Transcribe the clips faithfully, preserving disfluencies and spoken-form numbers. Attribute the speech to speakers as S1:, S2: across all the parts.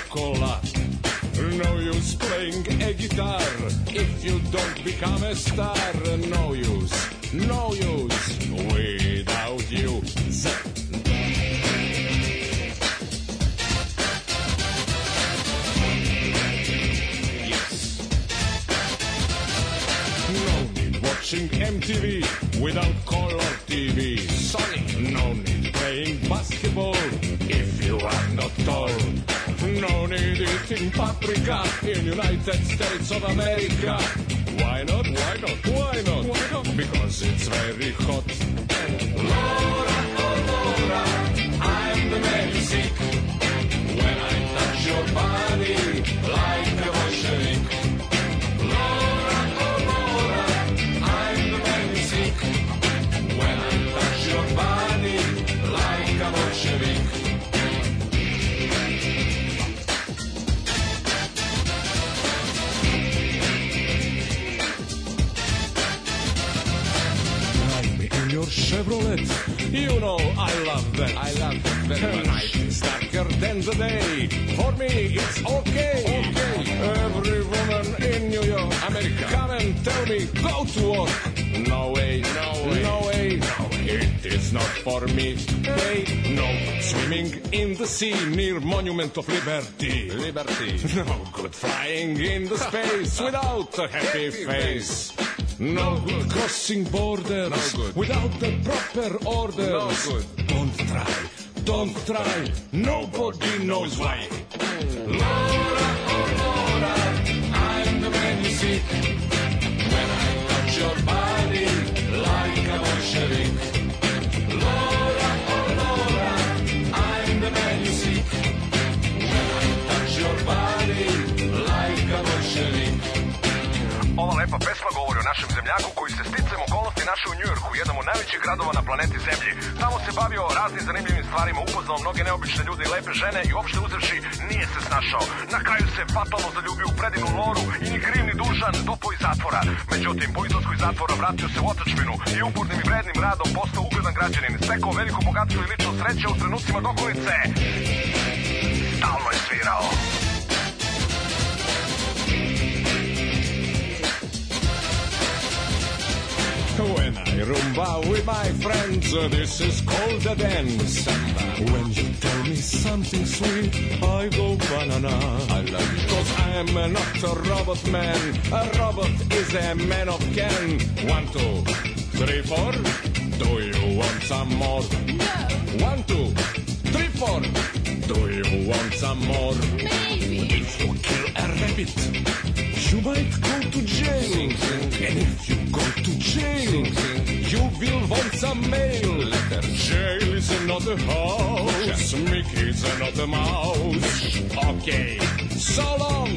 S1: Coca-Cola. No use playing a guitar if you don't become a star. No use, no use without you. Z- yes. No need watching M T V without color T V. Sony, no need playing basketball if you are not tall. No need eating paprika in United States of America. Why not? Why not? Why not? Why not? Because it's very hot. Laura, oh Laura, I'm the man you seek. When I touch your body like a Bolshevik. Laura, oh Laura, I'm the man you seek. When I touch your body like a Bolshevik. Your Chevrolet, you know I love that. I love that very much. Night is darker than the day. For me, it's okay. Okay. Every woman in New York, America, come and tell me go to work. No way, no way, no way. No way. It is not for me. They no swimming in the sea near Monument of Liberty. Liberty. No good flying in the space without a happy face. No good crossing borders no good. Without the proper orders. No good. Don't try, don't try. Nobody knows why. Laura, oh Laura, I'm the man you seek. When I touch your body like a Bolshevik. Laura, oh Laura, I'm the man you seek. When I touch your body like a Bolshevik.
S2: Ova lepa pesma govori o našem zemljaku koji se sticajem okolnosti našao u Njujorku, jednom od najvećih gradova na planeti Zemlji. Tamo se bavio raznim zanimljivim stvarima, upoznao mnoge neobične ljude i lepe žene i uopšte uzevši nije se snašao. Na kraju se fatalno zaljubio u predivnu Loru i ni kriv ni dužan dopao iz zatvora. Međutim, po izlasku iz zatvora vratio se u otadžbinu i upornim i vrednim radom postao ugledan građanin. Stekao veliko bogatstvo i lično sreće u trenucima dokolice. Stalno je svirao.
S1: When I rumba with my friends, uh, this is called a dance. When you tell me something sweet, I go banana. I love you. Cause I'm uh, not a robot man. A robot is a man of can. One, two, three, four. Do you want some more?
S3: No.
S1: One, two, three, four. Do you want some more?
S3: Maybe.
S1: If you kill a rabbit, you might go to jail. Sing, sing. And if you go to jail, sing, sing. You will want some mail. Letter. Jail is not a house. Yes. Mickey is not a mouse. Okay, so long.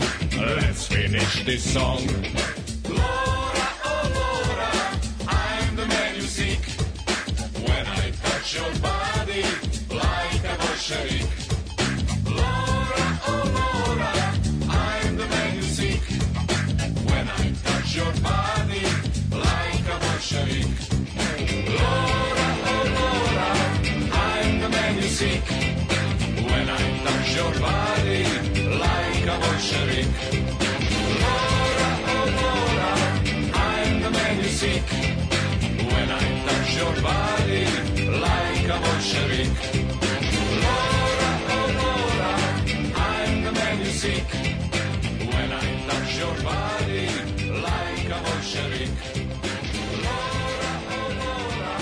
S1: Let's finish this song. Laura, oh Laura, I'm the man you seek. When I touch your body like a Bolshevik. Laura, oh Laura, I'm the man you seek. When I touch your body like a Bolshevik. Laura, oh Laura, I'm the man you seek. When I touch your body like a Bolshevik. Laura, oh Laura, I'm the man you seek. When I touch your body like a Bolshevik. Laura, oh Laura, I'm the man you seek. When I touch your body like a Bolshevik. Laura, oh Laura,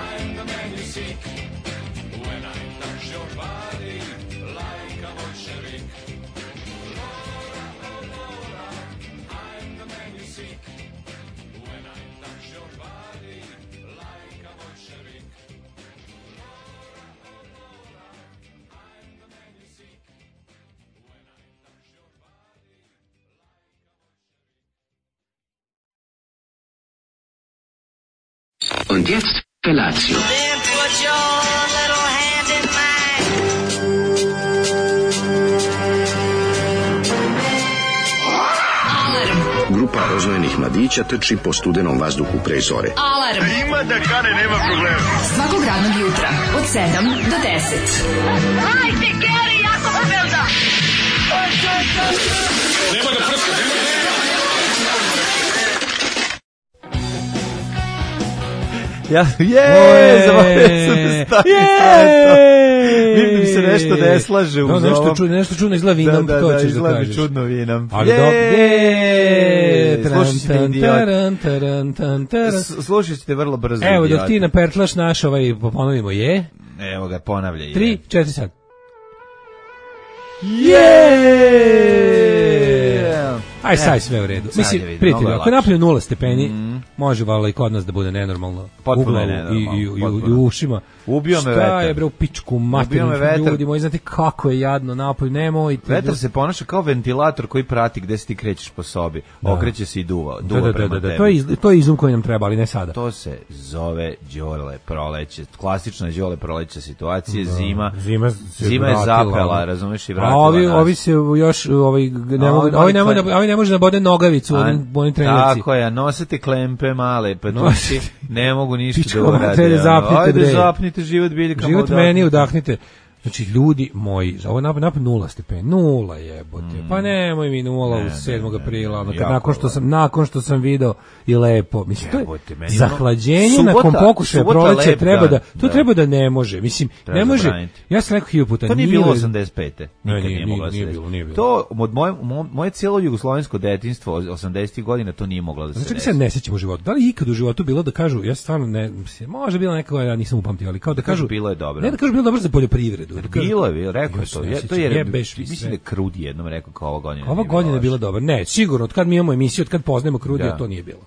S1: I'm the man you seek. When I touch your body like a Bolshevik. Laura, oh Laura, I'm the man you seek. When I touch your body like a Bolshevik. Laura, oh Laura, I'm the man you seek. When I touch your body like a Bolshevik.
S4: Und jetzt Felatio.
S5: Then put your little hand in mine.
S4: Grupa rozvojenih mladića trči po studenom vazduhu pre zore.
S6: Alarm.
S2: Ima da kane, nema problema.
S6: Svakog radnog jutra od sedam do deset.
S5: Hajde, Geri, jako se velda.
S6: Ja, je, zaboravio sam da stavim sve to. Mi se nešto ne slaže uz
S7: no, nešto
S6: ovom.
S7: Čudno, nešto čudno izgleda vinom,
S6: da, da,
S7: to
S6: da,
S7: ćeš da
S6: izgleda
S7: kažeš.
S6: čudno vinom.
S7: Ali
S6: je,
S7: je,
S6: slušat ćete
S7: idiot.
S6: Slušat ćete vrlo brzo.
S7: Evo, dok ti napertlaš naš ovaj, ponovimo, je.
S6: Evo ga, ponavljaj.
S7: Tri, četiri sad.
S6: Yeah!
S7: Aj, sad sve u redu. Mislim, prijatelji, ako je napolju nula stepeni, mm. može valjda i kod nas da bude nenormalno.
S6: Potpuno
S7: u glavu
S6: nenormalno.
S7: I, i, i, i u ušima.
S6: Ubio me vetar.
S7: Šta je, bre, u pičku materinu, ljudi moji, znate kako je jadno napolju, nemojte.
S6: Vetar se ponaša kao ventilator koji prati gde se ti krećeš po sobi. Da. Okreće se i duva, duva
S7: da, da,
S6: prema
S7: da, da,
S6: tebi.
S7: To je, iz, to je izum koji nam treba, ali ne sada.
S6: To se zove đole proleće. Klasična đole proleće situacije,
S7: da.
S6: zima.
S7: Zima,
S6: zima je zapela, razumeš, i vratila.
S7: A ovi,
S6: nas.
S7: ovi se još, ovaj, ne mogu,
S6: ovi,
S7: ovi, ne mogu, ovi ne može da bode nogavicu u onim trenirci.
S6: Tako je, nosite klempe male, pa tuci, ne mogu ništa da
S7: urade.
S6: Ajde, zapnite život biljkama.
S7: Život meni udahnite. Znači, ljudi moji, za ovo napad, napad nula stepen, nula jebote. Mm. Pa nemoj mi nula ne, u sedmog aprila, ono, kad, nakon, što sam, nakon što sam video i lepo. Mislim, jebote, to je zahlađenje subota, nakon pokušaja proleća treba da, to da. treba da ne može. Mislim, treba ne može, zabraniti. Ja sam rekao hiljadu puta.
S6: To nije bilo osamdeset pete. Nikad
S7: nije,
S6: nije mogla
S7: nije, nije bilo, nije bilo.
S6: To, od moje, moje cijelo jugoslovensko detinjstvo, osamdesetih godina, to nije moglo da se
S7: znači,
S6: desi.
S7: Znači, se ne sećam u životu. Da li ikad u životu bilo da kažu, ja stvarno ne, može bilo nekako, ja nisam upamtio, ali kao da kažu,
S6: bilo je dobro.
S7: Ne da kažu bilo dobro za poljoprivredu.
S6: Bilo je, rekao je to. Je, to je, mislim da je Krudi jednom rekao kao ova godina.
S7: Ova godina je bila dobra. Ne, sigurno, od kad mi imamo emisiju, od kad poznajemo Krudija, da. To nije bilo.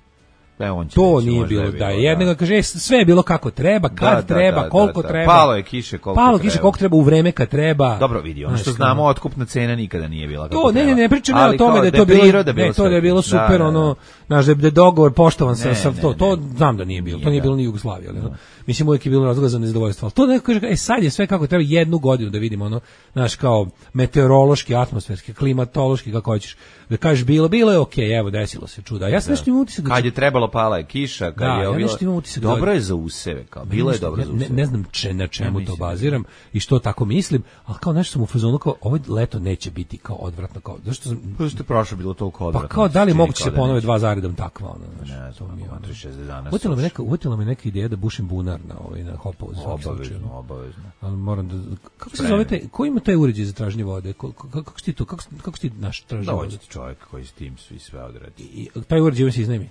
S6: Da, on će
S7: to
S6: reći,
S7: nije bilo,
S6: da,
S7: je da je jednego da. Kaže, sve je bilo kako treba, kad
S6: da,
S7: treba,
S6: da,
S7: koliko
S6: da, da.
S7: treba.
S6: Palo je kiše koliko
S7: Palo
S6: treba.
S7: kiše koliko treba u vreme kad treba.
S6: Dobro, vidi, ono što znamo, otkupna cena nikada nije bila kako
S7: to,
S6: treba.
S7: Ne, ne, ne pričam ja o tome da je to bilo, ne, to da je bilo super, ono, znaš, da je dogovor poštovan sa, sa to, to znam da nije bilo, to nije bilo ni Jugoslavija, ali mislim uvijek je bilo razloga za nezadovoljstvo. Ali to neko kaže, e sad je sve kako treba, jednu godinu da vidimo, ono, znaš, kao meteorološki, atmosferski, klimatološki, kako hoćeš. Da kažeš bilo, bilo je okej, okay, evo desilo se čuda. Ja sam nešto imam utisak.
S6: Kad je trebalo pala je kiša, kad
S7: da,
S6: je
S7: ja
S6: bilo.
S7: Nešto imam utisak.
S6: Dobro je za useve, kao bilo je dobro
S7: ja,
S6: za useve.
S7: Ne, ne znam če, na čemu ja to baziram i što tako mislim, al kao nešto sam u fazonu kao ovo leto neće biti kao odvratno kao. Zašto sam
S6: pa što je prošlo bilo toliko odvratno.
S7: Pa kao da li moguće se ponove dva zaredom takva ono,
S6: znači. Ne, to mi je tri šezdeset dana.
S7: Uvjetila me neka, uvjetila me neka ideja da bušim bunar na ovaj na Hopovu.
S6: Obavezno, obavezno.
S7: Ali moram da kako se zovete, ko ima taj uređaj za traženje vode? Kako ti to, kako kako ti naš traži vode?
S6: Dođe čovjek koji s tim svi sve odradi.
S7: I taj uređaj se iznajmi.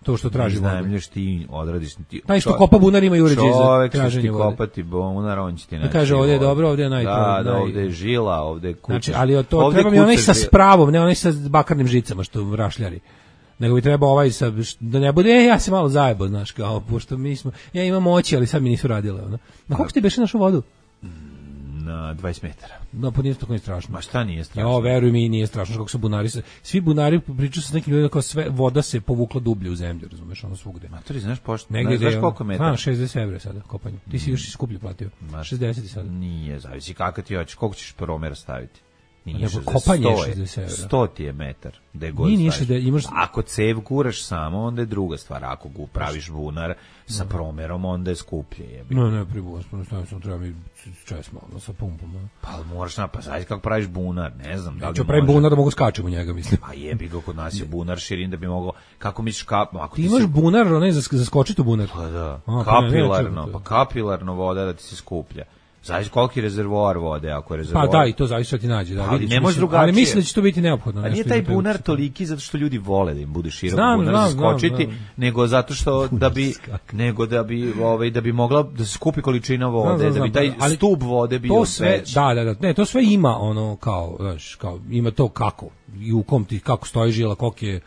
S7: To što traži vodu.
S6: Iznajmlješ ti, odradiš ti.
S7: Taj što kopa bunar ima i uređaj za traženje vode.
S6: Čovjek će ti kopati bunar, on će ti naći.
S7: Da kaže, ovdje je dobro, ovdje je naj...
S6: Da, da, ovdje je žila, ovdje je kuća.
S7: Znači, ali to treba mi onaj sa spravom, ne onaj sa bakarnim žicama što rašljari. Nego bi trebao ovaj sa, da ne bude, e, ja se malo zajebo, znaš, kao, pošto mi smo, ja imam oči, ali sad mi nisu radile, ono. Na koliko ti beše našu vodu?
S6: Na dvadeset metara.
S7: No, pa nije to nije strašno.
S6: Ma šta nije strašno?
S7: Jo, veruj mi, nije strašno, kako su bunari se, svi bunari pričaju sa nekim ljudima kao sve, voda se povukla dublje u zemlju, razumeš, ono svugde.
S6: Matori, znaš pošto,
S7: negdje
S6: znaš koliko metara?
S7: A, šezdeset evra sada, kopanje. Ti si još i skuplje platio. Ma, šezdeset sada.
S6: Nije, zavisi kakav ti hoćeš, koliko ćeš promera staviti.
S7: Nije kopanje je šezdeset evra.
S6: sto ti je metar. Gde god
S7: nije, nije da imaš...
S6: Ako cev guraš samo, onda je druga stvar. Ako gu praviš bunar sa promerom, onda je skuplje. Jebi.
S7: No, ne, pribuvaš, jednostavno sam treba mi čest malo sa pumpom. Ne?
S6: Pa moraš na, pa znaš kako praviš bunar, ne znam. Da li
S7: ću pravim bunar da mogu skačem u njega, mislim.
S6: Pa jebi ga, kod nas je bunar širin da bi mogao, kako misliš kap... Ako
S7: ti, ti imaš se... bunar, onaj za, za skočiti u bunar?
S6: Pa da, A, kapilarno, pa kapilarno voda da ti se skuplja. Zavisi koliki rezervoar vode, ako je rezervoar.
S7: Pa da, i to zavisi što ti nađe, da,
S6: ali
S7: vidiš,
S6: ne može drugačije.
S7: Ali mislim da će to biti neophodno.
S6: A nije taj bunar toliki zato što ljudi vole da im bude širok
S7: znam,
S6: bunar
S7: znam,
S6: za skočiti,
S7: znam, znam.
S6: nego zato što da bi nego da bi ovaj da bi mogla da se skupi količina vode, znam, znam, da bi taj ali stup vode bio
S7: to sve,
S6: veći.
S7: Da, da, da, ne, to sve ima ono kao, znaš, kao ima to kako i u kom ti kako stoji žila, koliko je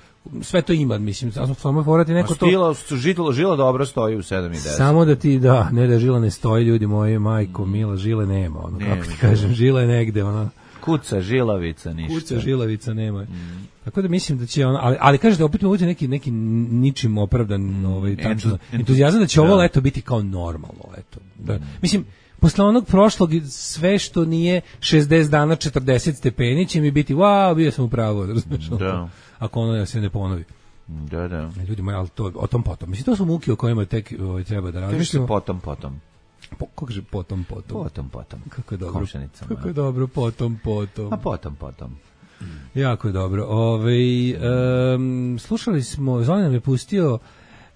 S7: sve to ima, mislim, samo morati neko to...
S6: Stila, žila, žila dobro stoji u sedam i deset.
S7: Samo da ti, da, ne da žila ne stoji, ljudi moji, majko, mila, žile nema, ono, nema, kako ti kažem, žila je negde, ono...
S6: Kuca, žilavica, ništa.
S7: Kuca, žilavica nema. Mm. Tako da mislim da će ono, ali, ali kažete, opet mi neki, neki ničim opravdan ovaj, tačno, entuzijazam da će ovo leto biti kao normalno leto. Da, mm. Mislim, posle onog prošlog sve što nije šezdeset dana četrdeset stepeni će mi biti, wow, bio sam u pravu, razumiješ?
S6: Da.
S7: Ako ono se ne ponovi.
S6: Da, da.
S7: Ljudi moji, ali to, o tom potom. Mislim, to su muke o kojima tek ovaj, treba da razmišljamo.
S6: Potom, potom.
S7: Po, kako kaže potom, potom?
S6: Potom, potom.
S7: Kako je dobro. Kako je dobro, potom, potom.
S6: A potom, potom.
S7: Mm. Jako je dobro. Ove, um, slušali smo, Zoran nam je pustio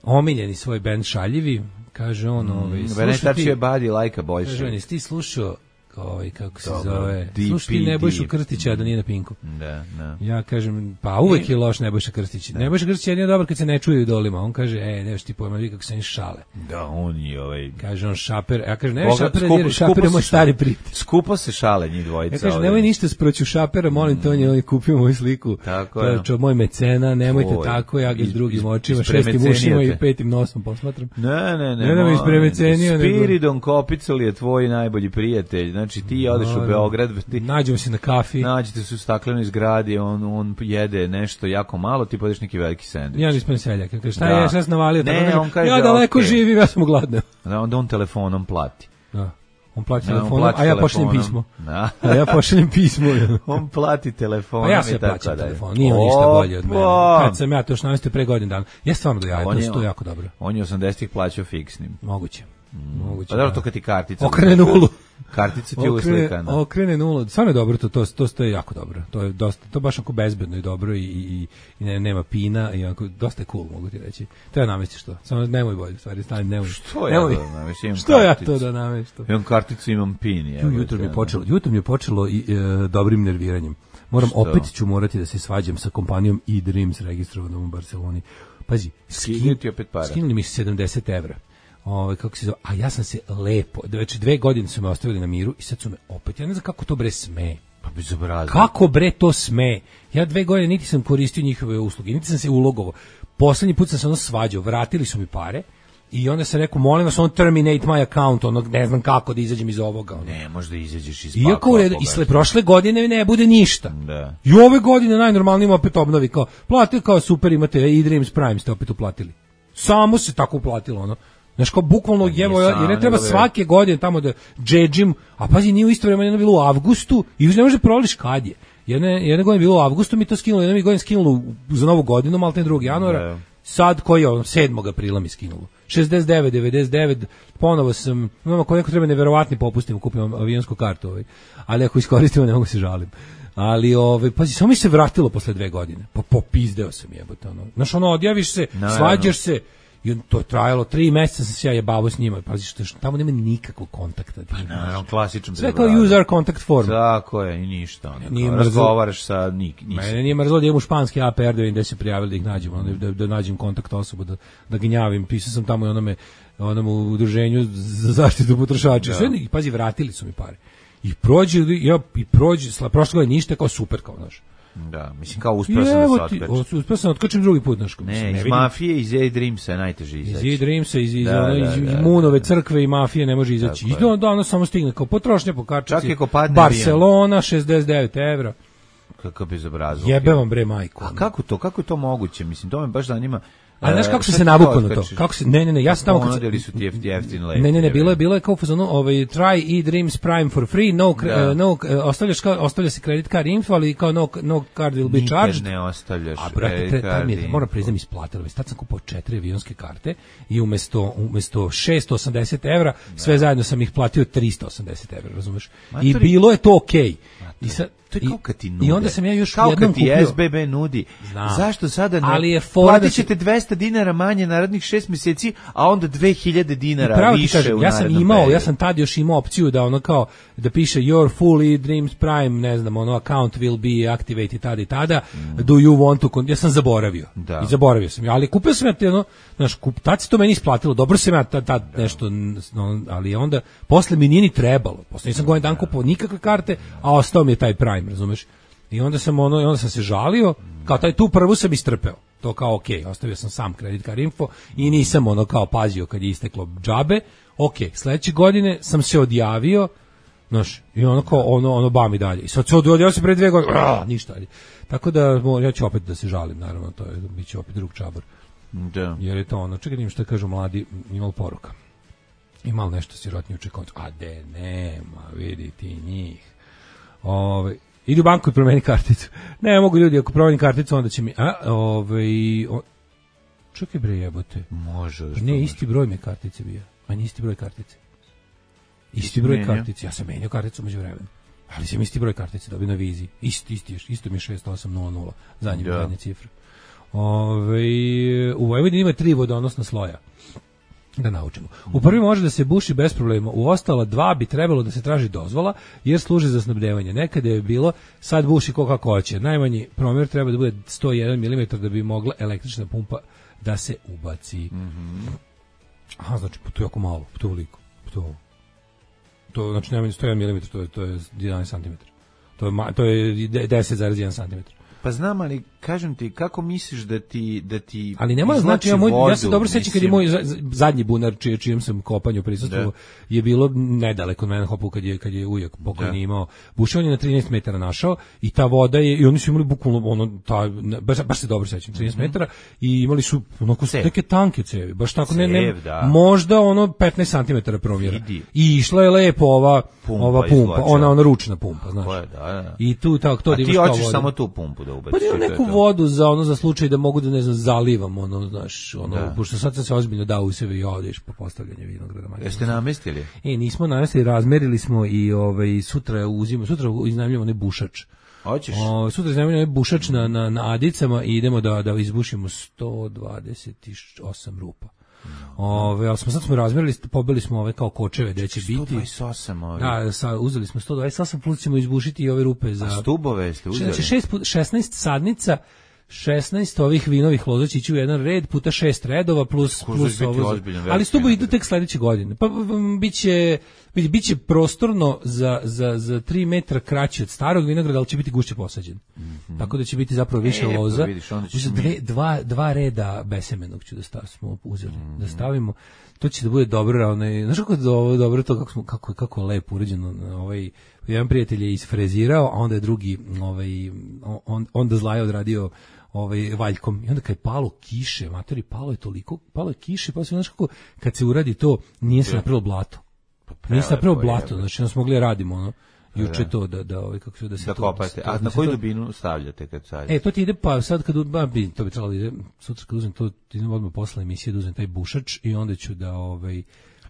S7: omiljeni svoj bend Šaljivi, Kaže on, ovaj,
S6: mm, Venetačije badi lajka Bojše.
S7: Kaže on, jesi ti slušao ovaj kako se Dobro, zove. Slušaj Nebojšu Krstića da nije na Pinku.
S6: Da, da.
S7: Ja kažem, pa uvek je loš Nebojša Krstić. Da. Nebojša Krstić je jedino dobar kad se ne čuje u dolima. On kaže, ej, nemaš ti pojma, vi kako se oni šale.
S6: Da, on je ovaj.
S7: Kaže on Šaper, ja kažem, ne Šaper, jer Šaper je moj stari prijatelj.
S6: Skupo se šale njih dvojica.
S7: Ja kažem, nemoj ništa sproću Šapera, molim te, on je on je kupio moju sliku.
S6: Tako
S7: je. To je moj mecena, nemojte Tvoj. tako, ja ga s drugim očima, šestim ušima i petim nosom posmatram.
S6: Ne, ne, ne.
S7: Ne da me ispremecenio.
S6: Spiridon Kopicel je tvoj najbolji prijatelj. Znači ti odeš u Beograd, ti
S7: nađemo se na kafi.
S6: Nađete se u staklenoj zgradi, on on jede nešto jako malo, ti podeš neki veliki sendvič.
S7: Ja nisam seljak, kaže šta da. je, šta sam navalio,
S6: ne,
S7: tako
S6: on kaže,
S7: ja daleko okay. živim, ja sam gladan.
S6: Da, onda on telefonom plati.
S7: Da. On plati da, telefonom, on plati a ja pošaljem pismo. Da. A ja pošaljem pismo.
S6: On plati telefonom.
S7: A ja se plaćam telefon, nije on ništa bolje od mene. Kad sam ja to još navestio pre godinu dana. Ja stvarno da ja, to, to je jako dobro.
S6: On je osamdesetih plaćao fiksnim.
S7: Moguće.
S6: Mm. Moguće. Pa dobro, to kad ti kartica.
S7: Okrene nulu.
S6: Kartica ti je uslikana.
S7: Okrene nulu. Stvarno je dobro, to, to, to, to je jako dobro. To je dosta, to baš onako bezbedno i dobro i, i, i ne, nema pina i onako, dosta je cool, mogu ti reći. Treba namestiš to. Samo nemoj bolje, stvari, stani, nemoj.
S6: Što nemoj. Ja da namestim?
S7: Što ja to da namestim?
S6: Imam karticu, imam pin. Je,
S7: jutro mi je počelo, jutro mi je počelo i, e, dobrim nerviranjem. Moram, Što? opet ću morati da se svađam sa kompanijom eDreams registrovanom u Barceloni. Pazi, skin, skinuli mi sedamdeset evra. Ovaj kako se zove, a ja sam se lepo, već dve godine su me ostavili na miru i sad su me opet, ja ne znam kako to bre sme.
S6: Pa bezobrazno.
S7: Kako bre to sme? Ja dve godine niti sam koristio njihove usluge, niti sam se ulogovao. Poslednji put sam se ono svađao, vratili su mi pare i onda sam rekao, molim vas, on terminate my account, ono, ne znam kako da izađem iz ovoga. Ono.
S6: Ne, možda izađeš iz
S7: Iako
S6: pakla.
S7: I sle prošle godine ne bude ništa.
S6: Da.
S7: I ove godine najnormalnije opet obnovi, kao, platite kao super, imate eDreams Prime, ste opet uplatili. Samo se tako uplatilo, ono. Znaš, kao bukvalno jevo, jer ne treba svake godine tamo da džedžim, a pazi, nije u isto vreme, jedno bilo u avgustu i ne može proliš kad je. Jedne, jedne godine bilo u avgustu, mi to skinulo, jedne godine skinulo za novu godinu, malo te drugog januara, ne. Sad koji je, sedmog aprila mi skinulo. šezdeset devet, devedeset devet, ponovo sam, imamo koji neko treba neverovatni popustim, kupim avionsku kartu, ovaj. Ali ako iskoristimo, ne mogu se žalim. Ali ovaj pazi, samo mi se vratilo posle dve godine. Pa popizdeo sam jebote ono. Znaš, ono odjaviš se, no, svađaš no. se. I to je trajalo tri meseca, sam se ja jebavao s njima. Pazi, što, što tamo nema nikakvog kontakta.
S6: Pa naravno, klasičan.
S7: Sve kao user contact form.
S6: Tako je, i ništa. Ono, razgovaraš sa nik, nisam.
S7: Mene nije mrzlo da imam u španski A P R da vidim gde se prijavili da ih nađem, ono, da, da nađem kontakt osobu, da, da gnjavim. Pisao sam tamo i onome, onome udruženju za zaštitu potrošača. Sve, i pazi, vratili su mi pare. I prođe, ja, i prođe, prošle godine ništa, kao super, kao naš.
S6: Da, mislim kao uspeo sam da se otkačim.
S7: Uspeo sam otkačim drugi put, znaš.
S6: Ne, ne, iz vidim. Mafije, iz eDreamsa je najteže izaći.
S7: Iz eDreamsa, iz, iz, da, ono, da, iz da, Munove crkve i mafije ne može izaći. I da, da, ono samo stigne kao potrošnja po kartici. Barcelona, šezdeset devet evra.
S6: Kakav bezobrazluk.
S7: Jebe vam bre majku.
S6: A kako to, kako je to moguće? Mislim, to me baš zanima.
S7: A znaš kako se se navukao na to? Kako se ne ne ne ja sam tamo
S6: kad su ti jeftine lete.
S7: Ne ne ne bilo je bilo je kao fazonu ovaj try eDreams Prime for free, no uh, no uh, ostavljaš kao ostavlja se credit card info, ali kao no no card will be charged.
S6: Ne ostavljaš.
S7: A brate, taj mi je, moram priznam, isplatilo mi. Tad sam kupovao četiri avionske karte i umesto umesto šessto osamdeset evra sve zajedno sam ih platio trista osamdeset evra, razumeš? I bilo je to okej. I sad
S6: to je kao kad ti nude.
S7: I onda sam ja još
S6: kao
S7: jednom
S6: kupio.
S7: Kao
S6: S B B nudi. Znam. Zašto sada ne?
S7: Ali je
S6: platit ćete dvesta dinara manje narednih šest mjeseci, a onda dve hiljade dinara više kažem, u
S7: ja sam imao, periodu. Ja sam tad još imao opciju da ono kao, da piše your full eDreams Prime, ne znam, ono, account will be activated tada i tada, mm. do you want to, ja sam zaboravio. Da. I zaboravio sam, ali kupio sam ja te, ono, znaš, kup, tad se to meni isplatilo, dobro sam ja tad, tad nešto, no, ali onda, posle mi nije ni trebalo, posle nisam godin dan kupovao nikakve karte, a ostao mi je taj Prime, razumeš? I onda sam ono, onda sam se žalio, kao taj tu prvu sam istrpeo. To kao okej, okay, ostavio sam sam credit card info i nisam ono kao pazio kad je isteklo džabe. Okej, okay, sledeće godine sam se odjavio, znaš, i ono kao ono ono bam i dalje. I sad se odjavio se pre dve godine, a, ništa. Tako da ja ću opet da se žalim, naravno, to je biće opet drug čabar.
S6: Da.
S7: Jer je to ono, čekaj, nim šta kažu mladi, imal poruka. Imal nešto sirotnije u čekoncu. A de nema, vidi ti njih. Ove, idi u banku i promeni karticu. Ne mogu ljudi, ako promeni karticu, onda će mi... A, ovaj... O, čekaj bre jebote.
S6: Može.
S7: Ne, isti broj mi kartice bio. A nije isti broj kartice. Isti broj kartice. Ja sam menjao karticu među vremenu. Ali sam isti broj kartice dobio na viziji. Isti, isti, isto mi je šest osam nula nula. Zadnje, zadnje cifre. Ove, u Vojvodini ima tri vodonosna sloja. Da naučimo. U prvi može da se buši bez problema, u ostala dva bi trebalo da se traži dozvola, jer služi za snabdevanje. Nekada je bilo, sad buši ko kako hoće. Najmanji promjer treba da bude sto jedan milimetar da bi mogla električna pumpa da se ubaci. Mm-hmm. Aha, znači, to je jako malo, to je veliko. To, to, znači, najmanji sto jedan milimetar, to je, to je jedanaest centimetara. To je, to je deset zarez jedan centimetar.
S6: Pa znam, ali kažem ti, kako misliš da ti da ti
S7: ali ne mora znači ja moj vodu, ja se dobro sećam kad je moj zadnji bunar čiji čijem sam kopanju prisustvovao je bilo nedaleko od mene hopu kad je kad je ujak pokojni imao bušenje na trinaest metara našao i ta voda je i oni su imali bukvalno ono ta baš, baš se dobro sećam trinaest metara i imali su onako neke tanke cevi baš tako cev, ne, ne možda ono petnaest centimetara promjera i išla je lepo ova pumpa, ova pumpa ona ona ručna pumpa znaš
S6: da, da.
S7: I tu tako to
S6: da imaš ti hoćeš samo tu pumpu da ubaciš
S7: pa neku vodu za ono za slučaj da mogu da ne znam zalivam ono znaš ono da. Pošto sad se ozbiljno da u sebe i odeš po postavljanje vinograda.
S6: Jeste namestili?
S7: E nismo namestili, razmerili smo i ovaj sutra uzimamo sutra iznajmljujemo ne bušač.
S6: Hoćeš?
S7: O, sutra iznajmljujemo ne bušač na na na Adicama i idemo da da izbušimo sto dvadeset osam rupa. Ove, ali smo sad smo razmerili, pobili smo ove kao kočeve gde će biti.
S6: sto dvadeset osam ovi.
S7: Da, sa, uzeli smo sto dvadeset osam plus ćemo izbušiti i ove rupe za...
S6: A stubove ste uzeli?
S7: Znači šest, šesnaest sadnica, šesnaest ovih vinovih loza će ići u jedan red puta šest redova plus plus ovo. Ali stubovi idu tek sledeće godine. Pa biće biće prostorno za za za tri metra kraće od starog vinograda, ali će biti gušće posađen. Mm-hmm. Tako da će biti zapravo više e, loza. Vidiš, dve, dva dva reda besemenog ću da stavimo uzeli. Mm-hmm. Da stavimo to će da bude dobro, onaj, znaš kako je dobro, dobro to kako smo kako kako lepo uređeno, ovaj jedan prijatelj je isfrezirao, a onda je drugi ovaj on onda zlaje odradio ovaj valjkom i onda kad je palo kiše, materi palo je toliko, palo je kiše, pa se znaš kako kad se uradi to nije se napravilo blato. Nije se napravilo blato, znači nas mogli radimo ono juče to da da ovaj kako se da se
S6: da to kopate. A na koju dubinu stavljate kad sad?
S7: E to ti ide pa sad kad ba bi to bi trebalo ide sutra kad uzmem to idem odmah posle emisije da uzmem taj bušač i onda ću da ovaj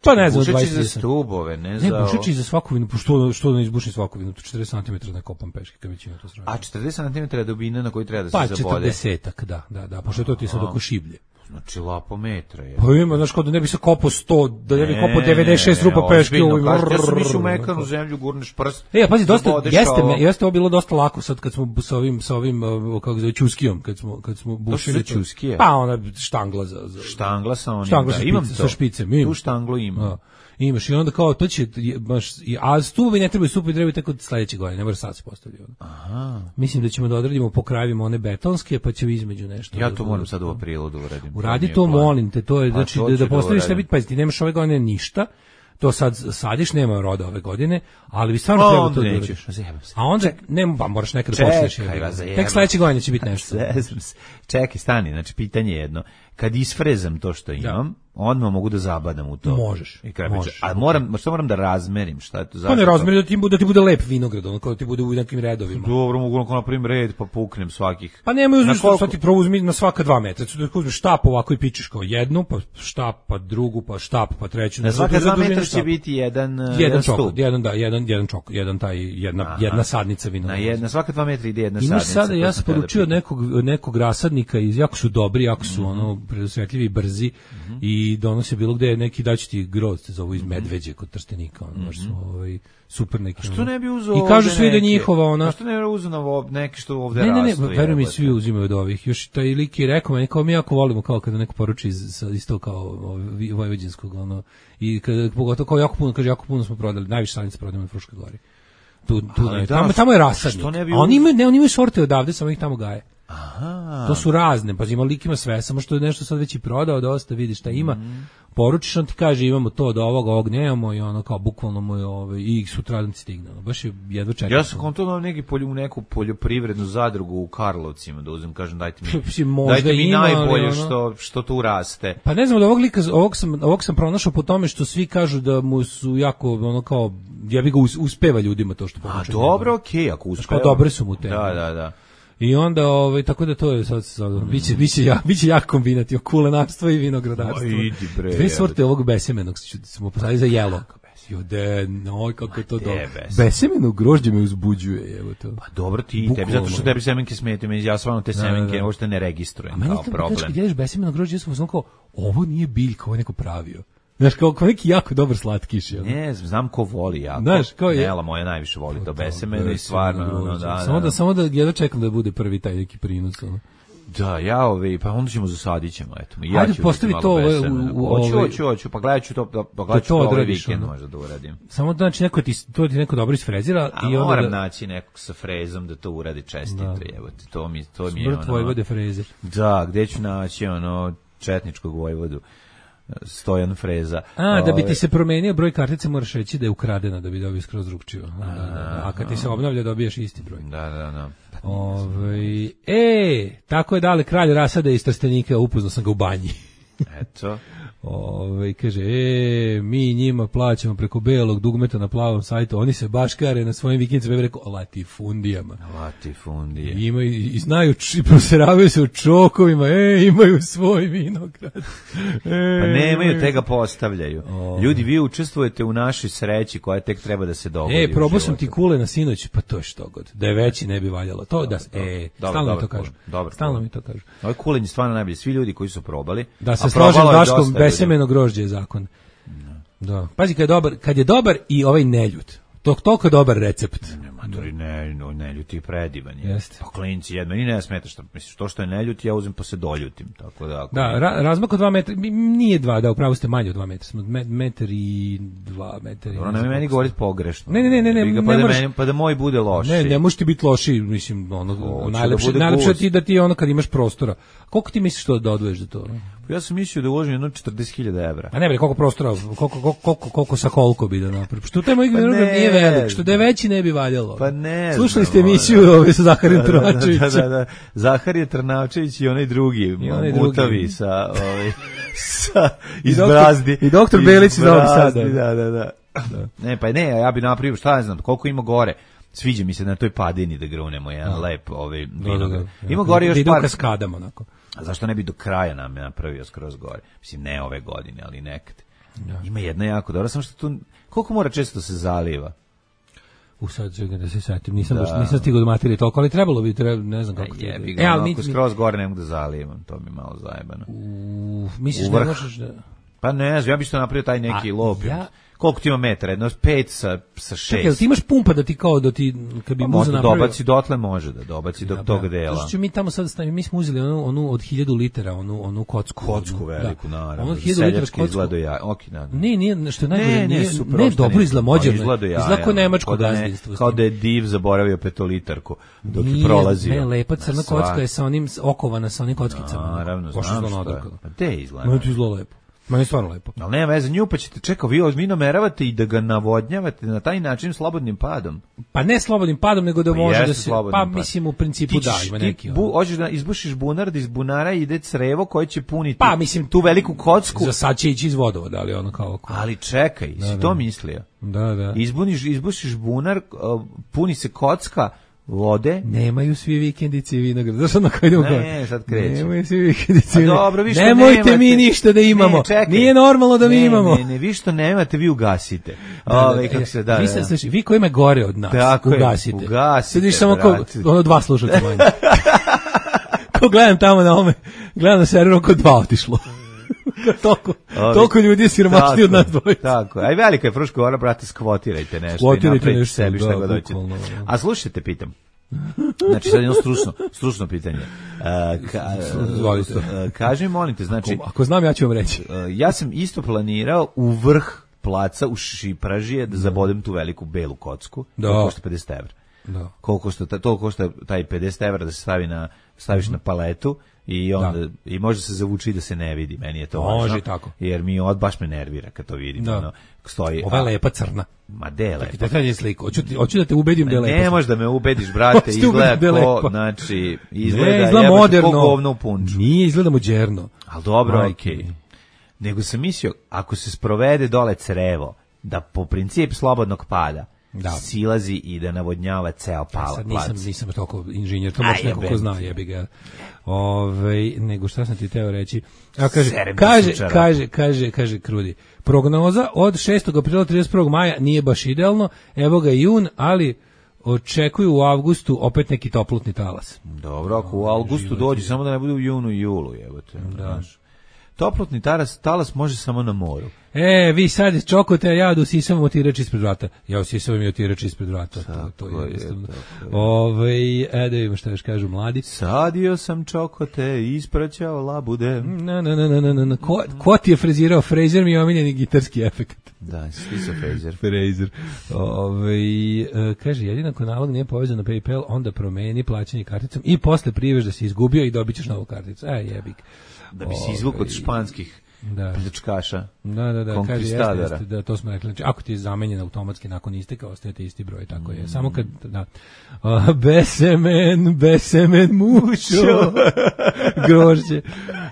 S7: pa ne znam
S6: bušači za stubove, ne za...
S7: Ne, bušači za svaku vinu, pošto što ne izbuši svaku vinu, četrdeset centimetara ne kopam peške, kad već ima to sranje.
S6: A četrdeset centimetara dubina na koju treba da se
S7: pa,
S6: zabode?
S7: Pa četrdesetak, da, da, da, pošto to ti je sad oko šiblje.
S6: Znači lapo metra je.
S7: Pa ima, znaš, kao da ne bi se kopao sto, da ne bi kopao devedeset šest rupa peške.
S6: Ja sam išao u mekanu zemlju, gurneš prst.
S7: E, pazi, dosta, jeste, me, jeste ovo bilo dosta lako sad kad smo sa ovim, sa ovim, kako zove, čuskijom, kad smo, kad smo bušili.
S6: To čuskije?
S7: Pa ona štangla za... za
S6: štangla sa onim,
S7: štangla
S6: da,
S7: sa
S6: imam
S7: špice,
S6: to.
S7: Sa špicem, imam.
S6: Tu štanglu imam.
S7: A. Imaš i onda kao to će baš a stubovi ne trebaju stubovi trebaju tako sledeće godine, ne mora sad se postaviti.
S6: Aha.
S7: Mislim da ćemo da odradimo po krajevima one betonske, pa će između nešto.
S6: Ja to moram sad u aprilu da uradim.
S7: Uradi to, molim te, to je znači da, da postaviš šta biti, pa ti nemaš ove godine ništa. To sad sadiš, nema roda ove godine, ali bi stvarno trebalo to da uradiš. A onda nema, pa moraš nekad da počneš. Tek sledeće godine će biti nešto.
S6: Čekaj, stani, znači pitanje je jedno. Kad isfrezam to što imam, odmah mogu da zabadam u to.
S7: Možeš.
S6: I možeš. A moram, što moram da razmerim, šta je to zašto?
S7: Pa ne razmeri da ti bude da ti bude lep vinograd, ono kao da ti bude u nekim redovima.
S6: Dobro, mogu na primer red pa puknem svakih.
S7: Pa nemoj uzmeš sad ti prouzmi na svaka dva metra. Da uzmeš štap ovako i pičeš kao jednu, pa štap, pa drugu, pa štap, pa treću.
S6: Na svaka dva metra će biti jedan
S7: jedan čok, jedan da, jedan jedan čok, jedan taj jedna jedna sadnica vinograda.
S6: Na jedna svaka dva metra ide jedna sadnica.
S7: Imaš sada ja sam poručio nekog nekog rasadnika iz jako su dobri, jako su ono predosvetljivi i brzi i donose bilo gde neki daći ti grozd za ovo iz Medveđe kod Trstenika, ono baš su ovaj super neki.
S6: Što ne bi uzeo?
S7: I kažu svi da njihova ona.
S6: Što ne bi uzeo na neki što ovde
S7: rastu? Ne, ne, ne, verujem mi svi uzimaju od ovih. Još taj lik je rekao meni kao mi jako volimo kao kada neko poruči iz isto kao vojvođanskog ono i kada pogotovo kao jako puno kaže jako puno smo prodali, najviše sadnica prodajemo na Fruškoj gori. Tu tu ne, tamo tamo je rasadnik. A oni imaju ne, oni imaju sorte odavde, samo ih tamo gaje.
S6: Aha.
S7: To su razne, pa ima lik ima sve, samo što je nešto sad već i prodao, dosta vidiš šta ima. Mm. Poručiš, on ti kaže imamo to do ovoga, ovog nemamo i ono kao bukvalno mu je ovaj i sutradan ti stigne. Baš je jedva čekam.
S6: Ja sam konto neki polju neku poljoprivrednu zadrugu u Karlovcima da uzmem, kažem dajte mi. Dajte mi ima, najbolje ono, što što tu raste.
S7: Pa ne znam, od ovog lika, ovog sam ovog sam pronašao po tome što svi kažu da mu su jako ono kao ja bih ga uspeva ljudima to što
S6: poručuje. A dobro, okej, okay, ako uspeva.
S7: Pa dobre su mu te.
S6: Da, da, da.
S7: I onda ovaj tako da to je sad sad mm. biće biće ja biće jak kombinat o kulenarstvo i vinogradarstvo.
S6: Bre,
S7: dve sorte ovog besemenog smo posadili za jelo. Jode, no kako to dobro. Besemeno grožđe me uzbuđuje, evo to.
S6: Pa dobro ti, bukvalno. Tebi zato što tebi semenke smetaju, meni ja stvarno te semenke da, da. uopšte ne registrujem kao problem. A meni
S7: kad jedeš besemeno grožđe, ja sam kao ovo nije biljka, ovo je neko pravio. Znaš, kao, kao neki jako dobar slatkiš. Ja.
S6: Ne, znam ko voli jako.
S7: Znaš, kao je...
S6: Nela moja najviše voli to besemeno i stvarno, no, da,
S7: samo da,
S6: da,
S7: samo da jedno čekam da bude prvi taj neki prinos, ono.
S6: Da, ja ove, pa onda ćemo zasadit ćemo, eto. Ja
S7: Ajde, postavi to ove,
S6: u, u, hoću, hoću, hoću, pa gledat ću to, pa gledat ću to, to ovaj vikend možda da uradim.
S7: Samo da znači neko ti, to ti neko dobro isfrezira.
S6: A i onda moram da... naći nekog sa frezom da to uradi čestito, jebote, to mi, to mi je ono...
S7: Smrt Vojvode freze.
S6: Da, gde ću naći ono četničkog Vojvodu? Stojan Freza.
S7: A, da bi ti se promenio broj kartice moraš reći da je ukradena da bi dobio skroz drugčiju. Da, da, da. A kad ti se obnavlja dobijaš isti broj.
S6: Da, da, da.
S7: Ove, e, tako je dale kralj rasada iz Trstenika, upoznao sam ga u banji.
S6: Eto.
S7: Ove, kaže, e, mi njima plaćamo preko belog dugmeta na plavom sajtu, oni se baškare na svojim vikendicama, ja bih rekao, latifundijama.
S6: Latifundije.
S7: I imaju, i znaju, i proseravaju se u čokovima, e, imaju svoj vinograd. E,
S6: pa nemaju, te ga postavljaju. O. Ljudi, vi učestvujete u našoj sreći koja tek treba da se dogodi.
S7: E, probao sam ti kule na sinoć, pa to je što god. Da je veći ne bi valjalo. To da, e, stalno mi to kažu. Stalno mi to kažu.
S6: Ovo kulenje stvarno najbolje. Svi ljudi koji su probali.
S7: Da se složim Daškom, besemeno grožđe je zakon. Da. Pazi, kad je dobar, kad je dobar i ovaj neljut. To toliko dobar recept.
S6: Ne, matori, ne, no, neljut je predivan. Je.
S7: Jeste.
S6: Pa klinci, jedno, meni ne smeta što, misliš, to što je neljut, ja uzim pa se doljutim. Tako da, ako
S7: da, ra, razmak od dva metra, nije dva, da, upravo ste manje od dva metra, smo metar i dva metra.
S6: Dobro, ne meni govoriti pogrešno.
S7: Ne, ne, ne, ne, ne,
S6: ne,
S7: pa,
S6: ne
S7: da
S6: meni, pa da moj bude loši.
S7: Ne, ne možeš ti biti loši, mislim, ono, najlepše, da najlepše ti da ti ono kad imaš prostora. Koliko ti misliš to da odvoješ za to?
S6: Ja sam mislio da uložim jedno četrdeset hiljada evra.
S7: A ne bre, koliko prostora, koliko, koliko, koliko, koliko sa koliko bi da napravi. Što taj moj vinograd pa nije velik, što da je veći ne bi valjalo.
S6: Pa ne.
S7: Slušali ste emisiju ove sa Zaharijem Trnavčevićem.
S6: Da, da, da. Zahar je Trnavčević i onaj drugi, mutavi sa, ovaj, sa, iz Brazdi.
S7: I doktor Belić iz Novog Sada.
S6: Da, da, da. Ne, pa ne, ja bi napravio, šta ja znam, koliko ima gore. Sviđa mi se na toj padini da grunemo jedan lep ovaj vinograd. Ima gore još par
S7: kaskadama onako.
S6: A zašto ne bi do kraja nam napravio skroz gore? Mislim, ne ove godine, ali nekad. Ja. Ima jedna jako dobra, samo što tu... Koliko mora često se zaliva?
S7: U sad čekaj da se setim, nisam, da. baš, nisam stigao do materije toliko, ali trebalo bi, treba, ne znam kako...
S6: Je, bi ga, e, ali mi, skroz gore ne mogu da zalivam, to mi malo zajebano.
S7: U, misliš da možeš da...
S6: Pa ne znam, ja bi što napravio taj neki lop. Ja... Koliko ti ima metara? Jedno pet sa, sa šest.
S7: Čekaj, ti imaš pumpa da ti kao da ti, kad bi
S6: pa
S7: muza napravio...
S6: dobaci dotle može da dobaci do ja, tog dela.
S7: Zato što mi tamo sad stavimo, mi smo uzeli onu, onu od hiljadu litera, onu, onu kocku.
S6: Kocku veliku,
S7: da.
S6: naravno.
S7: Onu od hiljadu litera kocku.
S6: Izgleda ja, ok, da.
S7: Ne, nije, što je najbolje, ne, nije, super, ne, dobro izgleda, mođerno.
S6: Izgleda ja.
S7: Izgleda kao nemačko gazdinstvo.
S6: Kao da je div zaboravio petolitarku dok je prolazio.
S7: Ne, lepa crna kocka je sa onim, okovana sa onim kockicama.
S6: Naravno, znam što je. Pa te izgleda.
S7: No, to izgleda lepo. Ma je stvarno lepo.
S6: Ali nema veze, nju pa ćete, čekao, vi ozbiljno meravate i da ga navodnjavate na taj način slobodnim padom.
S7: Pa ne slobodnim padom, nego da
S6: pa
S7: može da se, pa
S6: pad.
S7: mislim u principu da, ima neki.
S6: Bu, hoćeš da izbušiš bunar, da iz bunara ide crevo koje će puniti
S7: pa, mislim,
S6: tu veliku kocku.
S7: Za sad će ići iz vodovoda, ali ono kao... kao.
S6: Ali čekaj, da, si da. to mislio?
S7: Da, da.
S6: Izbuniš, izbušiš bunar, puni se kocka, vode.
S7: Nemaju svi vikendice i vinograd. Zašto na kraju idemo?
S6: Ne, sad krećemo.
S7: Nemaju svi vikendice i
S6: vinograd. Dobro, vi što
S7: nemojte
S6: nemate.
S7: mi ništa da imamo. Ne, čekaj. Nije normalno da
S6: ne,
S7: mi imamo.
S6: Ne, ne, vi što nemate, vi ugasite.
S7: Da, da, Ove, kako se da, vi, se, sluši, vi koji ima gore od nas, tako ugasite.
S6: Je, ugasite.
S7: Sediš samo ko, ono dva slušalca manje. Ko gledam tamo na ome, gledam na serveru ko dva otišlo. toliko, toliko ljudi je siromašni od nas dvojica.
S6: Tako, aj velika je Fruška Gora, brate, skvotirajte nešto.
S7: Skvotirajte nešto,
S6: sebi šta god hoćete. A slušajte, pitam. Znači sad jedno stručno, stručno pitanje. Uh, ka, uh, kaži, molim te, znači...
S7: Ako, ako znam, ja ću vam reći.
S6: Uh, ja sam isto planirao u vrh placa u Šipražije da zabodem tu veliku belu kocku. Da. To košta pedeset evra.
S7: Da.
S6: Koliko košta, to košta taj pedeset evra da se stavi na, staviš mm-hmm. na paletu i onda da. I može se zavuči da se ne vidi. Meni je to
S7: može
S6: važno.
S7: Tako.
S6: Jer mi od baš me nervira kad to vidim. Da. Ono, stoji,
S7: ova je lepa crna.
S6: Ma de lepa.
S7: Da kažem sliku. Hoću ti, hoću da te ubedim da je lepa.
S6: Ne možeš da me ubediš, brate, izgleda ko, znači, izgleda,
S7: ne, izgleda moderno.
S6: Ko govno u punču.
S7: Nije, izgleda moderno.
S6: Al dobro, okej. Okay. Nego sam mislio, ako se sprovede dole crevo, da po princip slobodnog pada, da. Silazi i da navodnjava ceo palac.
S7: Sad nisam, nisam toliko inženjer, to baš neko ko zna, jebi ga. Ove, nego šta sam ti teo reći? A kaže, kaže, kaže, kaže, kaže Krudi. Prognoza od šestog aprila do trideset prvog maja nije baš idealno, evo ga jun, ali očekuju u avgustu opet neki toplotni talas.
S6: Dobro, ako u avgustu dođe, samo da ne bude u junu i julu, jebote. Da. Toplotni talas, talas može samo na moru.
S7: E, vi sad čokote, a ja da usisavam otirač ispred vrata. Ja usisavam i otirač ispred vrata. To, to je jednostavno. Ove, e, da vidimo šta još kažu mladi.
S6: Sadio sam čokote, ispraćao labude.
S7: Na, na, na, na, na, na. Ko, ko ti je frezirao? Fraser mi je omiljeni gitarski efekt.
S6: Da, svi su Fraser.
S7: Fraser. Ove, e, kaže, jedino ako nalog nije povezan na PayPal, onda promeni plaćanje karticom i posle prijeveš da si izgubio i dobit ćeš novu karticu. E, jebik.
S6: Da bi si izvuk od španskih
S7: da.
S6: pljačkaša.
S7: Da, da, da, kaže, jeste, jeste, da, to smo rekli. Znači, ako ti je zamenjen automatski nakon isteka, ostajete isti broj, tako je. Mm. Samo kad, da, uh, besemen, besemen mušo, grožđe.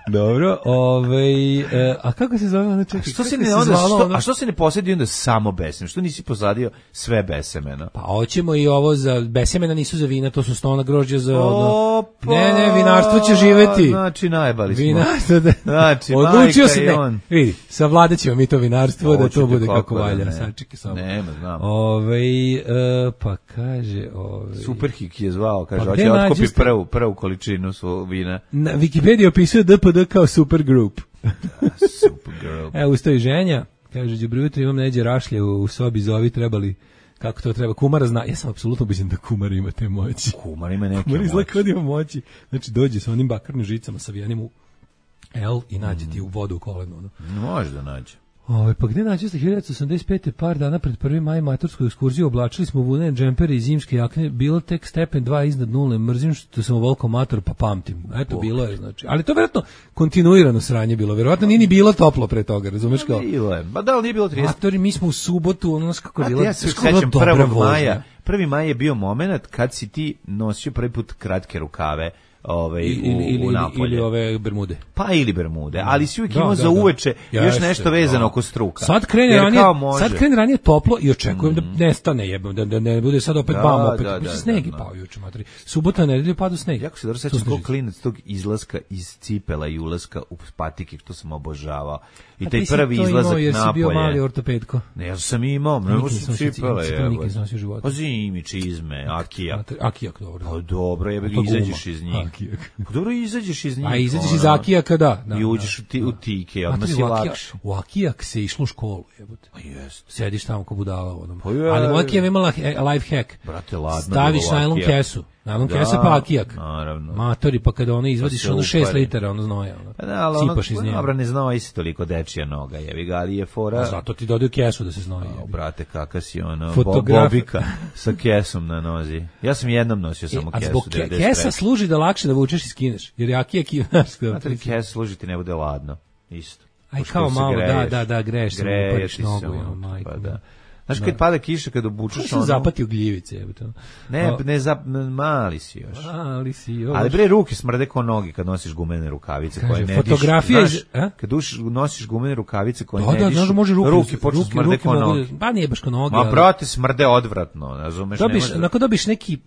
S7: Dobro, ovaj, uh, a kako se zove? Znači,
S6: što se ne, onda, što, ono? A što se ne posjedi onda samo besemen? Što nisi posadio sve besemena?
S7: Pa hoćemo i ovo za, besemena nisu za vina, to su stona grožđe za, ono, ne, ne, vinarstvo će živeti.
S6: Znači, najbali smo.
S7: Vinarstvo, da,
S6: znači,
S7: odlučio se, ne,
S6: on.
S7: vidi, savladat ćemo mi to vinarstvo, no, da to bude kako valja.
S6: Ne.
S7: Sačekaj samo.
S6: Nema, znam.
S7: Ove, uh, pa kaže... Ove,
S6: Superhik je zvao, kaže, pa hoće otkupi prvu, prvu količinu su vina.
S7: Na Wikipediji opisuje D P D kao supergroup.
S6: Da, supergroup.
S7: Evo, ustavi ženja, kaže, đubri jutro imam neđe rašlje u, u sobi, zovi, trebali... Kako to treba? Kumara zna. Ja sam apsolutno ubeđen da kumar ima te moći.
S6: Kumar ima neke
S7: kumar
S6: moći.
S7: Kumar izgleda ima moći. Znači, dođe sa onim bakarnim žicama, savijenim u L i nađe ti u vodu u kolenu. No.
S6: Može da nađe.
S7: Ove, pa gde nađe ste hiljadu osamdeset pete par dana pred prvi maj matursku ekskurziju, oblačili smo vunene džempere i zimske jakne, bilo tek stepen dva iznad nule, mrzim što sam ovoliko mator, pa pamtim. Eto, Bog. Bilo je, znači. Ali to vjerojatno kontinuirano sranje bilo, vjerojatno nije ni bilo toplo pre toga, razumeš kao?
S6: Bilo je, ba da li nije bilo trideset?
S7: Matori, mi smo u subotu, ono kako je bilo,
S6: ja se sećam prvog maja, prvi maj je bio moment kad si ti nosio prvi put kratke rukave, Ove,
S7: ili,
S6: u, u
S7: ili, ili ove bermude.
S6: Pa ili bermude, ali si uvijek da, imao da, za uveče da. Još nešto Jeste, vezano da. Oko struka.
S7: Sad krene, ranije, sad krene ranije toplo i očekujem mm. da nestane jebom, da, da ne bude sad opet da, bam, opet. Da, da, sneg je pao juče, materi. Subota, nedelju padu sneg.
S6: Jako se dobro sećam kog klinac tog izlaska iz cipela i ulaska u patike, što sam obožavao. I taj prvi izlazak napolje.
S7: Jer si bio mali ortopedko.
S6: Ne, ja sam imao, mnogo sam cipela.
S7: Nikad sam nosio života.
S6: Pa zimi, čizme, akijak.
S7: Akijak, dobro.
S6: Pa dobro, jebe ga, izađeš iz njih. Pa dobro, izađeš iz njih.
S7: A izađeš iz akijaka, da.
S6: I uđeš u tike, odmah si lakše.
S7: U akijak se išlo u školu, jebote.
S6: Pa jest.
S7: Sediš tamo ko budala. Ali moj akijak imala life hack.
S6: Brate, ladno.
S7: Staviš najlon kesu. Najlon kesa pa akijak.
S6: Naravno.
S7: Matori, pa kada ono izvadiš ono šest litara, ono znoja. Sipaš iz nje.
S6: Dobro, ne znoji se toliko dečija noga, jebi ga, ali je fora.
S7: A zato ti dodaju kesu da se znoji.
S6: O, brate, kaka si ono, bobika sa kesom na nozi. Ja sam jednom nosio samo kesu. A zbog
S7: kesa služi da lakše da vučeš i skineš, jer je akijak i...
S6: Znate, kes služi ti ne bude ladno, isto.
S7: Aj kao malo, da, da, da, greješ se, upariš nogu, majko.
S6: Pa da. Znaš, kad pada kiša, kad obučeš ono...
S7: zapatio gljivice, evo to.
S6: Ne, ne, zap, mali si još.
S7: Mali si još.
S6: Ali bre, ruke smrde ko nogi kad nosiš gumene rukavice.
S7: Kaže,
S6: koje ne
S7: fotografija
S6: diš,
S7: iz...
S6: Znaš, kad uš, nosiš gumene rukavice koje
S7: da,
S6: ne
S7: da,
S6: dišu,
S7: da, može ruke,
S6: ruke počnu
S7: ruke,
S6: smrde
S7: ruke
S6: ko nogi.
S7: Da, pa nije baš ko nogi.
S6: Ma, ali... brate, smrde odvratno, razumeš?
S7: Dobiš, onako dobiš neki...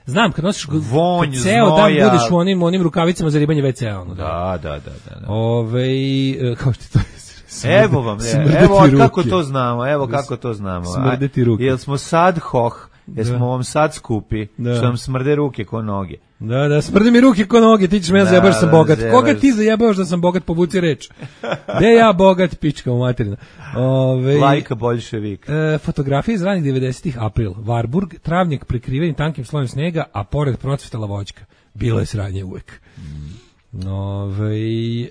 S7: Znam, kad nosiš
S6: vonj,
S7: kad ceo dan budeš u onim, onim rukavicama za ribanje ve ce a. Ono,
S6: da, da, da. da, da.
S7: Ove, kao što to je...
S6: Evo vam, evo kako to znamo, evo kako to znamo.
S7: Smrdeti ruke.
S6: Jel smo sad hoh, jesmo vam sad skupi, da. Što vam smrde ruke ko noge.
S7: Da, da, smrde mi ruke ko noge, ti ćeš me ja zajebaš da sam bogat. Zebaš. Koga ti zajebaš da sam bogat, povuci reč. Gde ja bogat, pička u materinu. Ove,
S6: Lajka boljševik.
S7: E, fotografije iz ranih devedesetih april. Varburg, travnjak prekriveni tankim slojem snega, a pored procvetala voćka. Bilo je sranje uvek. Mm. Ove, e,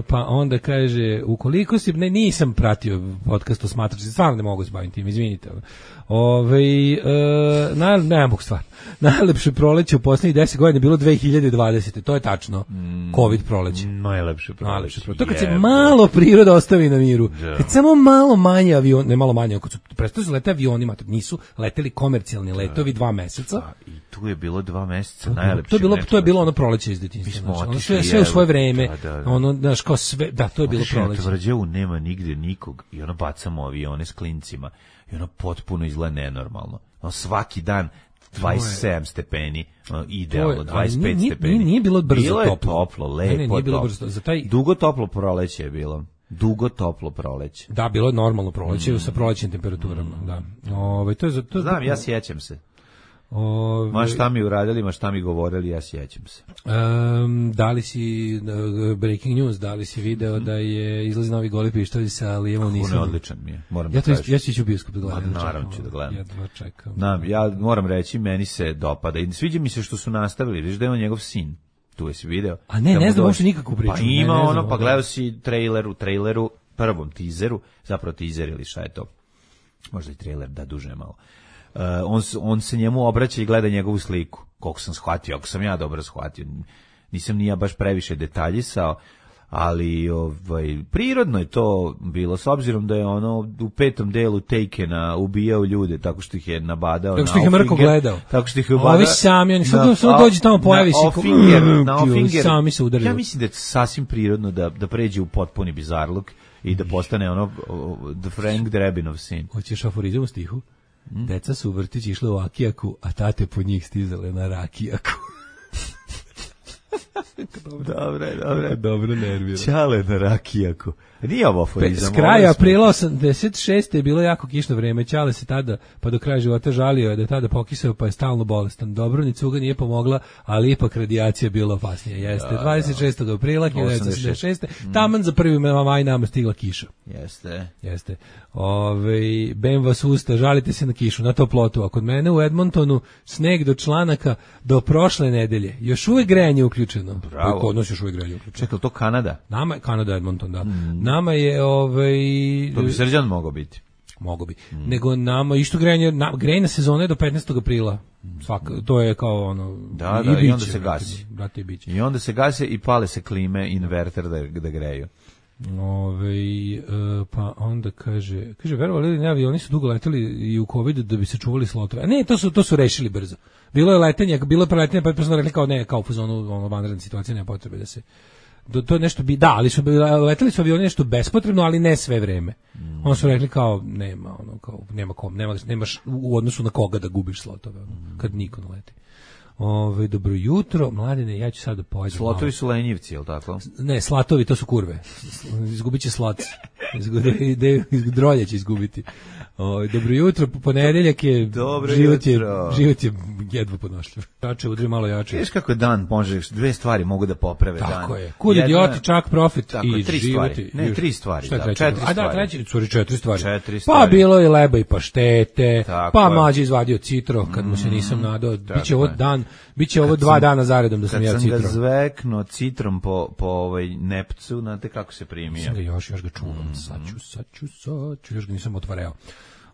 S7: pa onda kaže, ukoliko si, ne, nisam pratio podcast o smatrači, stvarno ne mogu se baviti tim, izvinite. Ove, e, na, ne mogu stvar. Najlepše proleće u poslednjih deset godina bilo dve hiljade dvadesete. To je tačno. Mm, Covid proleće.
S6: Najlepše proleće.
S7: Najlepše proleće. To kad se malo priroda ostavi na miru. Yeah. Kad samo malo manje avion, ne malo manje, kad su prestali su lete avionima, nisu leteli komercijalni letovi dva meseca.
S6: A, i tu je bilo dva meseca najlepše.
S7: To je bilo to je bilo ono proleće iz detinjstva. Znači, ono sve, sve u svoje vreme. Da, da, da. Ono, znaš, kao sve, da, to je bilo proleće.
S6: U Tvrđavu nema nigde nikog i ono bacamo avione s klincima i ono potpuno izgleda nenormalno. Ono svaki dan dvadeset sedam stepeni, idealno, dvadeset pet
S7: nije,
S6: stepeni.
S7: Nije bilo brzo
S6: bilo
S7: toplo.
S6: Bilo je toplo, lepo
S7: ne, nije bilo brzo. Za taj...
S6: Dugo toplo proleće je bilo. Dugo toplo proleće.
S7: Da, bilo je normalno proleće mm. sa prolećnim temperaturama, mm. da. Ove, to je, to je
S6: Znam, ja sjećam se.
S7: Ove,
S6: ma šta mi uradili, ma šta mi govorili, ja sjećam se.
S7: Um, da li si, uh, breaking news, da li si video mm. da je izlazi novi Goli pištolj sa Lijevom Nisanom?
S6: Kako ne, odličan mi je, moram
S7: ja
S6: da kažem.
S7: Ja ću ići u bioskop da gledam.
S6: Ma, naravno ću da gledam.
S7: Jedva čekam.
S6: Na, ja moram reći, meni se dopada i sviđa mi se što su nastavili, viš da je on njegov sin. Tu je si video.
S7: A ne, ne znam uopšte nikakvu priču.
S6: Pa ima
S7: ne, ne
S6: ono, pa gledao si traileru, traileru, prvom teaseru, zapravo teaser ili šta je to, možda i trailer, da duže malo. Uh, on, on se njemu obraća i gleda njegovu sliku, koliko sam shvatio, ako sam ja dobro shvatio. Nisam ni ja baš previše detaljisao, ali ovaj, prirodno je to bilo, s obzirom da je ono u petom delu Takena ubijao ljude tako što ih je nabadao.
S7: Tako što ih je mrko gledao.
S6: Tako što ih je ubadao.
S7: Ovi sami, oni sad dođe tamo, pojavi se.
S6: Na Ofinger, na Ofinger.
S7: Sami se udaraju.
S6: Ja mislim da je sasvim prirodno da, da pređe u potpuni bizarluk i da postane ono the Frank Drebinov sin.
S7: Hoćeš aforizam u stihu? Hmm? Deca su u vrtić išle u Akijaku, a tate po njih stizale na Rakijaku.
S6: Dobre, dobre.
S7: Dobro nervira.
S6: Čale na Rakijaku. Nije ovo aforizam.
S7: S kraja aprila osamdeset šeste je bilo jako kišno vreme. Čale se tada, pa do kraja života žalio je da je tada pokisao, pa je stalno bolestan. Dobro, ni cuga nije pomogla, ali ipak radijacija bila opasnija. Jeste,
S6: da,
S7: dvadeset šestog aprila hiljadu devetsto osamdeset šeste. Mm. Taman za prvi maj nama stigla kiša.
S6: Jeste.
S7: Jeste. Ove, bem vas usta, žalite se na kišu, na toplotu. A kod mene u Edmontonu sneg do članaka do prošle nedelje. Još uvek grejanje uključeno.
S6: Bravo.
S7: Kod nas još uvek grejanje uključeno.
S6: Čekaj, to Kanada?
S7: Nama, Kanada, Edmonton, da. Mm. Nama je, ovaj...
S6: To bi Srđan mogao biti.
S7: Mogo bi. Mm. Nego nama, isto grejanje, na, grejna sezona je do petnaestog aprila. Svak, to je kao ono...
S6: Da, da, i, biće, i onda se gasi.
S7: Brate, i biće.
S6: I onda se gase i pale se klime, inverter da, da greju.
S7: Ove, pa onda kaže, kaže, verovali li ne, avioni su dugo leteli i u covidu da bi se čuvali slotove. A ne, to su, to su rešili brzo. Bilo je letenje, bilo je preletanje, pa je personalno rekli kao ne, kao u fazonu, ono, vanredna situacija, nema potrebe da se... Do, to je nešto bi, da, ali su leteli su avioni nešto bespotrebno, ali ne sve vreme. Mm. Ono su rekli kao, nema, ono, kao, nema kom, nema, nemaš u odnosu na koga da gubiš slotove, ono, mm. kad niko ne leti. Ove, dobro jutro, mladine, ja ću sad da pojedem.
S6: Slotovi su lenjivci, je li tako?
S7: Ne, slatovi, to su kurve. Izgubit će slac. Drolje će izgubiti. O, dobro jutro, ponedeljak je,
S6: dobro
S7: život je,
S6: jutro.
S7: život je jedva podnošljiv. Jače, udri malo jače.
S6: Viš kako je dan, možeš, dve stvari mogu da poprave
S7: tako
S6: dan.
S7: Tako je. Kud idioti, čak profit
S6: tako,
S7: i
S6: tri
S7: život.
S6: Stvari. Ne, tri stvari.
S7: Šta je
S6: da,
S7: treći?
S6: četiri
S7: A
S6: stvari.
S7: da, treći, sorry, četiri stvari.
S6: Četiri stvari.
S7: Pa bilo je leba i paštete,
S6: tako
S7: pa
S6: je.
S7: mlađi izvadio citro, kad mu se nisam nadao. Biće ovo dan, biće ovo dva
S6: sam,
S7: dana zaredom da sam ja citro.
S6: Kad sam ga zveknuo citrom po, po ovaj nepcu, znate kako se primio.
S7: Sam ga još, još ga čuvam, sad ću, sad ću, sad ću, još ga nisam otvarao.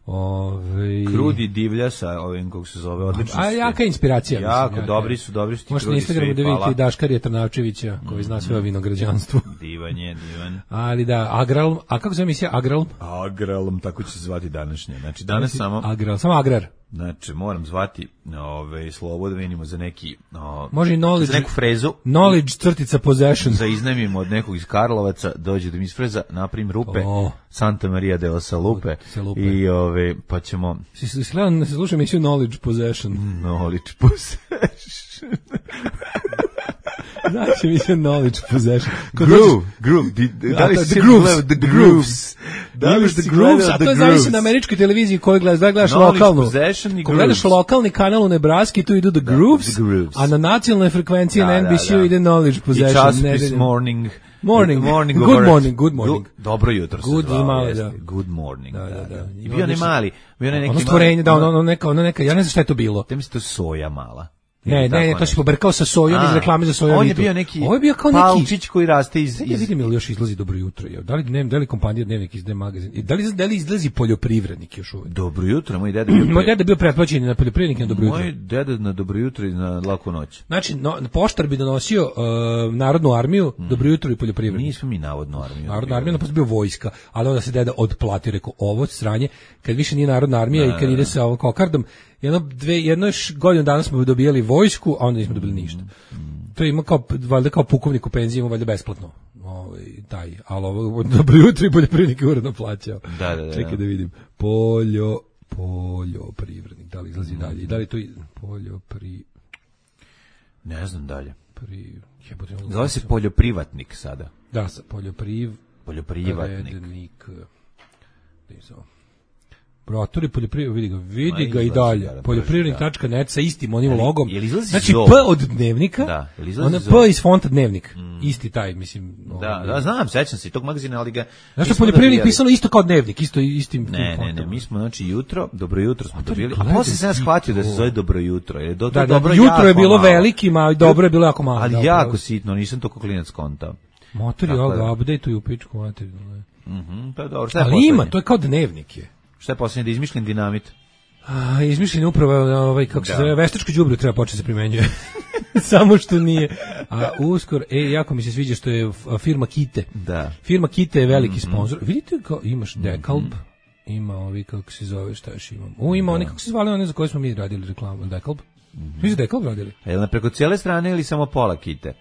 S7: Ove...
S6: Krudi divlja sa ovim kako se zove, odlično.
S7: A jaka inspiracija.
S6: Jako,
S7: mislim,
S6: dobri su, dobri su ti
S7: možete
S6: krudi.
S7: Možete na Instagramu da vidite i Daškarija Trnavčevića, koji zna sve o vinograđanstvu.
S6: Divan je, divan.
S7: Ali da, Agralm, a kako se zove emisija Agralm?
S6: Agralm, tako će se zvati današnje. Znači, danas znači, samo...
S7: Agralm, samo Agrar.
S6: Znači, moram zvati ove, slovo da vidimo za neki... O,
S7: može i knowledge,
S6: za neku frezu.
S7: Knowledge crtica possession.
S6: Da iznajmimo od nekog iz Karlovaca, dođe da mi isfreza, napravim rupe, oh. Santa Maria de Osalupe, i ove, pa ćemo...
S7: Si, si gledam, se slušam emisiju Knowledge Possession.
S6: Knowledge Possession.
S7: Znači mi se knowledge possession.
S6: Groove, groove, da li si gledao The Grooves?
S7: Da li si gledao The Grooves? A to zavisi na američkoj televiziji koju gledaš, da gledaš lokalnu. Ko gledaš lokalni kanal u Nebraski, tu idu The Grooves, a na nacionalnoj frekvenciji na N B C-u ide knowledge possession.
S6: I časopis Morning.
S7: Morning,
S6: morning
S7: good morning, good morning.
S6: Dobro jutro se
S7: good
S6: zvao,
S7: mali,
S6: jeste.
S7: Da.
S6: Good morning,
S7: da, da, da.
S6: I bio ne mali, bio ne neki
S7: ono stvorenje, da, ono, ono neka, ono neka, ja ne znam šta je to bilo.
S6: Te misli to soja mala.
S7: Ne, ne, ne, to si pobrkao sa sojom iz reklame za sojovitu.
S6: On je bio neki
S7: Ovo je bio kao
S6: palčić koji raste iz...
S7: iz... Ja vidim ili još izlazi Dobro jutro. Da li, dnevnik, da li kompanija Dnevnik iz D-magazin? Da li, da li izlazi poljoprivrednik još uvijek?
S6: Dobro jutro, moj deda bio...
S7: Moj deda bio pretplaćen na poljoprivrednik na Dobro jutro.
S6: Moj deda na Dobro jutro i na Laku noć.
S7: Znači, no, poštar bi donosio uh, Narodnu armiju, mm. Dobro jutro i poljoprivrednik.
S6: Nismo mi Narodnu armiju.
S7: Narodna armija, naprosto bio vojska, ali onda se deda odplatio, rekao, ovo sranje, kad više nije Narodna armija da, i kad ide sa ovom kokardom, jedno, dve, jedno još godinu dana smo dobijali vojsku, a onda nismo dobili ništa. To ima kao, valjda kao pukovnik u penziji, ima valjda besplatno. Ovaj, taj, ali ovo, Dobro jutro i poljoprivrednik je uredno plaćao.
S6: Da, da, da.
S7: Čekaj da vidim. Poljo, poljoprivrednik, da li izlazi mm. dalje? I da li to poljopri...
S6: Ne znam dalje.
S7: Pri...
S6: Zove se poljoprivatnik sada.
S7: Da, sa poljopriv...
S6: Poljoprivatnik.
S7: Rednik... Brotori poljoprivrednik, vidi ga, vidi ga i dalje. Poljoprivrednik tačka net sa istim onim logom. Znači
S6: zov?
S7: P od dnevnika,
S6: da,
S7: ona P iz fonta dnevnik. Mm. Isti taj, mislim.
S6: Da, ovaj, da, znam, sećam se tog magazina, ali ga...
S7: Znači poljoprivrednik da pisalo isto kao dnevnik, isto istim
S6: ne, ne, ne, mi smo, znači, jutro, dobro jutro smo dobili, a posle sam ja shvatio da se zove dobro jutro. Jer do,
S7: da,
S6: da, dobro
S7: jutro je bilo velikim, a dobro je bilo jako malo.
S6: Ali
S7: da,
S6: jako
S7: pravo.
S6: Sitno, nisam to kao klinac kontao.
S7: Motor je ovoga, update-uju pičku materiju.
S6: Mhm, pa dobro, šta je
S7: ali
S6: poslednje?
S7: ima, to je kao dnevnik je.
S6: Šta je posljednje, da izmišljen dinamit?
S7: A, izmišljen upravo, ovaj, kako da. se zove, veštačko đubre treba početi se primenjuje. Samo što nije. A uskoro, e, jako mi se sviđa što je firma Kite.
S6: Da.
S7: Firma Kite je veliki mm-hmm. sponsor. Vidite kao imaš Dekalb, mm-hmm. ima ovi, kako se zove, šta još imam. U, ima da. oni, kako se zvali, one za koje smo mi radili reklamu, Dekalb. Mm-hmm. Vi ste Dekalb radili?
S6: A je li preko cijele strane ili samo pola Kite?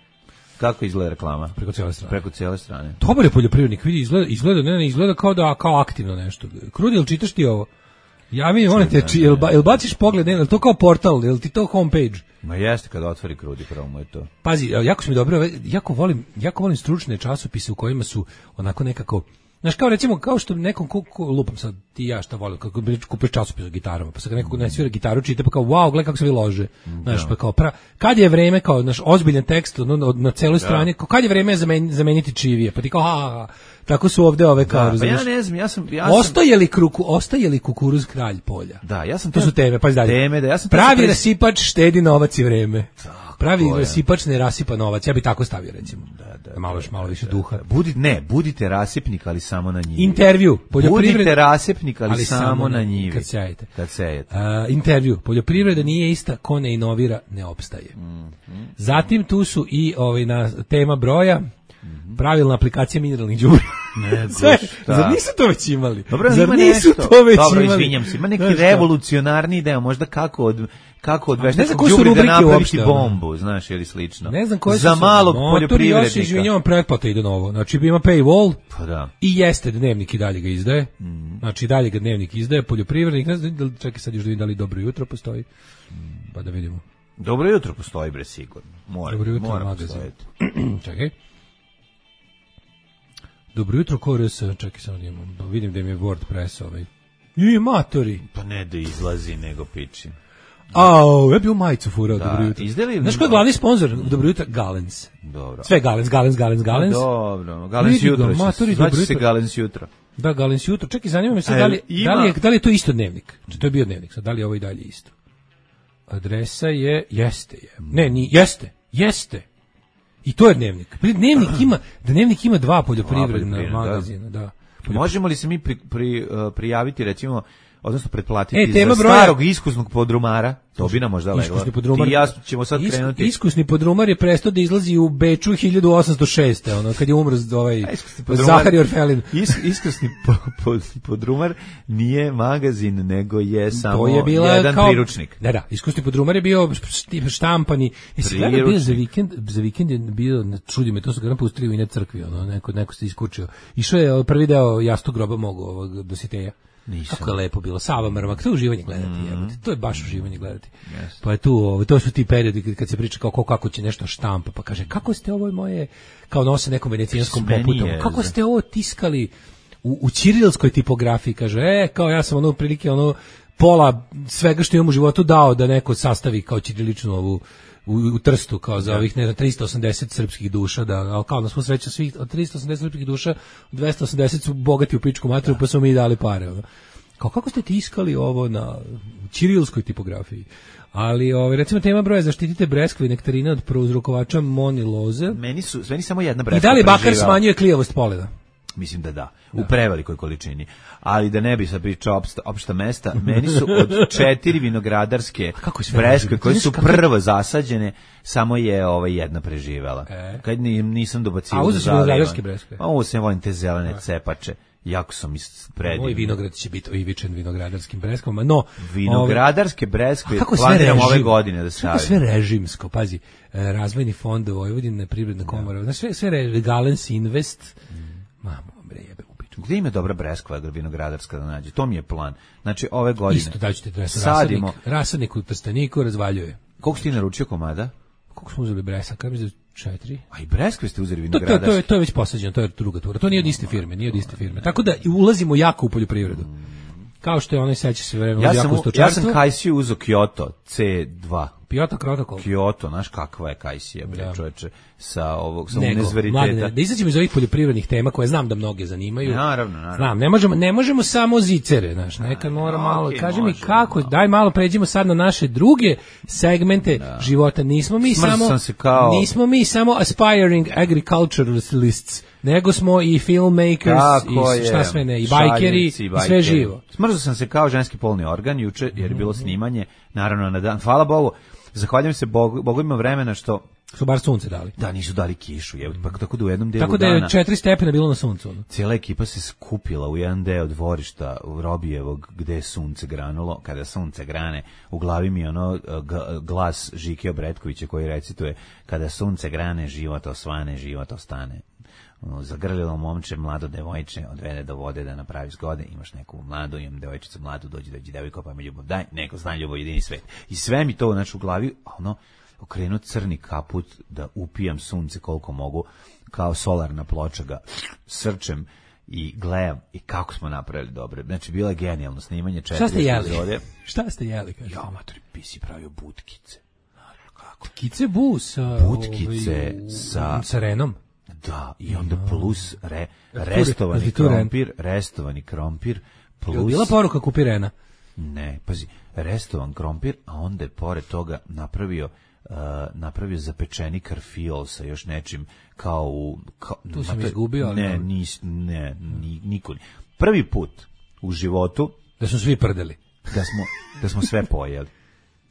S6: Kako izgleda reklama?
S7: Preko cijele strane.
S6: Preko cijele strane.
S7: Dobar je poljoprivrednik, vidi, izgleda, izgleda, ne, ne, izgleda kao da, kao aktivno nešto. Krudi, jel čitaš ti ovo? Ja mi, molim te, či, jel, ba, jel baciš pogled, ne, jel to kao portal, jel ti to homepage?
S6: Ma jeste, kada otvori Krudi, pravo mu je to.
S7: Pazi, jako su mi dobro, jako volim, jako volim stručne časopise u kojima su onako nekako, znaš, kao recimo, kao što nekom ko, ko, lupam sad, ti ja šta volim, kako kupiš časopis o gitarama, pa sad nekako ne svira gitaru, čita, pa kao, wow, gledaj kako se vi lože, znaš, pa kao, pra, kad je vreme, kao, naš ozbiljan tekst, no, na celoj strani, kao, kad je vreme zamen, zameniti čivije, pa ti kao, ha, ha, tako su ovde ove kao,
S6: da, pa ja ne znam, ja sam... Ja
S7: ostaje li, kruku, ostaje li kukuruz kralj polja?
S6: Da, ja sam...
S7: To su teme, pa dalje.
S6: Teme, da, ja sam...
S7: Pravi pres... rasipač štedi novac i vreme. Tako, pravi rasipač ne rasipa novac, ja bi tako stavio, recimo. Da, da, malo još malo više da, duha.
S6: Da. Budi, ne, budite rasipnik, ali samo na njivi.
S7: Intervju.
S6: Budite rasipnik, ali, ali samo, samo na njivi.
S7: Kad sejete.
S6: Kad sejete.
S7: Uh, intervju. Poljoprivreda nije ista, ko ne inovira, ne opstaje. Mm-hmm. Zatim tu su i ovaj, na tema broja, pravilna aplikacija mineralnih đubriva.
S6: Ne,
S7: Sve, zar nisu to već imali?
S6: Dobro,
S7: zar
S6: ima
S7: nisu
S6: nešto.
S7: to već
S6: Dobro,
S7: imali?
S6: izvinjam se, ima neki znaš revolucionarni deo, možda kako od kako od veštačkog đubriva da napraviti bombu, znaš, ili slično.
S7: Ne znam koje su
S6: za malog poljoprivrednika.
S7: Motor još izvinjavam, pretplata ide novo. Znači ima paywall.
S6: Pa da.
S7: I jeste dnevnik i dalje ga izdaje. Mm. Znači dalje ga dnevnik izdaje, poljoprivrednik, ne znam, čekaj sad još da vidim da li dobro jutro postoji. Pa da vidimo.
S6: Dobro jutro postoji, bre, sigurno. Mora,
S7: dobro jutro,
S6: mora
S7: magazin. Čekaj. Dobro jutro, Kores, čekaj samo da imam, vidim da im je WordPress ovaj. I matori.
S6: Pa ne da izlazi, nego piči.
S7: Au, ja bi u majicu furao,
S6: da,
S7: dobro jutro.
S6: Izdeli...
S7: Znaš ko je glavni sponsor? Dobro jutro, Galens.
S6: Dobro.
S7: Sve Galens, Galens, Galens, Galens.
S6: Dobro, Galens jutro, matori, znači se Galens jutro.
S7: Da, Galens jutro. Čekaj, zanima me se da li, ima... da, li je, da li je to isto dnevnik? Či to je bio dnevnik, sad da li je ovo i dalje isto? Adresa je, jeste je. Ne, ni, jeste, jeste. I to je dnevnik. Dnevnik ima, dnevnik ima dva poljoprivredna magazina, da. da.
S6: Možemo li se mi pri, pri, uh, prijaviti, recimo, odnosno pretplatiti e, tema za broja... starog iskusnog podrumara? To bi nam možda leglo. Iskusni podrumar. I ja ćemo sad Isku, krenuti.
S7: Iskusni podrumar je prestao da izlazi u Beču hiljadu osamsto šeste ono, kad je umro ovaj Zahari Orfelin.
S6: Is, iskusni po, po, podrumar nije magazin, nego je samo
S7: je bila
S6: jedan
S7: kao,
S6: priručnik.
S7: Da, da, iskusni podrumar je bio štampani. Jesi gledao bio za vikend, za vikend je bio, čudi me, to su ga nam pustili u ine crkvi, ono, neko, neko se iskučio. Išao je prvi deo Jastog groba mogu ovog Dositeja. Nisam. Kako je lepo bilo, Sava Mrmak, to je uživanje gledati, mm. jebate, to je baš uživanje gledati. Yes. Pa je tu, ovo, to su ti periodi kad se priča kao ko, kako će nešto štampa, pa kaže, kako ste ovo moje, kao nose nekom venecijanskom poputom, kako ste ovo tiskali u, u ćirilskoj tipografiji, kaže, e, kao ja sam ono prilike, ono, pola svega što imam u životu dao da neko sastavi kao ćiriličnu ovu, U, u Trstu kao za ovih ne znam tristo osamdeset srpskih duša da al kao na svu sreću svih od tristo osamdeset srpskih duša dvesta osamdeset su bogati u pičku materiju pa su mi dali pare ono. Kao kako ste tiskali ovo na ćirilskoj tipografiji ali ovaj recimo tema broja zaštitite breskve i nektarine od prouzrokovača moniloze
S6: meni su meni samo jedna breskva
S7: i da li bakar smanjuje klijavost polena.
S6: Mislim da da, u da. prevelikoj količini. Ali da ne bi sad pričao opšta, opšta mesta, meni su od četiri vinogradarske breskve koje su prvo zasađene, samo je ovaj jedna preživela. E. Kad nisam dobacio.
S7: A uzeš vinogradarske breskve?
S6: A ovo se volim te zelene cepače. Jako sam predivni.
S7: Moj vinograd će biti oivičen vinogradarskim breskvama, no...
S6: Vinogradarske breskve planiram ove godine da stavim.
S7: Kako sve režimsko, pazi, razvojni fond Vojvodine, privredna komora, znači sve, sve Galens Invest... Mamo, bre, jebe u piču.
S6: Gde ima dobra breskva vinogradarska da nađe? To mi je plan. Znači, ove godine...
S7: Isto daću ti adresu. Sadimo. Rasadnik, rasadnik u Trsteniku razvaljuje.
S6: Koliko si ti naručio komada?
S7: Koliko smo uzeli bresa? Kada mi za četiri?
S6: A i breskve ste uzeli vinogradarske?
S7: To, to, to, je, to je već posađeno, to je druga tura. To nije od iste firme, nije od iste firme. Tako da ulazimo jako u poljoprivredu. kao što je onaj seća se vremena
S6: ja sam ja sam Kajsiju uzo Kyoto C dva.
S7: Kyoto protokol.
S6: Kyoto, znaš kakva je Kajsija, bre, da. Čoveče, sa ovog sa univerziteta.
S7: Da izađemo iz ovih poljoprivrednih tema koje znam da mnoge zanimaju.
S6: Naravno, naravno.
S7: Znam, ne možemo, ne možemo samo zicere, znaš, nekad mora malo. Okay, kaži mi kako, no. Daj malo pređimo sad na naše druge segmente da. Života. Nismo mi Smrz samo se kao... nismo mi samo aspiring agriculturalists, nego smo i filmmakers tako i šta je. Sve ne, i bajkeri, i, i sve živo.
S6: Smrzao sam se kao ženski polni organ juče, jer je bilo snimanje, naravno na dan. Hvala Bogu. Zahvaljujem se Bogu, Bogu ima vremena što
S7: su bar sunce dali.
S6: Da, nisu dali kišu, je, pa tako da u jednom delu dana.
S7: Tako da je dana, četiri stepena bilo na suncu. Ono.
S6: Cijela ekipa se skupila u jedan deo dvorišta u Robijevog gde je sunce granulo. Kada sunce grane, u glavi mi je ono glas Žike Obretkovića koji recituje: kada sunce grane, život osvane, život ostane. Zagrlilo momče, mlado devojče, odvede do vode da napravi zgode, imaš neku mladu, imam devojčicu mladu, dođi, dođi, devojko, pa mi ljubav daj, neko zna ljubav, jedini svet. I sve mi to znači u glavi, a ono, okrenuo crni kaput da upijam sunce koliko mogu, kao solarna ploča ga srčem i gledam i kako smo napravili dobro. Znači, bilo je genijalno snimanje četiri
S7: Šta ste jeli?
S6: epizode.
S7: Šta ste jeli? Kaže?
S6: Ja, matori, bi si pravio butkice.
S7: Kako? Kice bu sa...
S6: Butkice ovaj, sa...
S7: Sa renom?
S6: Da, i onda plus re, restovani krompir, restovani krompir, plus...
S7: Je bila poruka kupi rena?
S6: Ne, pazi, restovan krompir, a onda je pored toga napravio, uh, napravio zapečeni karfiol sa još nečim kao u... Kao,
S7: tu sam izgubio, ali...
S6: Ne, nis, ne, ni, niko. Prvi put u životu...
S7: Da smo svi prdeli.
S6: Da smo, da smo sve pojeli.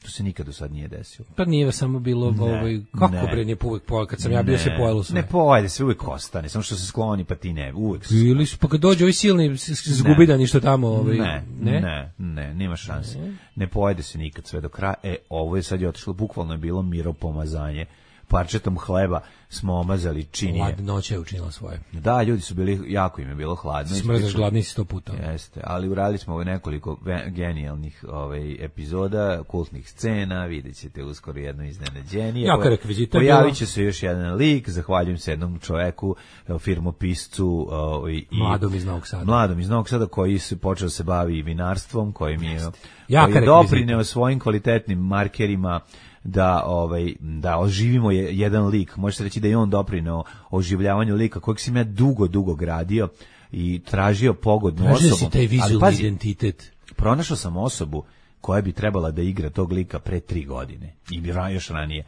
S6: To se nikad do sad nije desilo.
S7: Pa nije samo bilo ne, ovaj kako ne, bre nije uvek pojel kad sam ne, ja bio se pojelo sve.
S6: Ne pojede se uvek ostane, samo što se skloni pa ti ne, uvek.
S7: Ili pa kad dođe ovaj silni zgubidani što tamo ovaj
S6: ne, ne, ne, ne, nema šanse. Ne. ne pojede se nikad sve do kraja. E, ovo je sad je otišlo, bukvalno je bilo miropomazanje. Parčetom hleba smo omazali činije.
S7: Hladnoća je učinila svoje.
S6: Da, ljudi su bili, jako im je bilo hladno.
S7: Smrzaš gladni si sto puta.
S6: Jeste, ali uradili smo ovaj nekoliko genijalnih ovaj, epizoda, kultnih scena, vidjet ćete uskoro jedno iznenađenje.
S7: Jaka rekvizita.
S6: Pojavit će se još jedan lik, zahvaljujem se jednom čoveku, firmopiscu. Ovaj, i
S7: mladom iz Novog Sada.
S6: Mladom iz Novog Sada koji se počeo se bavi vinarstvom, koji mi je, koji je doprineo svojim kvalitetnim markerima da ovaj da oživimo je, jedan lik, može se reći da je on doprineo oživljavanju lika kojeg sam ja dugo dugo gradio i tražio pogodnu
S7: Tražio
S6: osobu.
S7: Si taj vizualni pazi, identitet.
S6: Pronašao sam osobu koja bi trebala da igra tog lika pre tri godine i bi još ranije.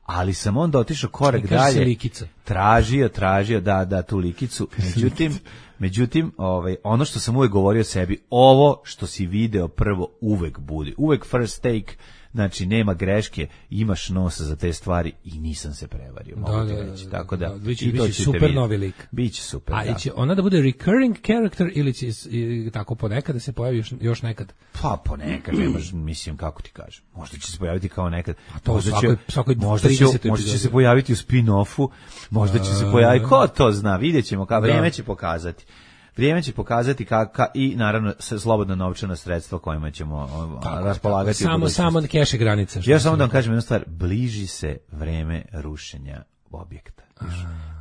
S6: Ali sam onda otišao korak dalje. Tražio, tražio da da tu likicu. Međutim, međutim, ovaj ono što sam uvek govorio sebi, ovo što si video prvo uvek bude. Uvek first take. Znači, nema greške, imaš nosa za te stvari i nisam se prevario, mogu da, ti reći. Da, Tako da, da,
S7: biće, i to biće super vidjeti. Novi lik.
S6: Biće super,
S7: A
S6: da.
S7: će ona da bude recurring character ili će i, tako ponekad da se pojavi još, još nekad?
S6: Pa ponekad, nemaš, mislim, kako ti kažem. Možda će se pojaviti kao nekad.
S7: A to
S6: možda
S7: svakoj,
S6: će,
S7: svakoj
S6: možda, će, možda će se pojaviti u spin-offu, možda će se pojaviti, ko to zna, vidjet ćemo, kao vrijeme će pokazati. Vrijeme će pokazati kako i naravno slobodna novčana sredstva kojima ćemo tako, raspolagati.
S7: Samo samo keše granica.
S6: Ja samo da vam kažem jednu stvar, bliži se vreme rušenja objekta.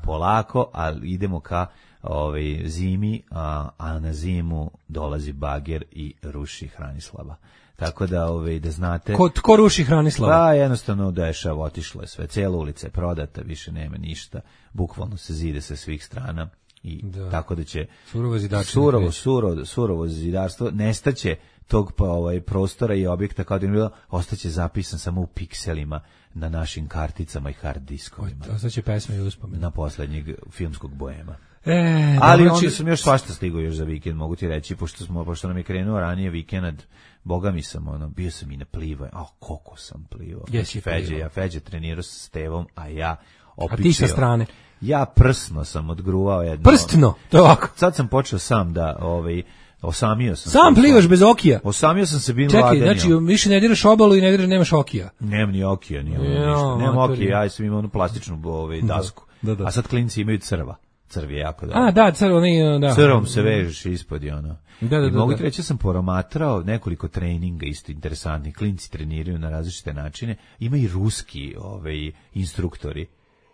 S6: Polako, ali idemo ka ovaj zimi, a, a na zimu dolazi bager i ruši Hranislava. Tako da ovaj da znate.
S7: Ko tko ruši Hranislava?
S6: Pa jednostavno dešava, otišlo je sve, cela ulica je prodata, više nema ništa. Bukvalno se zide sa svih strana. I da. Tako da će
S7: surovo zidarstvo
S6: surovo, surovo, surovo zidarstvo nestaće tog pa ovaj prostora i objekta kao da je bilo, ostaće zapisan samo u pikselima na našim karticama i hard diskovima.
S7: Ostaće pesme i uspomene
S6: na poslednjeg filmskog boema.
S7: E,
S6: ali
S7: dobro,
S6: onda sam još svašta stigao još za vikend, mogu ti reći, pošto smo pošto nam je krenuo ranije vikend, boga mi sam ono, bio sam i na plivo, a koliko sam plivao.
S7: Jesi
S6: Feđe, ja Feđe trenirao sa Stevom, a ja opičio.
S7: A ti sa strane?
S6: Ja prsno sam odgruvao jedno.
S7: Prstno, to je ovako.
S6: Sad sam počeo sam da, ovaj, osamio sam.
S7: Sam plivaš bez okija?
S6: Osamio sam se bin
S7: Čekaj,
S6: laganjem.
S7: znači više ne diraš obalu i ne diraš, nemaš okija?
S6: Nemam ni okija, ni ništa. Nemam okija, ja sam imao onu plastičnu ovaj, dasku. Da, da, da. A sad klinci imaju crva. Crv je jako dobro.
S7: A, da, crvo, ne, da.
S6: Crvom se vežeš ispod i ono.
S7: Da, da,
S6: I mogu
S7: da,
S6: ti reći, ja sam promatrao nekoliko treninga isto interesantnih. Klinci treniraju na različite načine. Ima i ruski ovaj, instruktori.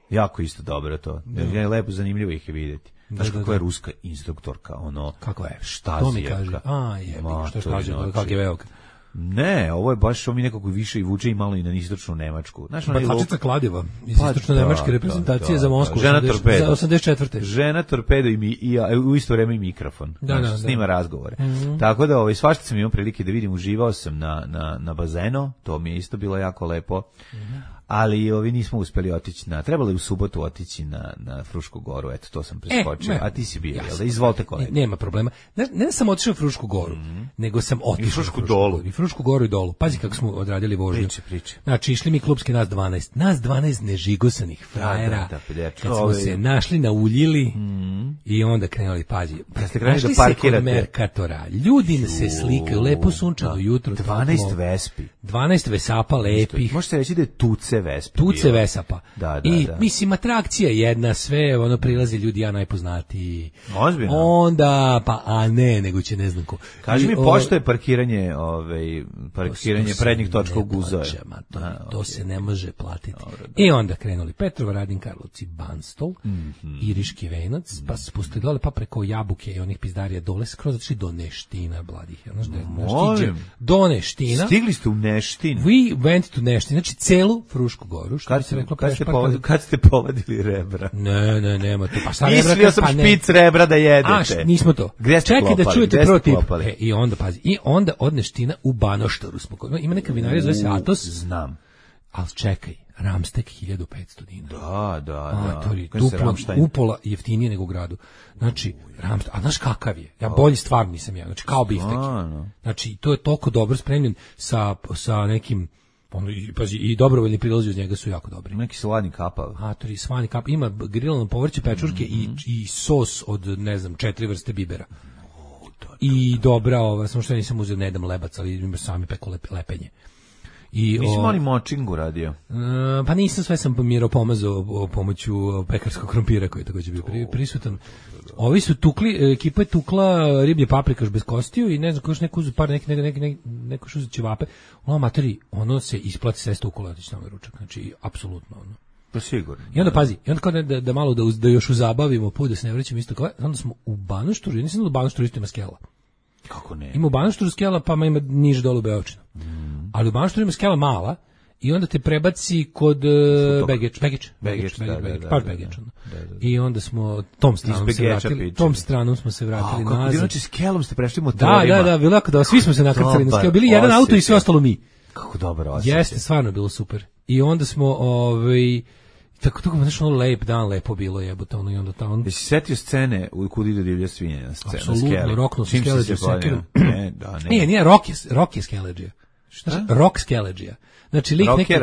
S6: Jako isto dobro to. Da. Je lepo, zanimljivo ih je vidjeti. Znaš kakva je ruska instruktorka, ono...
S7: Kakva je?
S6: Štazijevka.
S7: To mi kaže. A, je, što je Štazijevka, kak je velika.
S6: Ne, ovo je baš ovo mi nekako više i vuče i malo i na istočnu Nemačku. Znaš,
S7: Bacačica kladiva iz pa, istočno-nemačke reprezentacije da, za Moskvu.
S6: Žena torpedo.
S7: Za osamdeset četvrte.
S6: Žena torpedo i, mi, i a, u isto vreme i mikrofon.
S7: Da, znači, da,
S6: snima
S7: da.
S6: razgovore.
S7: Mm-hmm.
S6: Tako da ovaj, svašta sam imao prilike da vidim, uživao sam na, na, na bazenu, to mi je isto bilo jako lepo. Mm-hmm. Ali ovi nismo uspeli otići na, trebalo je u subotu otići na, na Frušku goru, eto, to sam preskočio, e, a ti si bio, jel da? Izvolite kolega.
S7: Ne, nema problema. Ne, ne sam otišao u Frušku goru, mm-hmm. nego sam otišao
S6: u Frušku dolu.
S7: I Frušku goru i dolu. Pazi kako smo odradili vožnju.
S6: Priče, priče.
S7: Znači, išli mi klubski nas dvanaest. Nas dvanaest nežigosanih frajera. Da, da, da, kad smo ove... se našli, nauljili mm-hmm. i onda krenuli, pazi.
S6: Kad ste krenuli da parkirate.
S7: Merkatora. Ljudi se slikaju, lepo sunčano jutro.
S6: dvanaest Vespi.
S7: dvanaest Vesapa lepih.
S6: Možete reći da je Tuce Vespi.
S7: Tuce Vesapa.
S6: Da, da,
S7: I
S6: da.
S7: mislim, atrakcija jedna, sve, ono, prilazi ljudi, ja najpoznatiji.
S6: Ozbiljno.
S7: Onda, pa, a ne, nego će ne znam ko.
S6: Kaži mi, pošto je parkiranje, ovaj, parkiranje
S7: to, to
S6: prednjih točka u Guzove.
S7: To, a, to okay. se ne može platiti. Dobro, I onda krenuli Petrova, Radin, Karlovci, Banstol,
S6: mm-hmm.
S7: Iriški Venac, mm-hmm. pa se spustili dole, pa preko Jabuke i onih pizdarija dole, skroz otišli do Neština, bladih. Znaš da je, do Neština.
S6: Stigli ste u Neštin.
S7: We went to Neštin, znači celu Frušku goru. Što
S6: kad,
S7: se reklo,
S6: kad, ste povadili, kad ste povadili rebra?
S7: Ne, ne, nema to. Pa sad
S6: mislio sam pa špic rebra da jedete.
S7: A, š, nismo to. Čekaj da čujete protiv. E, I onda, pazi, i onda od Neština u Banoštoru smo. Ima neka vinarija, zove se Atos.
S6: Znam.
S7: Ali čekaj, Ramstek hiljadu petsto dinara.
S6: Da, da, da.
S7: To je duplo, upola jeftinije nego u gradu. Znači, Ramstek, a znaš kakav je? Ja bolji stvar nisam ja, znači kao biftek. Znači, to je toliko dobro spremljen sa, sa nekim ono, i, pazi, i dobrovoljni prilazi uz njega su jako dobri.
S6: Neki slani kapav.
S7: A, to je slani kapav. Ima grilano povrće, pečurke mm-hmm. i, i sos od, ne znam, četiri vrste bibera. Oh, da, da, I dobra, ova, samo što ja nisam uzeo, ne dam lebac, ali ima sami peko lep, lepenje. I
S6: nisam oni močingu radio?
S7: Uh, pa nisam, sve sam Miro pomazao o pomoću pekarskog krompira koji je također bio pri, prisutan. Ovi su tukli, ekipa je tukla riblje paprikaš bez kostiju i ne znam, koš neko uzu par, neki, neki, neki, neko šuze ćevape. Ono, materi, ono se isplati sve stukula, otići tamo ručak. Znači, apsolutno, ono.
S6: Pa sigurno.
S7: I onda pazi, i onda kao da, da, da malo da, da još uzabavimo put, da se ne vraćamo isto kao, onda smo u Banošturu, nisam da u Banošturu isto ima skela.
S6: Kako ne?
S7: Ima u Banošturu skela, pa ima niže dolu Beočina. Mm. Ali u Banošturu ima skela mala i onda te prebaci kod uh, Begeč, Begeč, Begeč, baš Begeč. I onda smo tom stranom se vratili, tom stranom smo se vratili
S6: nazad. Kako znači skelom ste prešli motorima?
S7: Da, da, da, bilo da, svi smo se nakrcali na skelu, bili jedan auto i sve ostalo mi.
S6: Kako dobro osjećaj.
S7: Jeste, stvarno bilo super. I onda smo, ovaj, tako tako znači ono lep dan, lepo bilo jebote, ono i onda tamo.
S6: Jesi se setio scene u Kud ide divlja svinja na sceni?
S7: Apsolutno, rokno se Skeleđe sekiru.
S6: Ne, da, ne.
S7: Nije, nije rock je, rock je Skeleđe. Šta? Rock Skeleđe. Znači lik neki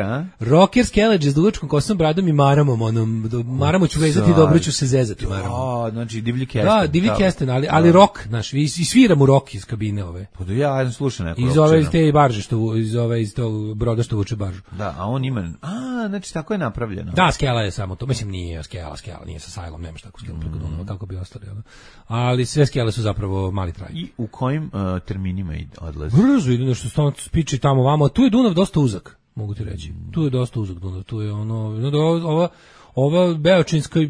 S7: rocker Skeleđe s dugačkom kosom, bradom i maramom, onom maramo ću vezati i dobro ću se zezati maramom.
S6: A, znači divlji kesten.
S7: Da, divlji kesten, ali ali rock, znaš, i sviramo rock iz kabine ove.
S6: Pa da ja sam slušao neko.
S7: Iz ove iz te barže što iz ove iz tog broda što vuče baržu.
S6: Da, a on ima, a znači tako je napravljeno.
S7: Da, skela je samo to, mislim nije skela, skela nije sa sajlom, nemaš tako skelu preko Dunava, kako bi ostali, ono. Ali sve skele su zapravo mali traj.
S6: I u kojim uh, terminima odlazi?
S7: Brzo ide nešto stalno spiči tamo vamo, tu je Dunav dosta uzak. Mogu ti reći. Tu je dosta uzak Dunav, tu je ono, ova, ova Beočinska,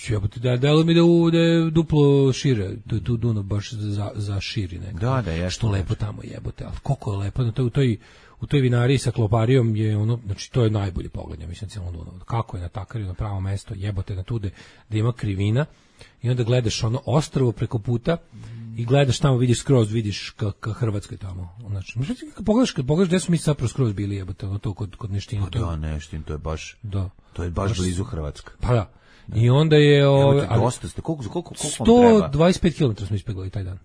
S7: jebote, da, delo mi da, u, da je duplo šire, tu je tu Dunav baš za, za širi nekako.
S6: Da, da, je.
S7: Što lepo tamo jebote, ali koliko je lepo, na toj, u toj, u toj vinariji sa kloparijom je ono, znači to je najbolje pogled, ja mislim, cijelom Dunavu. Kako je na takariju, na pravo mesto, jebote, na tu da, da ima krivina i onda gledaš ono ostrvo preko puta, i gledaš tamo, vidiš skroz, vidiš ka, ka Hrvatskoj tamo. Znači, kad pogledaš, kad pogledaš gde smo mi zapravo skroz bili, jebote, ono to kod, kod Neština.
S6: Pa da, Neštin, to je baš,
S7: da.
S6: To je baš, baš blizu Hrvatska.
S7: Pa da. I onda je... Ove,
S6: evo te, dosta ste, koliko, koliko, koliko
S7: sto dvadeset pet kilometara smo ispeglali taj dan.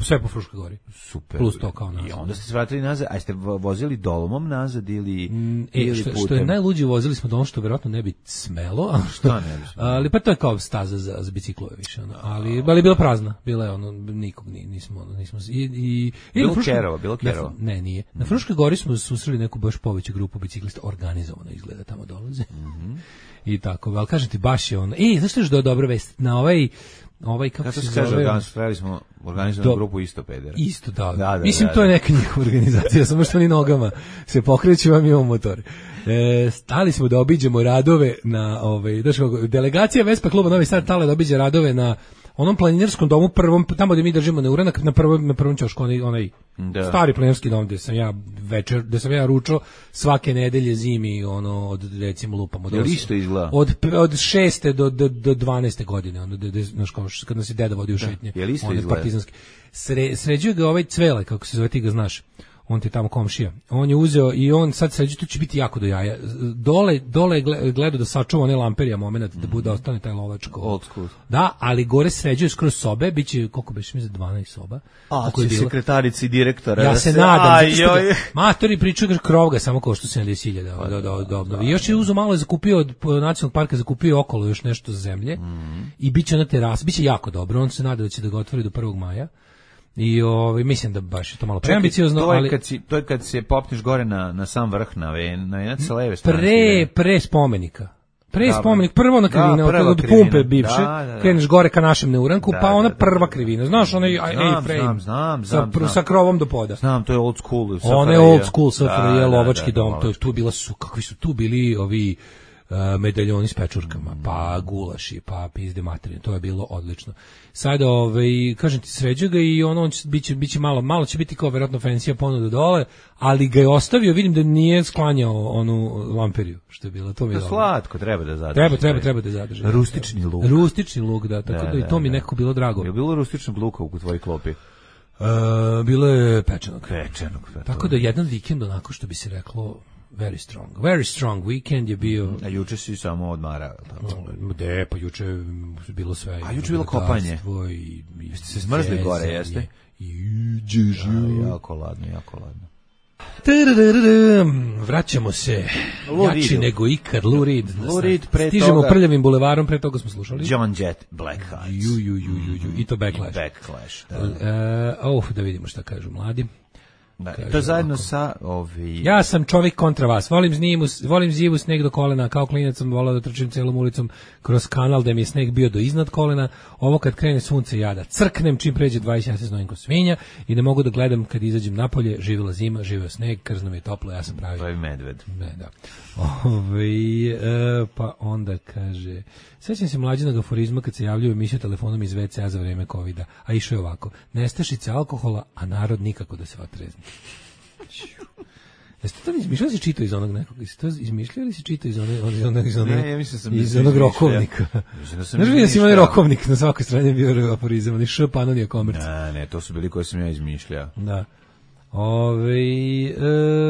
S7: Sve po Fruškoj gori.
S6: Super.
S7: Plus to kao nazad.
S6: I onda ste se vratili nazad, a ste vozili dolomom nazad ili,
S7: mm, e, ili što, putem? Što je najluđe, vozili smo dolom što verovatno ne bi smelo, ali, što,
S6: ne bi smelo.
S7: Ali pa to je kao staza za, za biciklove više. Ono. Ali, ali je bila prazna, bila je ono, nikog nismo, nismo i, i,
S6: bilo Fruškoj, Kerova, bilo Kerova.
S7: Na, ne, nije. Na Fruškoj gori smo susreli neku baš poveću grupu biciklista, organizovano izgleda tamo dolaze.
S6: Mm-hmm.
S7: I tako, ali kažem ti, baš je ono, e, znaš što je dobro vest, na ovaj ovaj kako
S6: Kako
S7: se
S6: se kaže,
S7: zove,
S6: organizovali smo organizovanu grupu isto pedera.
S7: Isto, da.
S6: Da, da,
S7: Mislim,
S6: da,
S7: to je
S6: da.
S7: neka njihova organizacija, samo što oni nogama se pokreću, vam imamo motor. E, stali smo da obiđemo radove na, ovaj, daš kako, delegacija Vespa kluba Novi Sad stala da obiđe radove na onom planinarskom domu prvom, tamo gde mi držimo neuranak, na prvom, na prvom ćošku, onaj, onaj da. stari planinarski dom gde sam ja večer, gde sam ja ručao svake nedelje zimi, ono, od, recimo, lupamo.
S6: Jel isto izgleda?
S7: Od, od šeste do, do, do dvanaeste godine, ono, de, de, znaš, kao, kad nas je deda vodio u šetnje.
S6: Jel isto
S7: on
S6: izgleda?
S7: Partizanski. Sre, sređuje ga ovaj Cvele, kako se zove, ti ga znaš. On ti je tamo komšija. On je uzeo i on sad sređuje, to će biti jako do jaja. Dole, dole je gledao da sačuva one lamperija moment, da bude ostane taj lovačko.
S6: Old school.
S7: Da, ali gore sređuje skroz sobe, biće, koliko biš mi za dvanaest soba.
S6: A, će sekretarici direktora.
S7: Ja
S6: da
S7: se
S6: se
S7: nadam.
S6: Aj, joj.
S7: Matori pričaju krov ga samo košta sedamdeset hiljada da, da, da, da obnovi. Još je uzo malo zakupio od nacionalnog parka, zakupio okolo još nešto zemlje mm. i biće na teras, biće jako dobro. On se nada da će da ga otvori do prvog maja. I ovaj mislim da baš je to malo preambiciozno,
S6: to je
S7: ali
S6: kad si to je kad se popneš gore na na sam vrh na ve, na jedne sa leve strane.
S7: Pre pre spomenika. Pre
S6: Dobro.
S7: spomenik, prvo na krivina,
S6: Da,
S7: od,
S6: prva
S7: od
S6: krivina.
S7: pumpe bivše,
S6: Da, da, da.
S7: kreneš gore ka našem neuranku,
S6: Da,
S7: pa ona
S6: da, da,
S7: prva
S6: da.
S7: krivina. Znaš, onaj
S6: Znam,
S7: A-frame
S6: znam, znam,
S7: sa,
S6: znam,
S7: pr-
S6: znam.
S7: sa krovom do poda.
S6: Znam, to je old school.
S7: Ona je old school sa
S6: Da, da,
S7: lovački
S6: da,
S7: dom,
S6: da,
S7: to je tu bila su, kakvi su tu bili ovi uh, medaljoni s pečurkama, pa gulaši, pa pizde materine, to je bilo odlično. Sada, ovaj, kažem ti, sređuje ga i ono, on će, biće, biće malo, malo će biti kao verovatno fensija ponuda dole, ali ga je ostavio, vidim da nije sklanjao onu lamperiju, što je bilo, to mi je
S6: To
S7: dobro.
S6: slatko, treba da zadrži.
S7: Treba, treba, treba da zadrži.
S6: Rustični luk.
S7: Rustični luk, da, tako da,
S6: Da,
S7: i to
S6: da,
S7: mi
S6: da.
S7: nekako bilo drago.
S6: Je bilo rustičnog luka u tvojoj klopi?
S7: Uh, bilo je pečenog.
S6: Pečenog.
S7: Tako da jedan vikend onako što bi se reklo very strong. Very strong weekend je bio.
S6: A juče si samo odmarao, tako.
S7: De, pa juče je bilo sve.
S6: A juče je bilo kopanje.
S7: I, i,
S6: Jeste se zmrzli gore, jeste?
S7: I džežu.
S6: Ja, jako ladno, jako ladno.
S7: Tararararam, vraćamo se.
S6: Lou
S7: Jači
S6: Reedu.
S7: nego ikad, Lou Reed.
S6: Lou Reed, pre
S7: Stižemo
S6: toga-
S7: prljavim bulevarom, pre toga smo slušali.
S6: John Jett, Black Hearts.
S7: Ju, ju, ju, ju, ju. I to Backlash.
S6: Backlash, da.
S7: Uh, oh, da vidimo šta kažu mladi.
S6: Da,
S7: Kaže
S6: to zajedno
S7: ovako.
S6: sa ovi...
S7: Ja sam čovjek kontra vas. Volim zimu, volim zivu sneg do kolena. Kao klinac sam volao da trčim celom ulicom kroz kanal da mi je sneg bio do iznad kolena. Ovo kad krene sunce ja da crknem čim pređe dvadeset ja se znojim ko svinja i ne mogu da gledam kad izađem napolje. Živela zima, živeo sneg, krzno mi je toplo, ja sam pravi.
S6: To je medved.
S7: Ne, da. Ove, e, pa onda kaže, sećam se mlađenog aforizma kad se javljaju u emisiju telefonom iz ve ce a za vreme kovida, a išao je ovako, nestašice alkohola, a narod nikako da se otrezni. Jeste to izmišljali si čito iz onog nekog? Jeste to izmišljali ili si čito iz onog, iz onog, iz onog,
S6: Ne, ja mislim da sam
S7: iz
S6: izmišljao.
S7: onog rokovnika?
S6: Mislim da sam
S7: Znaš vidio si imali
S6: izmišljao.
S7: rokovnik, na svakoj strani bio aforizam, oni š panonija komerc.
S6: Ne, ne, to su bili koje sam ja izmišljao.
S7: Da. Ove,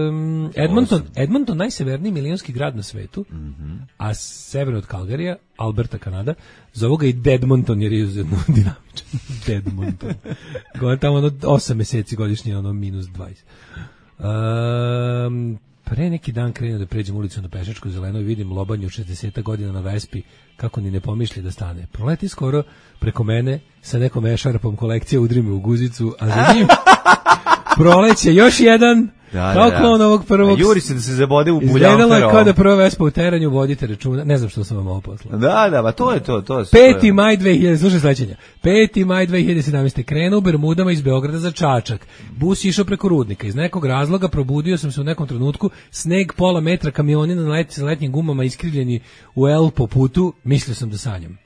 S7: um, Edmonton, Edmonton najseverniji milionski grad na svetu, mm-hmm. a severno od Calgaryja, Alberta, Kanada, zovu ga i Deadmonton jer je izuzetno dinamičan. Deadmonton. Gore tamo ono osam meseci godišnje, ono minus dvadeset. Um, pre neki dan krenuo da pređem ulicu na Pešačku zeleno i vidim lobanju šezdeset godina na Vespi kako ni ne pomišlji da stane. Proleti skoro preko mene sa nekom ešarpom kolekcije, udri me u guzicu, a za njim proleće još jedan,
S6: Da,
S7: kao
S6: da, da.
S7: klon ovog prvog.
S6: A juri se da se zabode u
S7: Izgledalo je
S6: buljanferom.
S7: kao da prva Vespa u teranju, vodite računa. Ne znam što sam vam ovo poslao.
S6: Da, da, ba to je to, to je.
S7: peti maj dve hiljade, slušaj sledećenja. peti maj dve hiljade sedamnaeste. krenuo u Bermudama iz Beograda za Čačak. Bus išao preko Rudnika. Iz nekog razloga probudio sam se u nekom trenutku. Sneg pola metra, kamioni na let, sa letnjim gumama iskrivljeni u L po putu. Mislio sam da sanjam.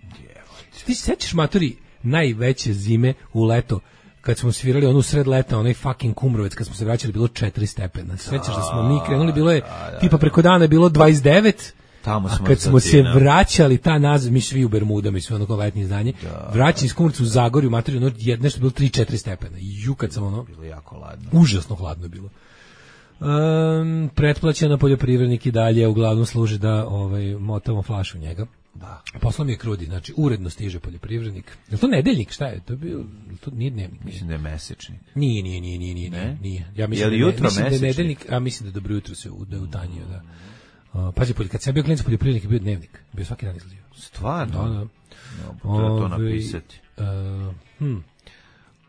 S7: Ti se sećaš, matori, najveće zime u leto kad smo svirali onu sred leta, onaj fucking Kumrovec, kad smo se vraćali, bilo četiri stepena. Sećaš da smo mi krenuli, bilo je, tipa preko dana je bilo dvadeset devet,
S6: Tamo
S7: a
S6: smo
S7: kad smo se
S6: zatina.
S7: vraćali ta nazad, mi svi u Bermudama i sve ono kao letnje izdanje, vraćali iz Kumrovca u Zagorju, materiju, ono, je- nešto je bilo tri četiri stepena. I ju, kad sam ono,
S6: Bilo jako ladno.
S7: užasno hladno je bilo. Um, pretplaćena poljoprivrednik i dalje uglavnom služi da ovaj, motamo flašu njega.
S6: Da.
S7: Poslao mi je krudi, znači uredno stiže poljoprivrednik. Je li to nedeljnik, šta je? To je bio, to nije dnevnik. Nije.
S6: Mislim da je mesečnik.
S7: Nije, nije, nije, nije, nije,
S6: Ne?
S7: nije. Ja
S6: Je
S7: mislim
S6: li
S7: da, ne,
S6: jutro
S7: mislim da je
S6: mesečnik?
S7: nedeljnik, a mislim da dobro jutro se u- da je utanjio, da. Uh, pazi, polj- kad sam ja bio klinac poljoprivrednik je bio dnevnik, bio svaki dan izlazio.
S6: Stvarno?
S7: Da, da.
S6: No, treba to
S7: Ovaj,
S6: napisati.
S7: Uh, hm.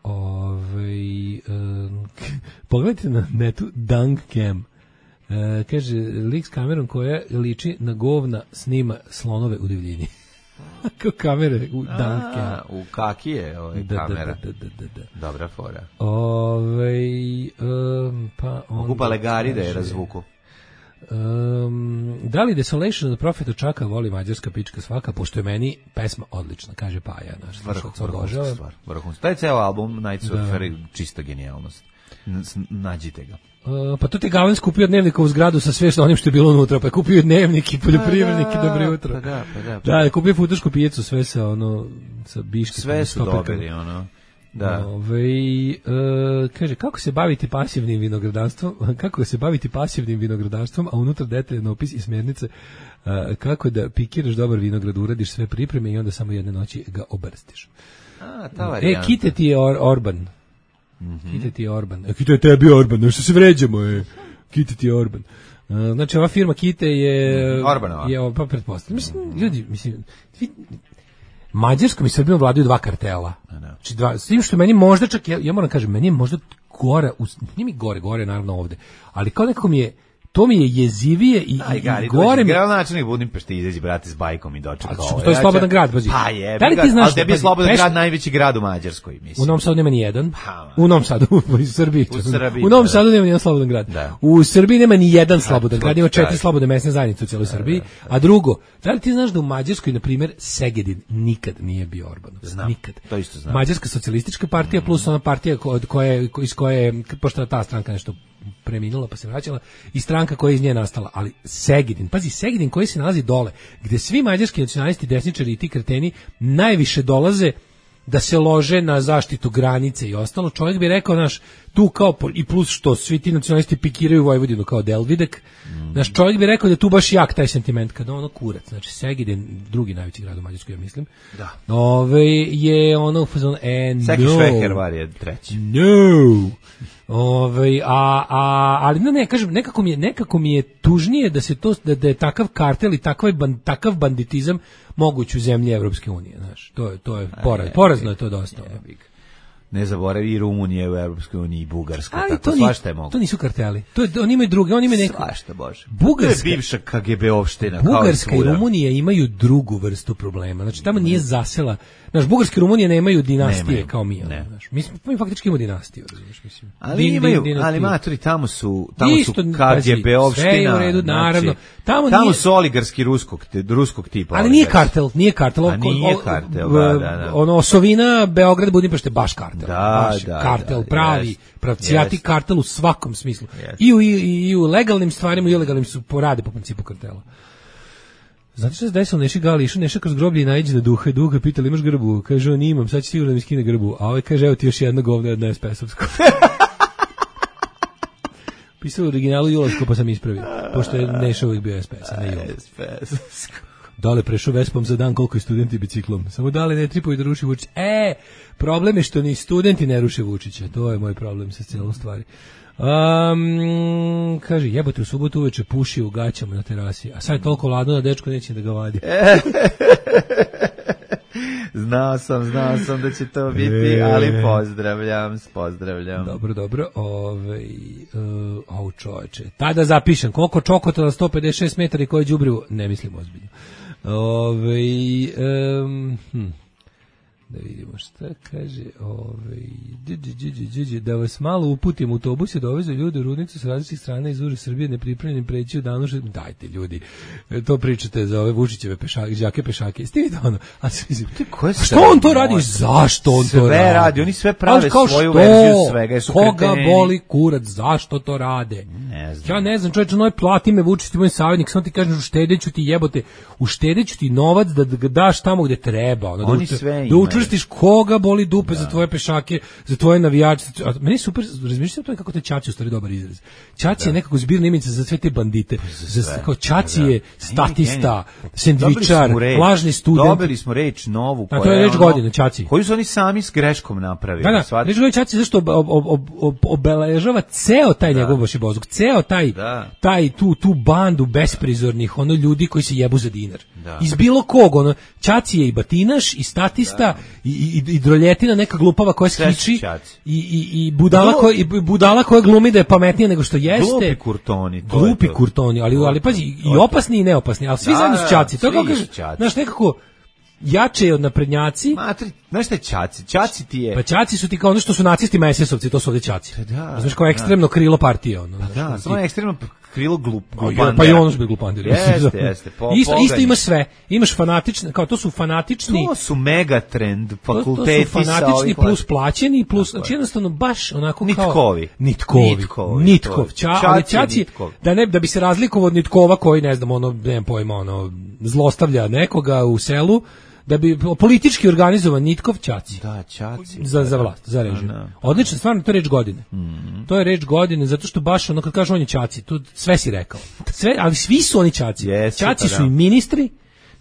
S7: Ovaj, um, pogledajte na netu Dunk Cam. Uh, kaže, lik s kamerom koja liči na govna snima slonove u divljini. Kao kamere u danke.
S6: A, u kakije ove
S7: Da,
S6: kamera.
S7: da, da, da, da.
S6: Dobra fora.
S7: Ovej, um, pa
S6: Mogu
S7: onda
S6: Balegari da je
S7: kaže,
S6: razvuku.
S7: Um, da li Desolation od Profeta Čaka voli mađarska pička svaka, pošto je meni pesma odlična, kaže Paja, naš slušalac obožava.
S6: Vrhunska. Taj ceo album Night Surfer, čista genijalnost. N- nađite ga.
S7: Uh, pa to ti Galen skupio dnevnika u zgradu sa sve što onim što je bilo unutra, pa je kupio dnevnik i poljoprivrednik i dobro jutro.
S6: Pa da, pa da. Pa
S7: da, je kupio futošku pijecu, sve sa ono, sa biškicama.
S6: Sve su dobili, ono. Da.
S7: Ove, e, kaže, kako se baviti pasivnim vinogradarstvom, kako se baviti pasivnim vinogradarstvom, a unutra detaljan opis i smjernice a, kako da pikiraš dobar vinograd, uradiš sve pripreme i onda samo jedne noći ga obrstiš.
S6: A, ta varijanta.
S7: E, kite ti je or, Orban. Mm-hmm. Kite ti je Orban. E, kite je tebi Orban, no što se vređamo, e. Kite ti je Orban. A, znači, ova firma Kite je...
S6: Orbanova.
S7: Je, pa pretpostavljam. Mislim, ljudi, mislim... Vi, Mađarskom i Srbijom vladaju dva kartela. Znači dva, s tim što meni možda čak, ja, ja moram kažem, meni je možda gore, nije mi gore, gore naravno ovde, ali kao nekako mi je, to mi je jezivije i,
S6: Aj, gari,
S7: i gore mi...
S6: Gradonačelnik Budimpešti izađi, brate, s bajkom i dočeka ovo.
S7: To je slobodan grad, pazi.
S6: Pa je,
S7: da li ti znaš,
S6: ali tebi je slobodan
S7: peš...
S6: grad najveći grad u Mađarskoj, mislim.
S7: U Novom Sadu nema ni jedan.
S6: Pa,
S7: u Novom Sadu, u Srbiji.
S6: U, Srbiji,
S7: u Novom
S6: da.
S7: Sadu nema ni jedan slobodan grad.
S6: Da.
S7: U Srbiji nema ni jedan slobodan
S6: da,
S7: grad, ima četiri
S6: da.
S7: slobodne mesne zajednice u cijeloj da, Srbiji. Da, da. A drugo, da li ti znaš da u Mađarskoj, na primjer, Segedin nikad nije bio Orbanov?
S6: Znam,
S7: nikad.
S6: To isto znam.
S7: Mađarska socijalistička partija plus ona partija od koje, iz koje, pošto ta stranka nešto preminula pa se vraćala, i stranka koja je iz nje nastala, ali Segedin, pazi, Segedin koji se nalazi dole, gde svi mađarski nacionalisti, desničari i ti kreteni najviše dolaze da se lože na zaštitu granice i ostalo, čovjek bi rekao, naš, tu kao, i plus što svi ti nacionalisti pikiraju Vojvodinu kao Delvidek, mm. naš čovjek bi rekao da tu baš jak taj sentiment, kada ono kurac, znači Segedin, drugi najveći grad u Mađarskoj, ja mislim,
S6: da.
S7: Ove, je ono u fazonu, e, no.
S6: Seki Švehervar je treći.
S7: No. Ove, a, a, ali ne, ne, kažem, nekako mi je, nekako mi je tužnije da se to, da, da je takav kartel i takav, ban, takav banditizam moguć u zemlji Evropske unije, znaš, to je, to je poraz, porazno je to dosta.
S6: Ne zaboravi i Rumunije u Evropskoj uniji i Bugarska,
S7: ali
S6: tako
S7: to
S6: svašta je moguće.
S7: To nisu karteli. To je, oni imaju druge, oni imaju neko.
S6: Svašta, Bože.
S7: Bugarska,
S6: to je bivša K G B opština.
S7: Bugarska i Rumunija imaju drugu vrstu problema. Znači tamo nije zasela. Znaš, Bugarska i Rumunija nemaju dinastije nemaju, kao mi. Ne. Znaš, mi, smo, mi faktički imamo dinastiju, razumiješ, mislim.
S6: Ali din, imaju, din, ali maturi, tamo su, tamo
S7: isto,
S6: su K G B opština.
S7: Sve je u redu, naravno.
S6: Tamo, tamo nije, su oligarski ruskog, ruskog tipa.
S7: Ali nije kartel, nije kartel.
S6: A nije kartel, da, da, da.
S7: Ono, Osovina, Beograd, Budimpešte, baš kartel.
S6: Da,
S7: baš
S6: da,
S7: kartel,
S6: da,
S7: pravi,
S6: jest,
S7: pravcijati jest. Kartel u svakom smislu.
S6: Jest.
S7: I u, i, i u legalnim stvarima i ilegalnim su porade po principu kartela. Znate što se desilo, Neši Gali, išao Neša kroz groblje i naiđe na duha i duha pita li imaš grbu? Kaže on imam, sad će sigurno da mi skine grbu. A ovaj kaže evo ti još jedna govna jedna es pe esovsko. Pisao u originalu Julovsko pa sam ispravio, pošto je Neša uvijek bio es pe es, a ne Julov. Dale prešao Vespom za dan koliko je studenti biciklom. Samo dale ne tripuju da ruši Vučić. E, problem je što ni studenti ne ruše Vučića. To je moj problem sa cijelom stvari. Um, kaže, jebote, u subotu uveče puši u gaćama na terasi, a sad je toliko ladno da dečko neće da ga vadi.
S6: Znao sam, znao sam da će to biti, ali pozdravljam, pozdravljam.
S7: Dobro, dobro. Ove, uh, au čoveče. Tada zapišem, koliko čokota na sto pedeset šest metara i koje đubrivo, ne mislim ozbiljno. Ove, um, hm. Da vidimo šta kaže, ovaj, da vas malo uputim, autobus je dovezao ljude u Rudnicu sa različitih strana iz uže Srbije nepripremljenim preći u danu, dajte ljudi, to pričate za ove Vučićeve pešake, đake pešake, ste vidite ono, a što on to radi, zašto on
S6: sve
S7: to radi?
S6: Sve radi, oni sve prave svoju verziju svega, su
S7: koga kreteni. Boli kurac, zašto to rade?
S6: Ne znam.
S7: Ja ne znam, čovječe, noj plati me Vučić, ti moj savjetnik, samo ti kažem, uštedeću ti jebote, uštedeću ti novac da ga daš tamo gde treba, ono,
S6: oni
S7: da,
S6: sve
S7: da učvrstiš koga boli dupe
S6: da.
S7: Za tvoje pešake, za tvoje navijače. Meni super, razmišljate o tome kako te Ćaci u stvari dobar izraz. Ćaci da. Je nekako zbirna imenica za sve te bandite. Za sve. Kao Ćaci da. Je statista, sendvičar, lažni student.
S6: Dobili smo reč novu.
S7: A to je reč ono, godine, Ćaci.
S6: Koju su oni sami s greškom napravili.
S7: Da, da, reč godine Ćaci zašto ob, ob, ob, ob, obeležava ceo taj da. Njegov vašibozuk, ceo taj, da. Taj tu, tu bandu besprizornih ono ljudi koji se jebu za dinar. Da. Iz bilo kog, ono, Ćaci je i batinaš, i statista, da. I, i, i droljetina neka glupava koja skiči i, i, i, budala Glup. Koja, i budala koja glumi da je pametnija nego što jeste.
S6: Glupi kurtoni. To
S7: Glupi
S6: to.
S7: Kurtoni, ali, ali pazi, i opasni i neopasni, ali svi da, zajedno su Ćaci. To kako, znaš, nekako, jače od naprednjaci.
S6: Matri, znaš šta je Ćaci? Ćaci ti je...
S7: Pa Ćaci su ti kao ono što su nacisti mesesovci, to su ovdje Ćaci.
S6: Da,
S7: znaš, kao ekstremno da. krilo partije. Ono,
S6: pa
S7: znaš,
S6: da,
S7: ono,
S6: samo je ekstremno krilo glup,
S7: glupandera. Pa i ono su bi glupanderi.
S6: Jeste, jeste. Po,
S7: isto, isto ima sve. Imaš fanatične, kao to su fanatični...
S6: To su megatrend, fakulteti
S7: to, to su fanatični plus plaćeni, plus, znači jednostavno baš onako kao...
S6: Nitkovi.
S7: Nitkovi. Nitkovi. Nitkov. Ča, ali Ćaci, da, ne, da bi se razlikovao od Nitkova koji, ne znam, ono, nemam pojma, ono, zlostavlja nekoga u selu, da bi politički organizovan Nitkov Ćaci.
S6: Da, Ćaci.
S7: Za, za vlast, za režim. Odlično, stvarno, to je reč godine. Mm-hmm. To je reč godine, zato što baš ono, kad kažeš on je Ćaci, tu sve si rekao. Sve, ali svi su oni Ćaci.
S6: Yes,
S7: Ćaci
S6: pa
S7: su
S6: da.
S7: i ministri,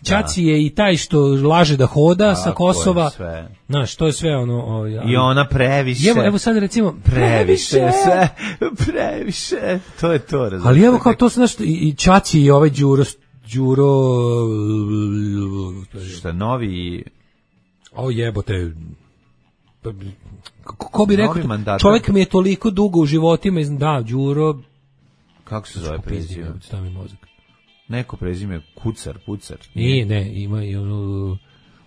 S7: Ćaci da. je i taj što laže da hoda
S6: da,
S7: sa Kosova. Znaš, to je sve ono... O, ja,
S6: I ona previše.
S7: Evo, evo sad recimo...
S6: Previše, sve, previše. To je to, razumiješ.
S7: Ali evo kao to su, znaš, i, i Ćaci i ovaj Đuro... Đuro...
S6: Šta, novi...
S7: O jebote... Ko bi rekao, čovjek mi je toliko dugo u životima, da, Đuro...
S6: Kako se zove prezime?
S7: Stavi mozak.
S6: Neko prezime, Kucar, Pucar.
S7: Nije, ne, ima i ono...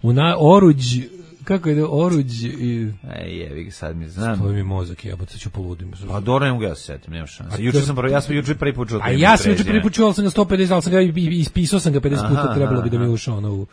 S7: U na, oruđ... Kako je oruđ i...
S6: Ej, jevi ga, sad mi znam.
S7: Stoji mi mozak, jebote, ću poludim.
S6: Pa dobro, ne mogu ja se setim, nema šanse. Juče sam, ja sam juče prvi put čuo.
S7: A ja sam juče prvi put čuo, ali sam ga sto pedeset, ali sam ga ispisao sam ga pedeset puta, trebalo bi da mi je ušao ono u...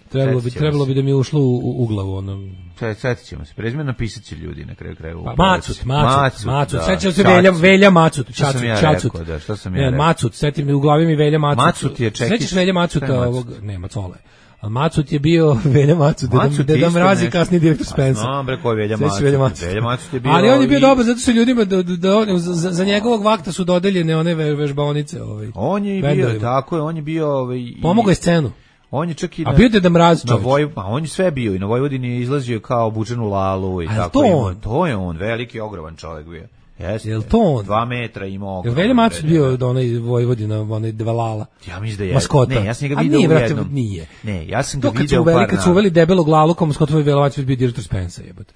S7: Trebalo bi, trebalo bi da mi je ušlo u, u glavu, ono...
S6: Setit ćemo se, prezime napisat će ljudi na kraju kraju.
S7: Pa, Macut, Macut, Macut, sećam se Velja, Velja Macut, Čacut, Čacut.
S6: Da, što sam ja rekao?
S7: Macut, setim u glavi mi Velja Macut.
S6: Macut je čekić.
S7: Sećaš Velja Macuta ovog, ne, Macole. A Macut je bio Velja Macut, Deda Mrazi, kasniji direktor Spensa.
S6: No, bre, ko je Velja Macut? Velja Macut je bio...
S7: Ali on je bio dobar, zato što ljudima, da, da, za, za njegovog vakta su dodeljene one vežbaonice. Ovaj,
S6: on je bio, tako je, on je bio... Ovaj,
S7: pomogao je scenu.
S6: On je čak i
S7: a bio Deda Mraz
S6: na Voj, a on je sve bio i na Vojvodini je izlazio kao obučen u lalu i
S7: a
S6: tako.
S7: To,
S6: ima, to je on, veliki ogroman čovjek bio. Jeste.
S7: Jel to on?
S6: Dva metra imao.
S7: Jel Velja Macut bio da onaj Vojvodina, onaj Dvalala?
S6: Ja mislim da je.
S7: Maskota.
S6: Ne, ja sam ga video
S7: nije,
S6: u
S7: brate,
S6: jednom.
S7: Nije.
S6: Ne, ja sam ga
S7: to
S6: video u par.
S7: Kad su uveli debelog lalu, kao maskota Velja Macut bio direktor Spensa, jebote.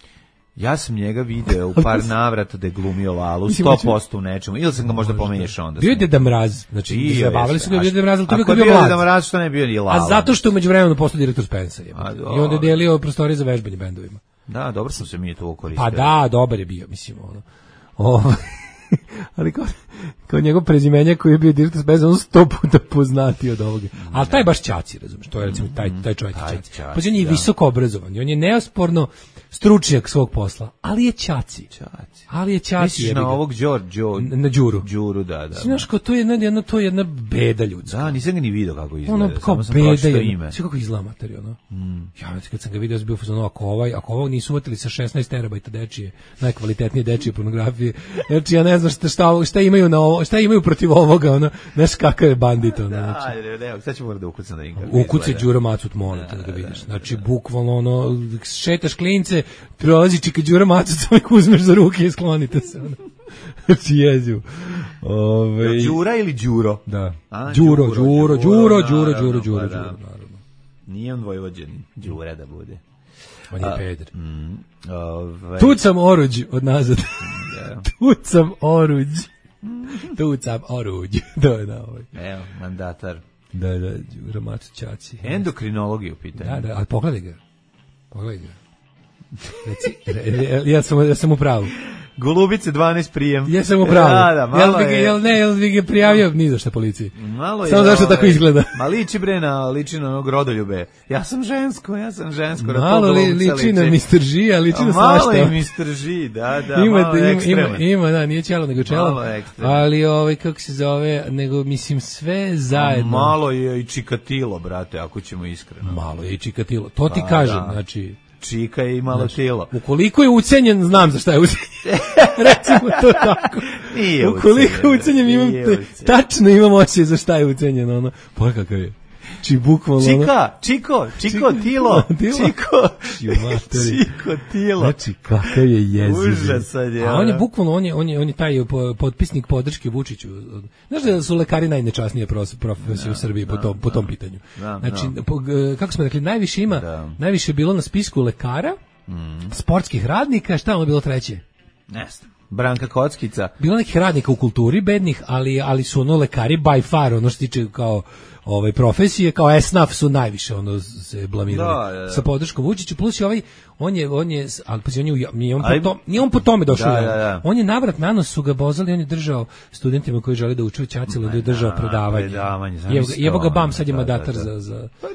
S6: Ja sam njega video u par navrata da je glumio lalu, sto posto u nečemu, ili sam ga možda pomiješao onda.
S7: Bio je Deda Mraz, znači zabavili su ga, bio Deda Mraz, ali to bio
S6: bio Deda Mraz, što ne bio ni lala.
S7: A zato što je međuvremenu postao direktor Spensa, jebote. I onda je delio prostorije za vežbanje bendovima.
S6: Da, dobro sam se mi to koristio.
S7: Pa da, dobar je bio, mislim, ono. Ovo... ali kao, kao njegov prezimenja koji je bio direktor Spensa, on sto puta poznati od ovoga. Ali taj baš Ćaci, razumiješ, to je recimo taj, taj čovjek Ćaci. Pa on je visoko obrazovan, on je neosporno stručnjak svog posla, ali je Ćaci.
S6: Ćaci.
S7: Ali je Ćaci.
S6: Misliš na ovog Đor, Đor,
S7: na Đuru.
S6: Đuru, da, da.
S7: Znaš, kao to je jedna, jedna, to je jedna beda ljudska.
S6: Da, nisam ga ni vidio kako izgleda.
S7: Ono, kao beda je. Sve kako izgleda materija, no? Mm. Ja, kad sam ga vidio, bio fazon, ako ovaj, ako ovo nisu uvatili sa šesnaest terabajta dečije, najkvalitetnije dečije pornografije, znači ja ne znam šta, šta, šta imaju na ovo, šta imaju protiv ovoga, ono, znaš kakav je bandit, ono.
S6: Da, znači. Ne, ne, sad ću moram da ukucam da vidim.
S7: Ukuci Đuro Macut, molim te da ga vidiš. Znači, bukvalno, ono, šetaš klince, prolazi čika Đuro Macut, samo ih uzmeš za ruke i sklonite se, ono. Znači, jeziv. Ove...
S6: Đura ili Đuro?
S7: Da. A, Đuro, Đuro, Đuro, Đuro, Đuro, Đuro, naravno.
S6: Nije on Vojvođanin, Đura da bude.
S7: On je peder.
S6: Mm, ove...
S7: Tucam oruđ od nazad. Tucam oruđ. Tucam oruđ. To je da ovaj.
S6: Evo, mandatar.
S7: Da, da, Đuro Macut Ćaci.
S6: Endokrinologiju pitanje.
S7: Da, da, ali pogledaj ga. Pogledaj ga. Reci, ja sam, ja sam u pravu.
S6: Golubice dvanaest prijem.
S7: Ja sam u pravu.
S6: Da, da, malo
S7: jel,
S6: je...
S7: jel ne, jel bi ga prijavio ni za šta policiji.
S6: Malo je.
S7: Samo zašto
S6: ovaj,
S7: tako izgleda.
S6: Ma liči bre na, liči na onog rodoljube. Ja sam žensko, ja sam žensko.
S7: Malo li, liči na mister G, a liči na svašta.
S6: Malo je mister G, da, da,
S7: ima,
S6: malo
S7: ima,
S6: ekstreman.
S7: Ima, ima, da, nije čelo nego čelo.
S6: Malo je ekstreman.
S7: Ali, ovaj, kako se zove, nego, mislim, sve zajedno.
S6: A malo je i čikatilo, brate, ako ćemo iskreno.
S7: Malo je i čikatilo. To ti pa, kažem, da. Znači...
S6: Čika je imalo znači, tijelo.
S7: Ukoliko je ucenjen, znam za šta je ucenjen. Recimo to tako.
S6: Nije
S7: ukoliko je ucenjen, imam te, tačno imam osjećaj za šta je ucenjen. Ono. Pa kakav je. Či bukvalno.
S6: Čika, čiko, čiko, tilo, čiko, čiko, tilo.
S7: Znači, kakav je jeziv.
S6: Užasan je.
S7: A on je bukvalno, on je, on je, on je taj potpisnik podrške Vučiću. Znaš da su lekari najnečasnije profesije u Srbiji po tom, po tom pitanju. Znači, kako smo rekli, najviše ima, najviše je bilo na spisku lekara, sportskih radnika, šta ono bilo treće?
S6: Ne znam. Branka Kockica.
S7: Bilo nekih radnika u kulturi bednih, ali ali su ono lekari by far, ono što tiče kao ovaj profesije, kao esnaf su najviše ono se blamirali da, da, da. sa podrškom Vučiću, plus i ovaj on je on je al pa on je nije on po tom nije on po tome došao. Da, da, da. On je navrat na nos su ga bozali, on je držao studentima koji žele da uče Ćacilo, da je držao predavanje. predavanje Evo ga bam sad je mandatar da, da. za za pa,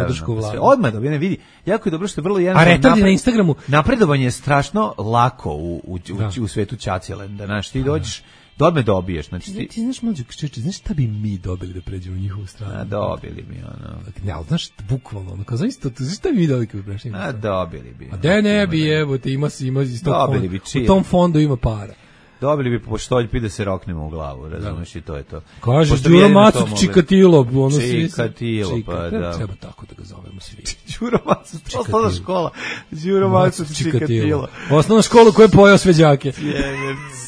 S7: podršku vlade.
S6: Odmah da ne vidi. Jako je dobro što je vrlo
S7: jednostavno. A retardi na Instagramu
S6: napredovanje je strašno lako u u, u, u svetu Ćacilenda, znaš, ti dođeš Dobme dobiješ, znači ti...
S7: Ti znaš, mlađe, čeče, znaš šta bi mi dobili da pređemo u njihovu stranu?
S6: A, dobili bi, ono...
S7: Ne, ali znaš, bukvalno, ono, kao znaš to, znaš šta bi mi dobili kada prešli?
S6: A, dobili bi.
S7: A de ne bi, evo, te ima, ima iz tog fonda, u tom fondu ima para.
S6: Dobili bi po štoljpi da se roknemo u glavu, razumiješ, i to je to.
S7: Kaže, Đuro Macuc Čikatilo, ono
S6: svi... Čikatilo, pa da.
S7: Treba tako da ga zovemo svi.
S6: Đuro Macuc, osnovna škola. Đuro Macuc Čikatilo.
S7: Osnovna škola koja je pojao sve đake.
S6: Je,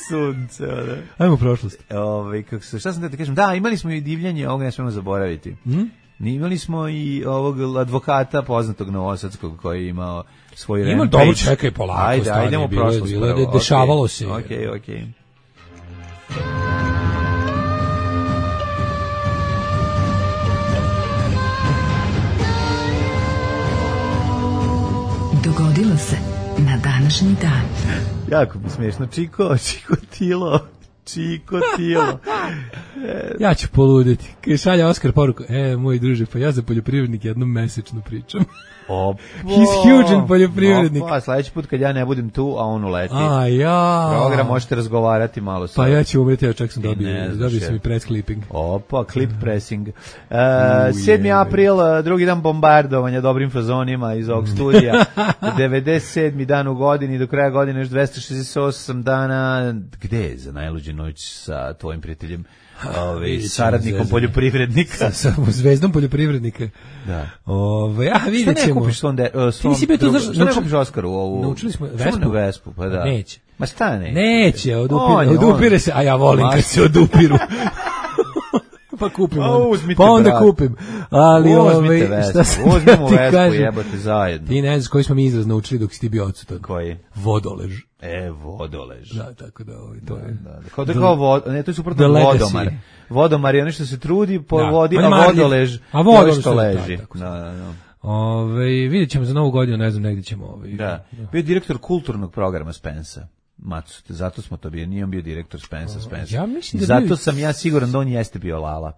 S6: sunce, da.
S7: Ajmo u prošlost.
S6: Ove, kako se, šta sam da te kažem? Da, imali smo i divljanje, ovoga ne smemo zaboraviti.
S7: Mm?
S6: Imali smo i ovog advokata poznatog novosadskog koji je imao svoj rampage.
S7: Ima dobro, čekaj, polako.
S6: Ajde, ajde, idemo u prošlost.
S7: Bilo je, dešavalo se.
S6: Okej, okej.
S8: Dogodilo se na današnji dan.
S6: Jako mi smiješno. Čiko, Čiko Tilo. Čiko Tilo.
S7: Ja ću poluditi. Kaj šalja Oskar poruku. E, moj druže, pa ja za poljoprivrednik jednom mesečno pričam.
S6: Opa.
S7: He's huge in poljoprivrednik.
S6: Opa, sledeći put kad ja ne budem tu, a on uleti.
S7: A ja.
S6: Program možete razgovarati malo sa.
S7: Pa ja ću umreti, ja čak sam dobio. Dobio sam i press clipping.
S6: Opa, clip pressing. Uh, sedmi april, drugi dan bombardovanja dobrim fazonima iz ovog studija. devedeset sedmi dan u godini, do kraja godine još dvesta šezdeset osam dana. Gde je za najluđu noć sa tvojim prijateljem? Ove, saradnikom poljoprivrednika.
S7: Sa, sa zvezdom poljoprivrednika.
S6: Da.
S7: Ove, a vidjet ćemo.
S6: Što ne kupiš sonde, uh, svom
S7: drugu,
S6: to, što ne kupiš Oskaru ovu?
S7: Naučili smo Vespu.
S6: Vespu, pa da.
S7: Neće.
S6: Ma šta neće?
S7: Neće, odupire, odupire se, a ja volim Maš. Kad se odupiru. Pa kupim onda. Pa onda brat. Kupim. Ali
S6: ove, šta se uzmimo Vespu, jebote zajedno.
S7: Ti ne znaš koji smo mi izraz naučili dok si ti bio odsutan.
S6: Koji?
S7: Vodolež.
S6: E, vodolež.
S7: Da, tako da ovaj, to
S6: da,
S7: je.
S6: Da, da. Kao da kao vod, ne, to je suprotno vodomar. Vodomar je ono što se trudi po da, vodi, a vodolež
S7: a vodolež
S6: što leži.
S7: Da,
S6: da, da, da.
S7: Ove, vidjet ćemo za novu godinu, ne znam, negdje ćemo. Ove,
S6: da. Bio je direktor kulturnog programa Spensa. Macu, zato smo to bio, nije on bio direktor Spensa, Spensa.
S7: Ja mislim da
S6: zato
S7: bio...
S6: sam ja siguran da on jeste bio Lala.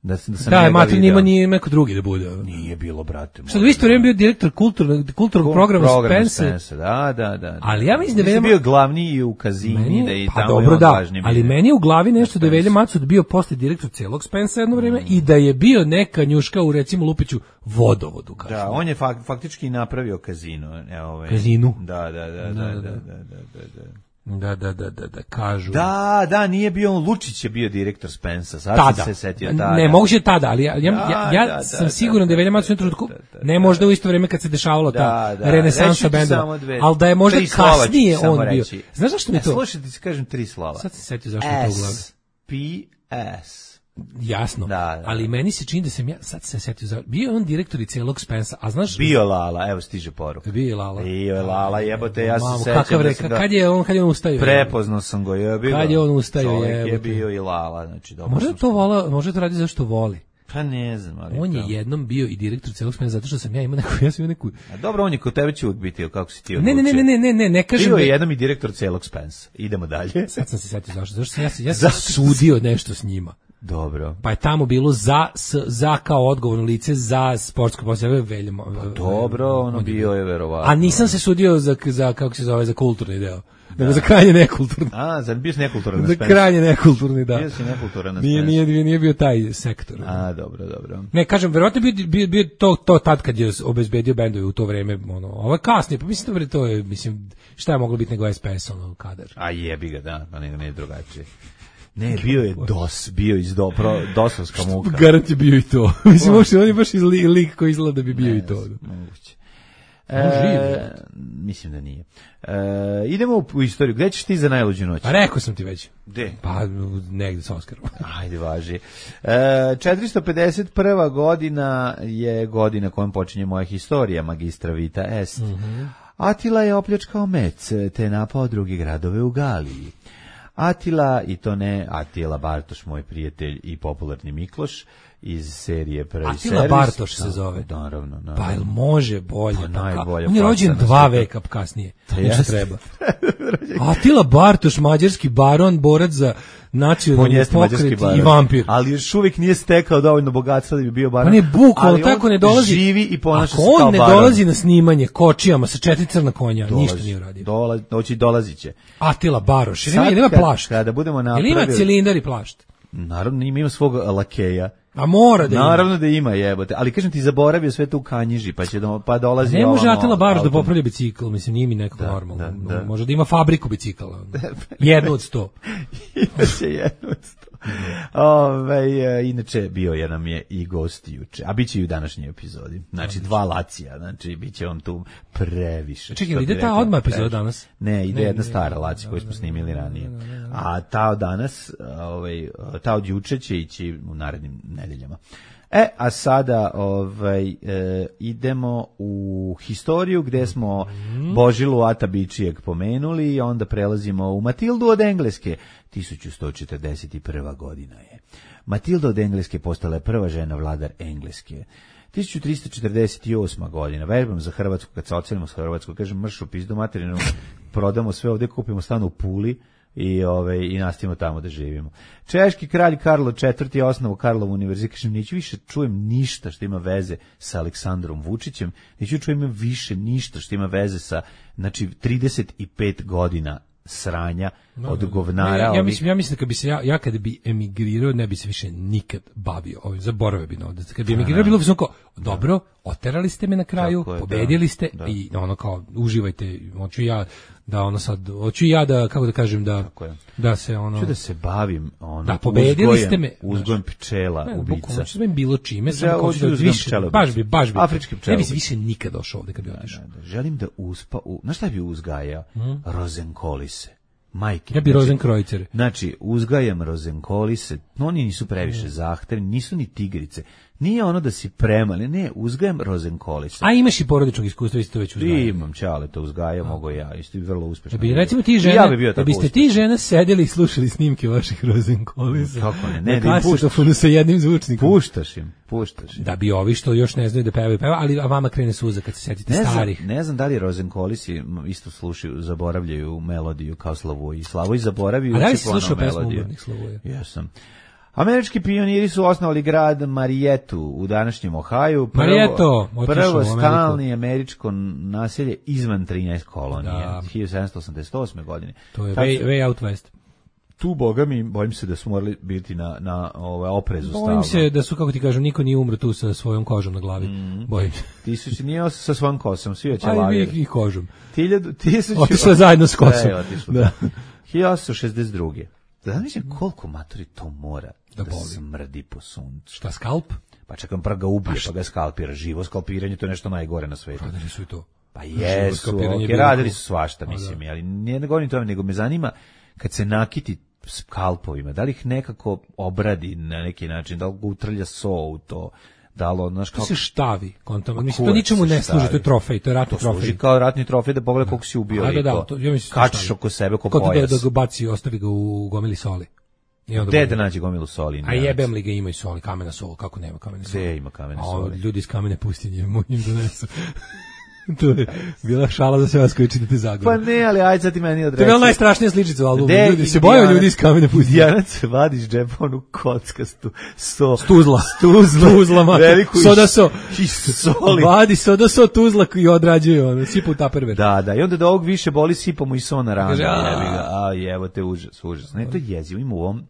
S6: Da, da sam
S7: da, Matin nima nije neko drugi da bude.
S6: Nije bilo, brate.
S7: Što u isto vrijeme bio direktor kulturnog kulturnog programa
S6: program
S7: Spensa.
S6: Da, da, da.
S7: Ali ja mislim da je
S6: bio glavni i u Kazini, meni, da i
S7: pa
S6: tamo
S7: dobro,
S6: je
S7: da,
S6: važni.
S7: Ali meni je u glavi nešto da je Velja Macud bio posle direktor celog Spensa jedno vrijeme mm. i da je bio neka njuška u recimo Lupiću vodovodu. Kažem.
S6: Da, on je fak, faktički napravio Kazino. E, ovaj.
S7: Kazinu?
S6: Da, da, da, da, da, da, da, da, da.
S7: Da, da, da, da, da, kažu.
S6: Da, da, nije bio on, Lučić je bio direktor Spensa, sad
S7: tada.
S6: Sam se setio tada.
S7: Ne, moguće tada, ali ja, ja,
S6: da,
S7: ja, ja
S6: da,
S7: sam
S6: da,
S7: siguran da, da je Velja Macud u trenutku, ne možda u isto vrijeme kad se dešavalo
S6: da,
S7: ta
S6: da,
S7: renesansa bendova, ali da je možda kasnije on bio.
S6: Reći.
S7: Znaš zašto mi to?
S6: Slušajte, ti kažem tri slova.
S7: Sad se setio zašto je to u glavi.
S6: S, P, S.
S7: Jasno,
S6: da, da,
S7: ali meni se čini da sam ja, sad se setio, za, bio je on direktor i celog Spensa, a znaš...
S6: Bio Lala, evo stiže poruka.
S7: Bio je Lala.
S6: Bio je Lala, jebote, ja se sećam.
S7: Kakav reka, kad je on, kad je on ustao?
S6: Prepoznao sam go, je bio.
S7: Kad je on ustao,
S6: je. je bio i Lala, znači dobro.
S7: Možda to vola, možda to radi zašto voli.
S6: Pa ne znam, ali
S7: on je to... jednom bio i direktor celog Spensa zato što sam ja imao neku, ja sam imao neku.
S6: A dobro, on je kod tebe će uvijek biti, kako si ti odlučio.
S7: Ne, ne, ne, ne, ne, ne, ne kažem.
S6: Bio je jednom i direktor celog Spensa. Idemo dalje.
S7: Sad sam se setio zašto, zašto sam ja, ja sam sudio nešto s njima.
S6: Dobro.
S7: Pa je tamo bilo za s, za kao odgovorno lice za sportsko poslove Veljamo.
S6: Pa dobro, ono bio je verovatno.
S7: A nisam se sudio za za kako se zove za kulturni deo. Nego za krajnje nekulturni.
S6: A, za bio nekulturan na
S7: Za krajnje nekulturni, da.
S6: Bio si nekulturan na
S7: Nije, nije, nije, nije bio taj sektor.
S6: A, dobro, dobro.
S7: Ne, kažem, verovatno bio, bio, bio to, to tad kad je obezbedio bendove u to vreme, ono, ovo je kasnije, pa mislim da to je, mislim, šta je moglo biti nego S P S, ono, kadar.
S6: A jebi ga, da, pa nego ne je drugačije. Ne, bio je DOS, bio iz dobro, dosovska muka.
S7: Garant je bio i to. Mislim, uopšte, on je baš iz li, lik koji izgleda da bi bio ne, i to.
S6: Moguće. E, mislim da nije. E, idemo u, u istoriju. Gde ćeš ti za najluđu noć?
S7: Pa rekao sam ti već.
S6: Gde?
S7: Pa negde sa Oskarom.
S6: Ajde, važi. E, četiristo pedeset prva godina je godina kojom počinje moja historija, magistra vita est.
S7: Mm-hmm.
S6: Atila je opljačkao Mec, te napao drugi gradove u Galiji. Atila, i to ne Atila Bartoš, moj prijatelj i popularni Mikloš, iz serije Prvi
S7: Atila
S6: servis.
S7: Bartoš se zove.
S6: Naravno, naravno.
S7: Pa jel može bolje?
S6: Pa najbolje.
S7: On je rođen dva veka kasnije.
S6: To
S7: nešto treba. Atila Bartoš, mađarski baron, borac za nacionalni pokret i vampir.
S6: Ali još uvijek nije stekao dovoljno bogatstva da bi bio baron.
S7: On je bukvalno tako ne dolazi.
S6: Živi i ponaša se kao
S7: baron. Ako on ne
S6: baron.
S7: dolazi na snimanje kočijama sa četiri crna konja, dolazi, ništa nije uradio.
S6: Dolazi, doći dolazit će.
S7: Atila Baroš, jer ima plašt.
S6: Kada budemo napravili...
S7: Ili ima cilindar i plašt?
S6: Naravno, ima svog lakeja.
S7: A mora da ima.
S6: Naravno da ima, jebote. Ali kažem ti, zaboravio sve to u Kanjiži, pa će do, pa dolazi.
S7: Ne može
S6: ovamo,
S7: Atila Baroš da
S6: autom.
S7: popravlja bicikl, mislim, nije mi nekako
S6: da,
S7: normalno.
S6: Da, da.
S7: Može da ima fabriku bicikala. Jednu od sto.
S6: Imaće jednu od sto. Ove, inače, bio je nam je i gost juče, a bit će i u današnjoj epizodi. Znači, dva Lacija, znači, bit će on tu previše.
S7: Čekaj, ide ta odmah epizoda danas?
S6: Ne, ide
S7: ne,
S6: jedna
S7: ne,
S6: stara Lacija koju smo snimili ranije. A ta od danas, ovaj, ta od juče će ići u narednim nedeljama. E, a sada ovaj, e, idemo u historiju gde smo Božilu Ata Bičijeg pomenuli i onda prelazimo u Matildu od Engleske. tisuću sto četrdeset prva godina je. Matilda od Engleske postala je prva žena vladar Engleske. tisuću tristo četrdeset osma godina, vežbam za Hrvatsku, kad se ocelimo s Hrvatsku, kažem mršu pizdu materinu, prodamo sve ovde, kupimo stan u Puli, i ove i nastavimo tamo da živimo. Češki kralj Karlo četvrti je osnovao Karlov univerzitet. Kažem, neću više čujem ništa što ima veze sa Aleksandrom Vučićem, neću čujem više ništa što ima veze sa, znači, trideset pet godina sranja no, od govnara.
S7: Ja, ja,
S6: ovih...
S7: mislim, ja mislim da kad bi se ja, ja kad bi emigrirao, ne bi se više nikad bavio ovim, zaboravio bi na ovdje. Kad bi emigrirao, bilo bi samo kao, dobro, oterali ste me na kraju, je, pobedili ste da, i ono kao, uživajte, hoću ja da ono sad, hoću ja da, kako da kažem, da, da se ono...
S6: Hoću da se bavim ono,
S7: da, pobedili uzgojem, ste me.
S6: Uzgojem pčela, ne, ubica.
S7: Hoću da se bavim bilo čime, samo kao da više, baš bi, baš bi.
S6: Afrički pčela.
S7: Ne bi se više nikad došao ovde kad bi otišao.
S6: Da, da, da. Želim da uspa, u, znaš šta bi uzgajao? Hmm? Rozenkolise. Majke.
S7: Ja bi rozenkrojcere.
S6: Znači, uzgajam rozenkolise, no oni nisu previše zahtevni, nisu ni tigrice. Nije ono da si premali, ne, uzgajam rozenkolise.
S7: A imaš i porodičnog iskustva, isto već uzgajam.
S6: Imam, čale, to uzgajam, mogu ja, isto je vrlo uspešno.
S7: Da bi, recimo ti žene,
S6: ja bi
S7: da biste ti žene sedeli i slušali snimke vaših rozenkolisa.
S6: Kako ne, ne,
S7: da im puštaš. Sa jednim zvučnikom.
S6: Puštaš im, puštaš im.
S7: Da bi ovi što još ne znaju da pevaju, peva, ali a vama krene suza kad se setite
S6: ne
S7: starih.
S6: Znam, ne znam da li rozenkolisi isto slušaju, zaboravljaju melodiju kao Slavoj. Slavoj zaboravio.
S7: A da li si slušao pesmu Umornih Slavoja?
S6: Jesam. Američki pioniri su osnovali grad Marietu u današnjem Ohaju. Prvo,
S7: Marieto,
S6: prvo stalni američko naselje izvan trinaest kolonije,
S7: da.
S6: hiljadu sedamsto osamdeset osme godine.
S7: To je way, way out west.
S6: Tu, boga mi, bojim se da su morali biti na, na ovaj, oprezu stavno.
S7: Bojim se da su, kako ti kažem, niko nije umro tu sa svojom kožom na glavi. Mm. Bojim se.
S6: Ti su nije sa svojom kosom, svi oće
S7: lavili.
S6: lavili.
S7: I kožom.
S6: Tiljadu, tisuću...
S7: Otišla zajedno s kosom.
S6: Da, otišla. Da. hiljadu osamsto šezdeset druge. Da mislim koliko maturi to mora da, da smrdi po suncu.
S7: Šta, skalp?
S6: Pa čekam, prvo ga ubije, pa, pa ga skalpira. Živo skalpiranje, to je nešto najgore na svetu.
S7: Radili su i to.
S6: Pa jesu, okay, radili su svašta, mislim, da. Ali nije ne govorim tome, nego me zanima kad se nakiti skalpovima, da li ih nekako obradi na neki način, da li ga utrlja so u to, da li, znaš,
S7: kako... To se štavi, kontam, mislim, to ničemu ne služi, to je trofej, to je ratni trofej. To služi
S6: kao ratni trofej, da pogleda koliko si ubio.
S7: A, da,
S6: da,
S7: da, to, ja mislim,
S6: kačiš oko sebe, oko pojas.
S7: Da, da ga baci, ostavi ga u gomili soli.
S6: Gde da nađe gomilu soli?
S7: A jebem li ga ima i soli, kamena sol, kako nema kamene soli?
S6: Gde ima kamene soli?
S7: A ljudi iz kamene pustinje im donesu. To je bila šala za sve vas koji čitate Zagor.
S6: Pa ne, ali ajde sad ti meni odreci.
S7: To je bila najstrašnija sličica u albumu. Ljudi se boju ljudi iz kamene pustinje.
S6: Dijanac vadiš džepa onu kockastu so,
S7: stuzla.
S6: Stuzla.
S7: Stuzla,
S6: veliku
S7: soda so.
S6: I soli.
S7: Vadi soda so tuzla i odrađuje ono, sipa u taperver.
S6: Da, da, i onda da ovog više boli sipamo i so na ranu. A jevo te užas, užas. Ne, to je jezivo, ima u ovom,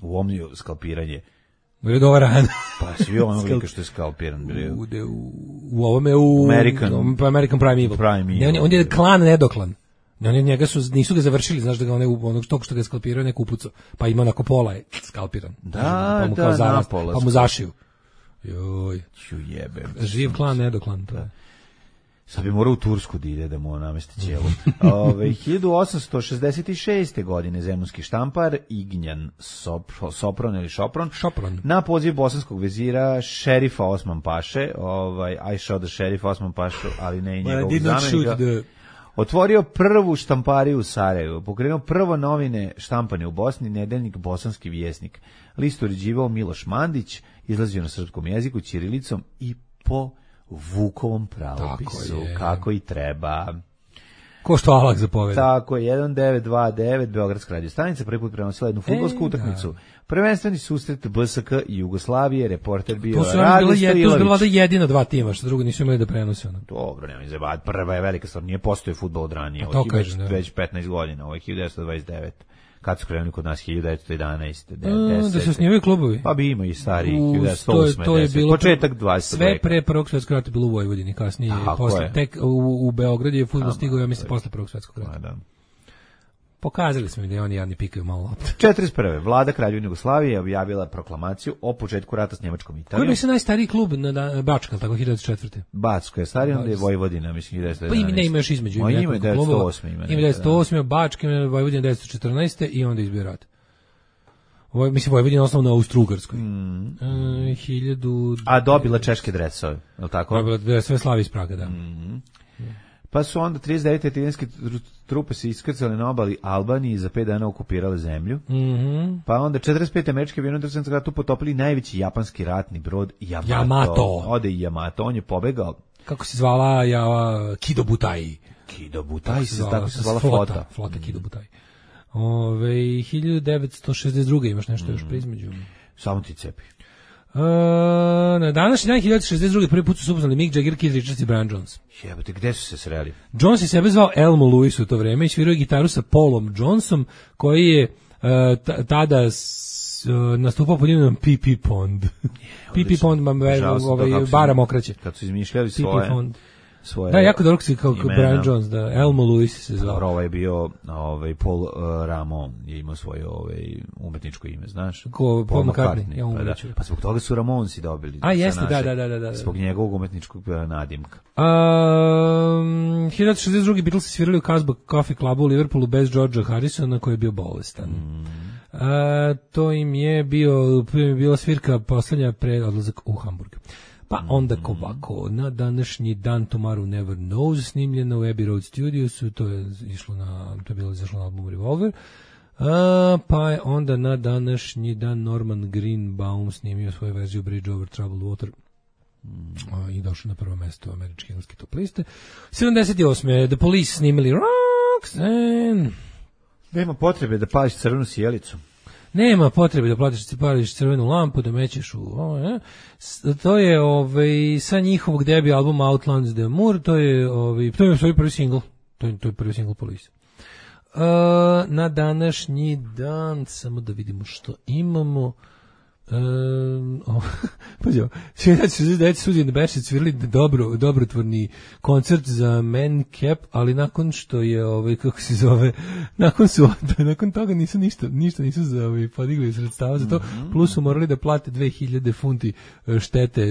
S6: u ovom skalpiranje.
S7: Bude dobar ran.
S6: Pa svi ono lika što je skalpiran.
S7: U, u, u ovome u...
S6: American.
S7: U, American Prime Evil.
S6: Prime
S7: ne, on, je, on je klan nedoklan. Oni njega su, nisu ga završili, znaš da ga one, onog tog što ga je skalpirao neko upucao. Pa ima onako pola je skalpiran.
S6: Da,
S7: pa mu
S6: da,
S7: zaraz,
S6: napola.
S7: Pa mu zašiju. Joj.
S6: Ću jebem.
S7: Živ klan nedoklan. To. Da.
S6: Sad bi morao u Tursku da ide da mu namesti ćelu. Ove, hiljadu osamsto šezdeset šeste. godine zemunski štampar Ignjan Sopron, Sopron ili Šopron,
S7: Šopron.
S6: na poziv bosanskog vezira šerifa Osman Paše, ovaj, I shot the šerifa Osman Pašu, ali ne i njegovog zamenika, the... otvorio prvu štampariju u Sarajevu, pokrenuo prvo novine štampane u Bosni, nedeljnik Bosanski vjesnik. List uređivao Miloš Mandić, izlazio na srpskom jeziku, ćirilicom i po Vukovom pravopisu, kako i treba.
S7: Ko što Alak zapoveda.
S6: Tako je, jedan devet dva devet, Beogradska radio stanica, prvi put prenosila jednu fudbalsku e, utakmicu. Da. Prvenstveni susret B S K i Jugoslavije, reporter bio
S7: Rade Stojilović. To su bila jedina dva tima, što drugo nisu imali da prenose. Ono.
S6: Dobro, nema izjebati, prva je velika stvar, nije postoji fudbal od ranije, od već, već petnaest godina, ovo je hiljadu devetsto dvadeset devet. Kad su krenuli kod nas hiljadu devetsto jedanaeste. deset.
S7: Da se snimaju klubovi.
S6: Pa bi ima i stariji hiljadu devetsto osme.
S7: To je bilo
S6: početak dvadesetog
S7: sve
S6: veka.
S7: pre Prvog svjetskog rata bilo u Vojvodini, kasnije Aha, posle tek u, u Beogradu je fudbal stigao, ja mislim posle Prvog svjetskog rata. Da. Pokazali smo mi da oni jadni pikaju malo lopte.
S6: četrdeset prve. Vlada Kraljevine Jugoslavije objavila proklamaciju o početku rata s Njemačkom i Italijom.
S7: Koji bi se najstariji klub na, na Bačka, tako hiljadu devetsto četvrte.
S6: Bačka je stariji, onda je Vojvodina, mislim hiljadu devetsto jedanaeste.
S7: Pa ima ne ima još između.
S6: Ima hiljadu devetsto osme. Ima
S7: devetsto osme, Bačka, ima Vojvodina devetsto četrnaeste i onda izbio rat. Voj, mislim, Vojvodina osnovno na Austro-Ugarskoj. Mm. E, hiljadu...
S6: A dobila češke dresove, je li tako?
S7: Dobila dresove Slavi iz Praga, da.
S6: Mm. Pa su onda trideset devete italijanske trupe se iskrcale na obali Albanije i za pet dana okupirale zemlju.
S7: Mm -hmm.
S6: Pa onda četrdeset pete američke avioni u Drugom svjetskom ratu potopili najveći japanski ratni brod Yamato.
S7: Yamato.
S6: Ode i Yamato, on je pobegao.
S7: Kako se zvala ja, Kido Butai?
S6: Kido Butai, se zvala, tako se zvala
S7: flota.
S6: flota.
S7: Flota mm. Kido Butai. Ove, hiljadu devetsto šezdeset druge imaš nešto mm. još prizmeđu.
S6: Samo ti cepi.
S7: Uh, na današnji dan hiljadu devetsto šezdeset druge prvi put su upoznali Mick Jagger, Keith Richards i Brian Jones.
S6: Jebote, gde su se sreli?
S7: Jones je sebe zvao Elmo Lewis u to vreme i svirao gitaru sa Paulom Jonesom, koji je uh, tada s, uh, nastupao pod imenom P P Pond. P P Pond, ovaj, bara mokraće.
S6: Kad su izmišljali svoje...
S7: Pond. Svoje da, jako dobro si kao Brian Jones, da, Elmo Lewis se zvao.
S6: Dobro, ovaj je bio, ovaj, Paul uh, Ramon je imao svoje ovaj, umetničko ime, znaš?
S7: Ko, Paul McCartney, ja
S6: pa, da. Pa zbog toga su Ramonsi dobili.
S7: A, jeste, da, da, da, da, da.
S6: Zbog njegovog umetničkog nadimka.
S7: Um, hiljadu devetsto šezdeset druge Beatles svirali u Casbah Coffee Clubu u Liverpoolu bez Georgea Harrisona, koji je bio bolestan. Mm. Uh, to im je bio, bila svirka poslednja pre odlazak u Hamburg. Pa onda ovako, na današnji dan Tomorrow Never Knows, snimljeno u Abbey Road Studiosu, to je išlo na, to je bilo izašlo na albumu Revolver. A, pa je onda na današnji dan Norman Greenbaum snimio svoju verziju Bridge Over Troubled Water. A, i došao na prvo mesto američke engleske top liste. sedamdeset osme The Police snimili Roxanne.
S6: Nema potrebe da pališ crvenu sjelicu.
S7: Nema potrebe da platiš, ti pališ crvenu lampu, da mećeš u... O, ne? To je ovaj, sa njihovog debi albuma Outlands the Moor, to je, ovaj, to je svoj prvi singl. To je, to je prvi singl Police. Uh, na današnji dan, samo da vidimo što imamo... Um, oh, pađo, šezdeset devet Suzy and the Banshees svirali dobro, dobrotvorni koncert za Man Cap, ali nakon što je ovaj kako se zove, nakon su nakon toga nisu ništa, ništa nisu za ovaj podigli sredstava za to, mm-hmm. plus su morali da plate dve hiljade funti štete,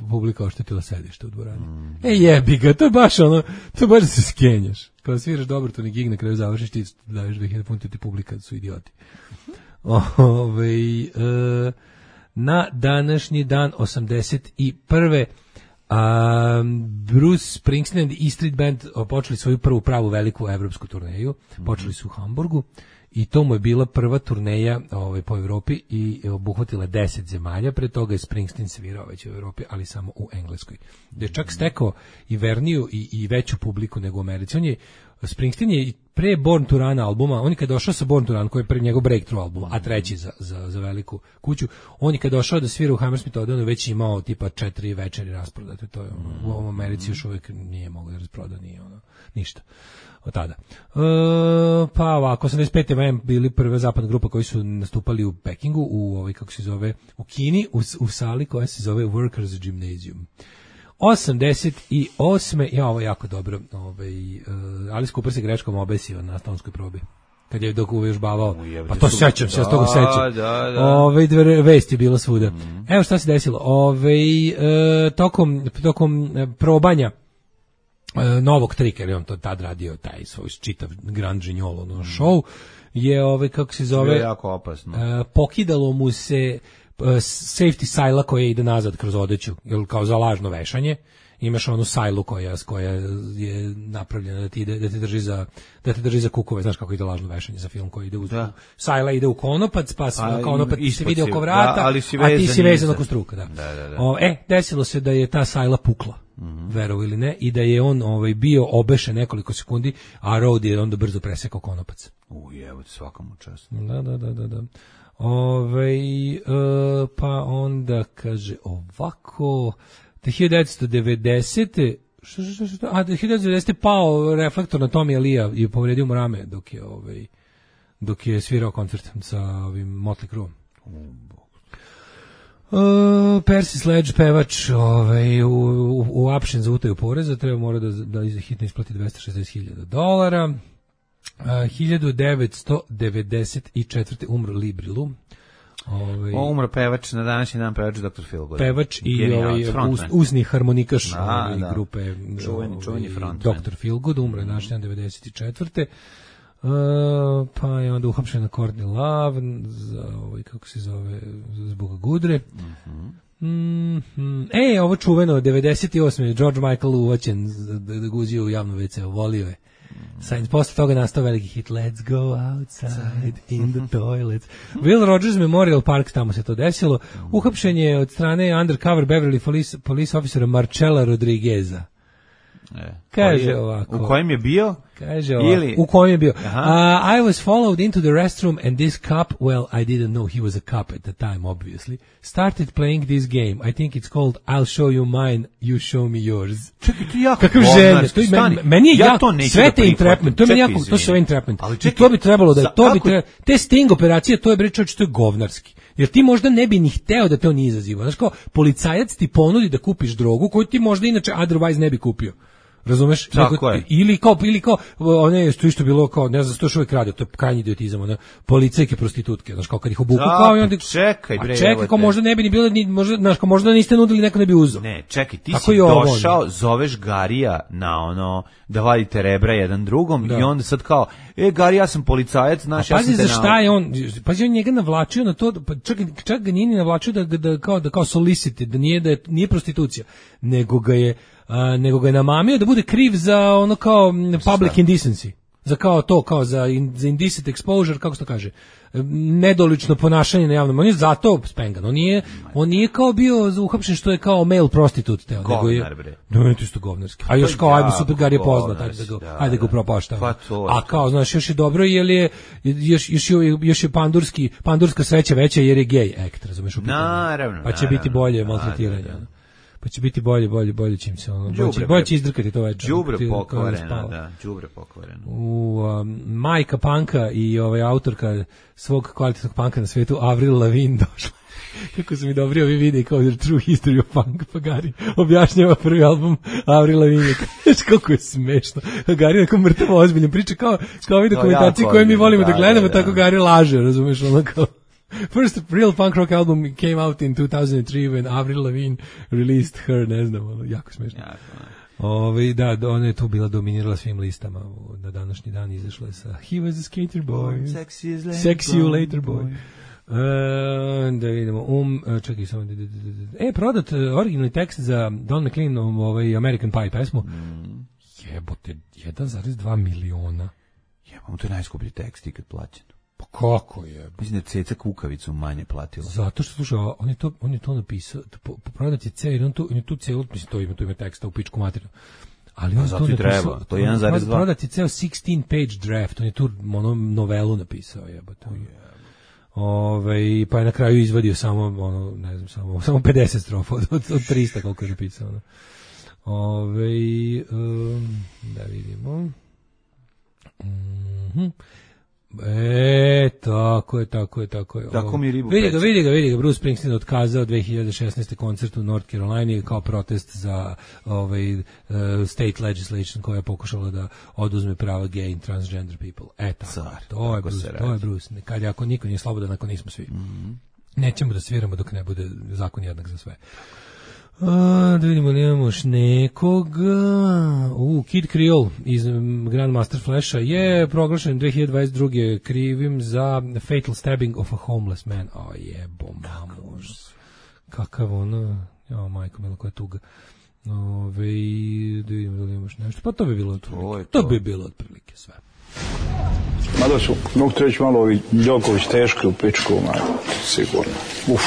S7: publika oštetila sedište u dvorani. Mm-hmm. E jebi ga, to je baš ono, to je baš da se skenjaš. Kada sviraš dobrotvorni gig, na kraju završiš ti daješ dve hiljade funti, ti publika su idioti. Ovaj e, na današnji dan osamdeset prve a, Bruce Springsteen i E Street Band počeli svoju prvu pravu veliku evropsku turneju. Počeli su u Hamburgu i to mu je bila prva turneja ovaj, po Evropi i obuhvatila deset zemalja. Pre toga je Springsteen svirao već u Evropi, ali samo u Engleskoj. Da je čak stekao i verniju i, i veću publiku nego u Americi. On je, Springsteen je pre Born to Run albuma, on je kad došao sa Born to Run, koji je pre njegov breakthrough album, a treći za, za, za veliku kuću, on je kad došao da svira u Hammersmith Odeonu već imao tipa četiri večeri rasprodate, to je ono, u ovom Americi još uvijek nije mogao da rasproda, nije ono, ništa od tada. E, pa ovako, osamdeset pete bili prva zapadna grupa koji su nastupali u Pekingu, u ovoj, kako se zove, u Kini, u, u sali koja se zove Workers Gymnasium. osamdeset osme ja ovo jako dobro, ovaj uh, Alice Cooper se greškom obesio na stonskoj probi. Kad je dok uvežbavao, pa to sećam se, ja s toga sećam. Da, da. Ovaj dve vesti je bilo svuda. Mm. Evo šta se desilo. Ovaj uh, tokom tokom probanja uh, novog trika, jer on to tad radio taj svoj čitav Grand Gignolo no, show, je ovaj, kako se zove,
S6: je jako opasno.
S7: Uh, pokidalo mu se uh, safety sajla koja ide nazad kroz odeću, jer kao za lažno vešanje, imaš onu sajlu koja koja je napravljena da ti ide, da te drži za da te drži za kukove, znaš kako ide lažno vešanje za film koji ide uz da. Sajla ide u konopac, pa a, konopac se vidi oko vrata, da, ali si a ti si vezan oko struka, da.
S6: Da, da, da.
S7: O, e, desilo se da je ta sajla pukla. Mm-hmm. Verovo ili ne, i da je on ovaj bio obešen nekoliko sekundi, a Rode je onda brzo presekao konopac.
S6: U jevo, svakamu čast.
S7: Da, da, da, da, da. Ove, e, pa onda kaže ovako, te hiljadu devetsto devedesete što, što, što, a hiljadu devetsto devedesete pao reflektor na Tommy Lee i povredio mu rame dok je ovaj dok je svirao koncert sa ovim Motley Crue. Uh, Percy Sledge, pevač, ovaj, u, u, u apšen za utaju poreza, treba mora da, da hitno isplati dvesta šezdeset hiljada dolara. Uh, hiljadu devetsto devedeset četvrte umro Lee Brilu. Ovaj,
S6: o, umro pevač, na današnji dan pevač doktor Feelgood.
S7: Pevač i ovaj, uz, uzni harmonikaš
S6: da,
S7: ovaj,
S6: da.
S7: grupe
S6: čuveni, čuveni
S7: ovaj, doktor Feelgood, umro je mm. današnji dan devedeset četvrte Uh, pa je onda uhapšen na Courtney Love za ovaj, kako se zove, zbog Gudre. Mm-hmm. Mm-hmm. E, ovo čuveno, devedeset osme George Michael uvaćen da, da guzio u javno ve ce, volio je. Mm-hmm. Posle toga nastao veliki hit Let's go outside in the toilets. Will Rogers Memorial Park, tamo se to desilo. Uhapšen je od strane undercover Beverly Police, police officera Marcella Rodrigueza.
S6: E,
S7: kaže ovako.
S6: U kojem je bio?
S7: Kaže ovako. Ili... U kojem je bio? Uh, I was followed into the restroom and this cop, well, I didn't know he was a cop at the time, obviously, started playing this game. I think it's called I'll show you mine, you show me yours.
S6: Čekaj, to je jako
S7: kakav želje. To je, meni, meni je ja, jako, sve te entrapment, to je meni jako, to su entrapment. I to bi trebalo da, to bi trebalo, te sting operacije, to je bre čovječ, to je govnarski. Jer ti možda ne bi ni hteo da te on izaziva. Znaš kao, policajac ti ponudi da kupiš drogu koju ti možda inače otherwise ne bi kupio. Razumeš?
S6: Tako je.
S7: Ili kao, ili kao, one što isto bilo kao, ne znam, što što uvijek radi, to je krajnji idiotizam, one policajke prostitutke, znaš, kao kad ih obuku, kao i onda...
S6: Čekaj, bre,
S7: a čekaj, kao možda ne bi ni bilo, ni, možda, znaš, kao možda niste nudili, neko ne bi uzeo.
S6: Ne, čekaj, ti tako si došao, ovo, zoveš Garija na ono, da vadite rebra jedan drugom, da. I onda sad kao, e, Gari, ja sam policajac, znaš, ja sam te
S7: pazi za šta je on, pazi, on njega navlačio na to, pa čak, čak ga nije navlačio da, da, da, kao, da kao solicite, da nije, da je, nije prostitucija, nego ga je, Uh, nego ga je namamio da bude kriv za ono kao public šta? Indecency. Za kao to, kao za, in, za indecent exposure, kako se to kaže, nedolično ponašanje na javnom. On je zato spengan. On nije, on nije kao bio uhapšen što je kao male prostitute. Teo, nego je, da je to isto govnarski. A još kao, ajmo, super Gar je poznat, ajde da ga, ajde da ga upropaštamo. Pa a kao, znaš, još je dobro, jer je, još, još, još je pandurski, pandurska sreća veća jer je gay act, razumeš?
S6: Naravno.
S7: Pa će naravno, biti bolje maltretiranje. Pa će biti bolje, bolje, bolje čim se ono, bolje, bolje će izdrkati to večer.
S6: Đubre pokvareno, da, đubre pokvareno.
S7: U um, majka panka i ovaj autorka svog kvalitetnog panka na svetu, Avril Lavigne, došla. Kako su mi dobri ovi videi kao The True History of Punk, pa Gari objašnjava prvi album Avril Lavigne. Kako je smešno. Gari neko mrtavo ozbiljno priča kao, kao ovi dokumentacije koje mi volimo da, da gledamo, da, da. Tako Gari laže, razumeš, ono kao... First real punk rock album came out in two thousand three when Avril Lavigne released her, ne znam, ono, jako smešno. Ove, da, ona je tu bila dominirala svim listama, na današnji dan izašla je sa He was a skater boy,
S6: sexy, later
S7: sexy you later boy. boy. Uh, da vidimo, um, čekaj samo, e, prodat originalni tekst za Don McLean, ovaj American Pie pesmu, mm. jebote, jedan zarez dva miliona.
S6: Jebamo, to je najskuplji tekst ikad plaćen.
S7: Pa kako je?
S6: Mislim da Ceca Kukavicu manje platila.
S7: Zato što, slušaj, on je to, on je to napisao, po, po prodat je ceo, on, on je tu celu, mislim, to ima, to ima teksta u pičku materiju. Ali on
S6: pa
S7: to napisao,
S6: treba, to je jedan zarez dva.
S7: Prodat je ceo sixteen page draft, on je tu ono novelu napisao, jebote. Oh, yeah. Ove, pa je na kraju izvadio samo, ono, ne znam, samo, samo pedeset strofa od, od, od trista koliko je napisao. Ono. Ove, um, da vidimo. Mhm. E, tako je, tako je, tako je.
S6: Tako mi ribu
S7: vidi ga, vidi ga, vidi ga, Bruce Springsteen otkazao dve hiljade šesnaeste koncert u North Carolina kao protest za ovaj uh, state legislation koja je pokušala da oduzme prava gay and transgender people. E, tako, Car, to, je Bruce, to je Bruce. Kad ako niko nije slobodan, ako nismo svi. Mm-hmm. Nećemo da sviramo dok ne bude zakon jednak za sve. A, da vidimo li imamo još nekoga. U, Kid Creole iz Grandmaster Flasha je proglašen dve hiljade dvadeset druge krivim za fatal stabbing of a homeless man. O jebo, mamu. Kakav ono, ja majko milo, koja tuga. Ove, da vidimo da li imamo još nešto. Pa to bi bilo otprilike. To. to bi bilo otprilike sve.
S9: Mada su, mogu treći malo ovi Đoković teški u pičku, maj, sigurno. Uf.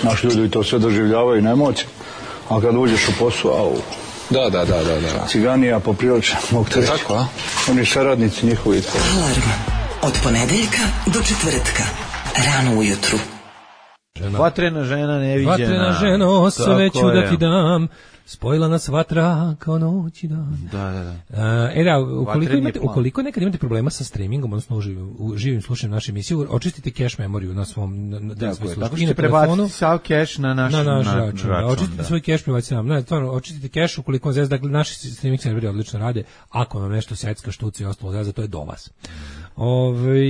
S9: Naši ljudi to sve doživljavaju na emocije, a kad uđeš u posao, au.
S10: Da, da, da, da, da.
S9: Ciganija poprilično, mogu te reći.
S10: Tako, a?
S9: Oni saradnici njihovi.
S5: Alarm od ponedeljka do četvrtka, rano ujutru.
S6: Žena. Vatrena žena neviđena.
S7: Vatrena ženo, sve ću da ti dam. Spojila nas vatra kao noć i dan.
S6: Da, da, da.
S7: Uh, e da, ukoliko, imate, ukoliko nekad imate problema sa streamingom, odnosno u živim, u živim slušanjem naše emisije, očistite cache memoriju na svom na, na,
S6: da, svoj tako ćete prebaciti sav cache na naš,
S7: na naš
S6: na,
S7: račun. Da, očistite da. svoj cache, prebacite nam. Ne, stvarno, očistite cache ukoliko vam zezda, dakle, naši streaming serveri odlično rade, ako vam nešto secka, štuci i ostalo zezda, to je do vas. Ove,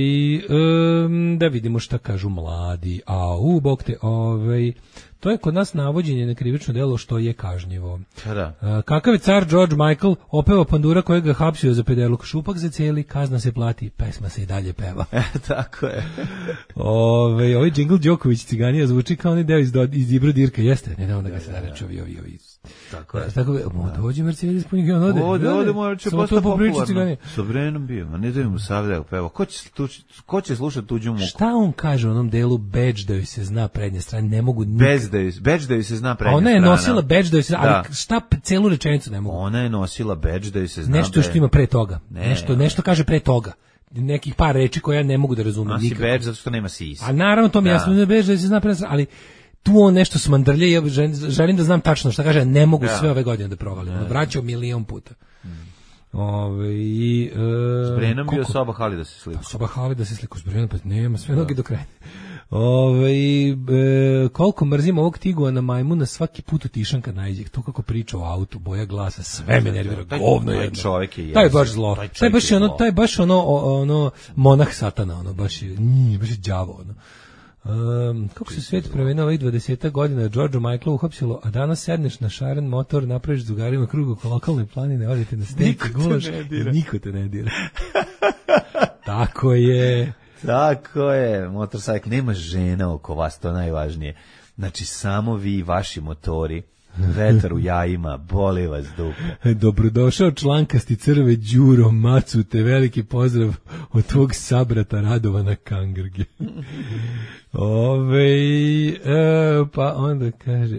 S7: um, da vidimo šta kažu mladi. A u, bog te, ove, to je kod nas navođenje na krivično delo što je kažnjivo.
S6: Da.
S7: Uh, kakav je car George Michael opeva pandura kojeg ga hapsio za pederluk, šupak za cijeli, kazna se plati, pesma se i dalje peva.
S6: E, tako je.
S7: Ove, ovaj džingl Đoković Ciganija zvuči kao onaj deo iz, iz Ibro Dirka, jeste? Ne, ne, da ga se da reći ovi, ovi, ovi.
S6: Tako je.
S7: Tako je, dođe Mercedes punjeg i on ode.
S6: Ode, ode, mora će postati popularno.
S7: Sa
S6: Brenom bio, a ne da mu savdeo peva. Ko će, ko će slušati tuđu muku?
S7: Šta on kaže u onom delu bedž da joj se zna prednja strana, ne mogu nikad.
S6: Bez da joj, bedž da joj se zna prednja strana.
S7: Ona je nosila bedž da joj se, ali šta celu rečenicu ne mogu.
S6: Ona je nosila bedž da joj se zna.
S7: Nešto što ima pre toga. Ne, nešto, nešto kaže pre toga. Nekih par reči koje ja ne mogu da razumem nikako.
S6: Nosi bedž zato što nema sisa.
S7: A naravno to mi da. jasno, ne bedž da joj se zna prednja strana, ali tu on nešto smandrlje i ja želim da znam tačno šta kaže, ne mogu ja. sve ove godine da provalim. Ja. Vraćao milion puta. Mm. Ove, i, e,
S6: s Brenom bio Soba Hali da se sliku.
S7: Pa, Soba Hali da se sliku s Brenom, pa nema sve noge do kraja. Ove, e, koliko mrzim ovog Tiguana Majmuna, svaki put utišan kad najde. To kako priča o autu, boja glasa, sve me nervira, govno jedno.
S6: Čovjek je
S7: taj je baš zlo. Taj, taj baš je ono, taj baš ono, ono monah satana, ono baš je, njih, baš je đavo, ono. Um, kako se svijet promenio ovih dvadeset godina, George Michael uhapsilo, a danas sedneš na šaren motor, napraviš drugarima krug oko lokalne planine, odete na stenku, gulaš i niko te ne dira. Tako je.
S6: Tako je, motorcycle, nema žena oko vas, to najvažnije. Znači, samo vi i vaši motori, vetar u jajima, boli vas dupe.
S7: Dobrodošao člankasti crve Đuro Macu, te veliki pozdrav od tvog sabrata Radovana Kangrge. Ove, e, pa onda kaže,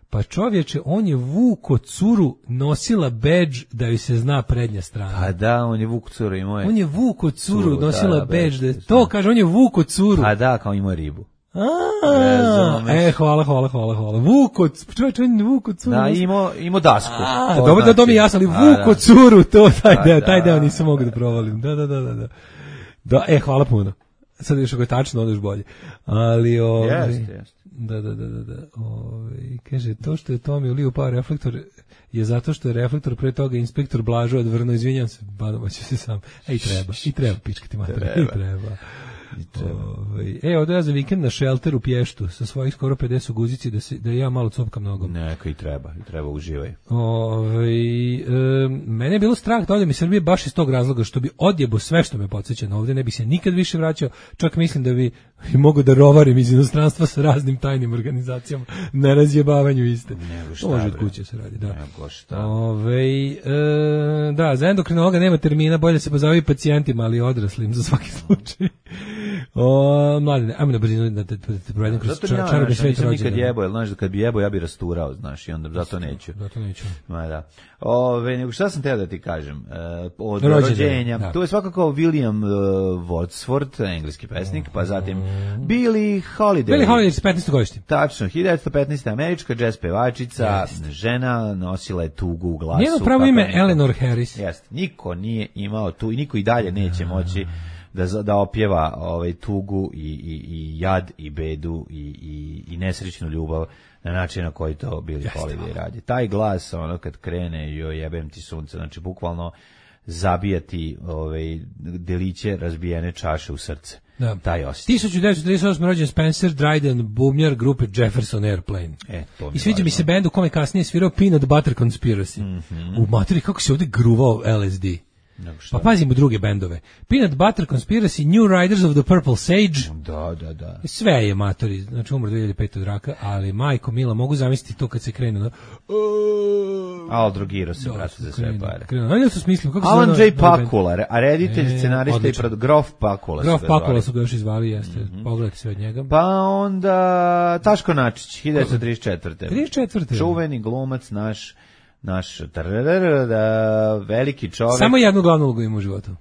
S7: pa čovječe, on je vuko curu nosila bedž da joj se zna prednja strana.
S6: Pa da, on je vuko curu imao je.
S7: On je vuko curu, curu nosila da, bedž, da, to kaže, on je vuko curu.
S6: Pa da, kao imao ribu.
S7: A, e, hvala, hvala, hvala, hvala. Vuko, čovječ, on je vuko curu.
S6: Da, imao, imao dasku.
S7: A, dobro, znači, da to mi je jasno, ali vuko curu, to, taj deo, taj deo nisam mogu da provalim. Da, da, da, da, da. Da, e, hvala puno. Sad još ako je tačno, onda još bolje. Ali, ovaj,
S6: jeste, jeste.
S7: Da, da, da, da, da. Ovaj, kaže, to što je Tomi ulio pao reflektor je zato što je reflektor pre toga inspektor Blažo odvrnuo, izvinjam se, badamo će se sam. E, i treba, i treba, pičkati mater, i treba. Ove, e, odo ja za vikend na šelter u Pještu sa svojih skoro pedeset guzici da, se, da ja malo copkam nogom.
S6: Neka i treba, i treba uživaj.
S7: Ove, e, mene je bilo strah da odem iz Srbije baš iz tog razloga što bi odjebo sve što me podsjeća na ovdje, ne bi se nikad više vraćao, čak mislim da bi i mogu da rovarim iz inostranstva sa raznim tajnim organizacijama na razjebavanju iste.
S6: Nego šta,
S7: može od kuće se radi, da.
S6: Nego šta.
S7: Ove, e, da, za endokrinologa nema termina, bolje se pozavi pacijentima, ali odraslim za svaki slučaj. O, mladine, ajmo na brzinu da te provedem kroz čarobni svet rođena.
S6: Nikad jebo, jer znaš da kad bi jebo ja bi rasturao, znaš, i onda zato neću.
S7: Zato neću.
S6: Ma da. Ove, nego šta sam teo da ti kažem? Uh, od rođenja. Da. Tu je svakako William uh, Wordsworth, engleski pesnik, pa zatim Billie Holiday.
S7: Billie Holiday, petnaesto godište.
S6: Tačno, hiljadu devetsto petnaeste. američka džez pevačica, yes. žena, nosila je tugu u glasu.
S7: Njeno pravo ime Eleanor Harris.
S6: Jeste, niko nije imao tu i niko i dalje neće moći da da opjeva ovaj tugu i i i jad i bedu i i i nesrećnu ljubav na način na koji to Billie Holiday radi. Taj glas, ono kad krene, joj jebem ti sunce, znači bukvalno zabijati ovaj, deliće razbijene čaše u srce.
S7: Da.
S6: Taj osjećaj.
S7: hiljadu devetsto trideset osme rođen Spencer Dryden, bubnjar grupe Jefferson Airplane.
S6: E, to mi
S7: I sviđa mi se bend u kome kasnije svirao Peanut Butter Conspiracy. Mm-hmm. U materi kako se ovdje gruvao L S D. Pa pazimo druge bendove. Peanut Butter Conspiracy, New Riders of the Purple Sage.
S6: Da, da, da.
S7: Sve je matori, znači umro dve hiljade pete od raka, ali majko mila, mogu zamisliti to kad se krene na...
S6: Al drogirao se, brate, za sve pare.
S7: Ali su smislili, kako se
S6: Alan
S7: zove...
S6: J. Pakula, a reditelj,
S7: e,
S6: scenarista
S7: odlično.
S6: i pred Grof Pakula.
S7: Grof Pakula su ga još izvali, jeste. Mm-hmm. Pogledajte sve od njega.
S6: Pa onda Taško Načić, hiljadu devetsto trideset četvrte.
S7: trideset četvrte.
S6: Čuveni glumac naš, naš trrrr, da, veliki čovjek.
S7: Samo jednu glavnu ulogu ima u životu.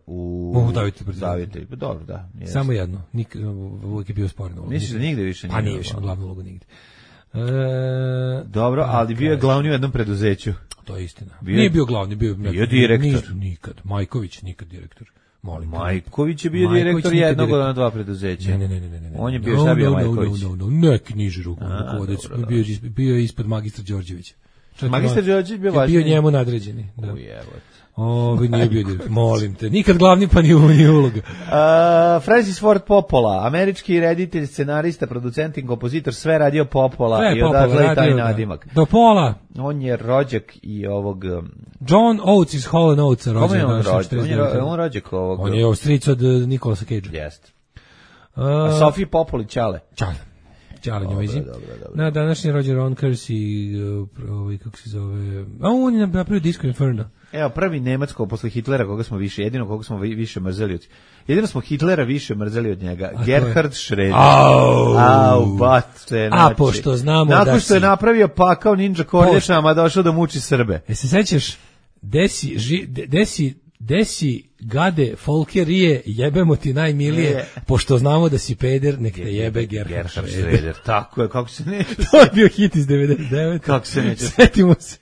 S6: U
S7: U Davite
S6: Davite, pa dobro, da. Jest.
S7: Samo jednu. Nik, uvijek je bio sporno.
S6: Misliš da nigde više nije?
S7: Pa nije više glavnu ulogu nigde. E,
S6: dobro, ali bio je glavni u jednom preduzeću.
S7: To je istina.
S6: Bio,
S7: nije bio glavni, bio,
S6: bio nekad, direktor.
S7: Nikad. Majković nikad direktor. Molim.
S6: Majković je bio Majković direktor jednog od ona dva preduzeća.
S7: Ne, ne, ne, ne, ne.
S6: On je bio, no, šta bio
S7: no,
S6: Majković?
S7: No, no, no, neki niži rukom rukovodeč. Bio, bio je ispod magistra Đorđevića.
S6: Magistar Đorđević bio važniji.
S7: Bio njemu nadređeni. Da.
S6: Ujebot.
S7: O, nije bio direktor. Molim te. Nikad glavni pa ni uloga.
S6: Uh, Francis Ford Coppola, američki reditelj, scenarista, producent i kompozitor, sve radio Coppola sve i odakle i taj nadimak.
S7: Do pola.
S6: On je rođak i ovog... Um,
S7: John Oates iz Hall and Oatesa rođen.
S6: Kome je on rođak? On je, on rođak ovog...
S7: On je ostric od Nikolasa Cagea.
S6: Jest. Uh, A Sofiji Popoli Ćale.
S7: Ćale. Ćale njojzi. Na današnji rođen Ron Kersey, ovaj, kako se zove... A on je napravio Disco Inferno.
S6: Evo, prvi Nemacko posle Hitlera, koga smo više, jedino koga smo više mrzeli od... Jedino smo Hitlera više mrzeli od njega. A Gerhard Schröder.
S7: Au,
S6: Au, bate,
S7: znači. A, pošto znamo
S6: nakon
S7: da si...
S6: što je napravio pakao ninja kornjačama, došao da muči Srbe.
S7: E se sećaš, desi, ži, desi, desi gade folkerije, jebemo ti najmilije, je. Pošto znamo da si peder, nek te jebe Gerhard Schröder.
S6: Tako je, kako se neće.
S7: To je bio hit iz devedeset devete.
S6: Kako se neće.
S7: Setimo se.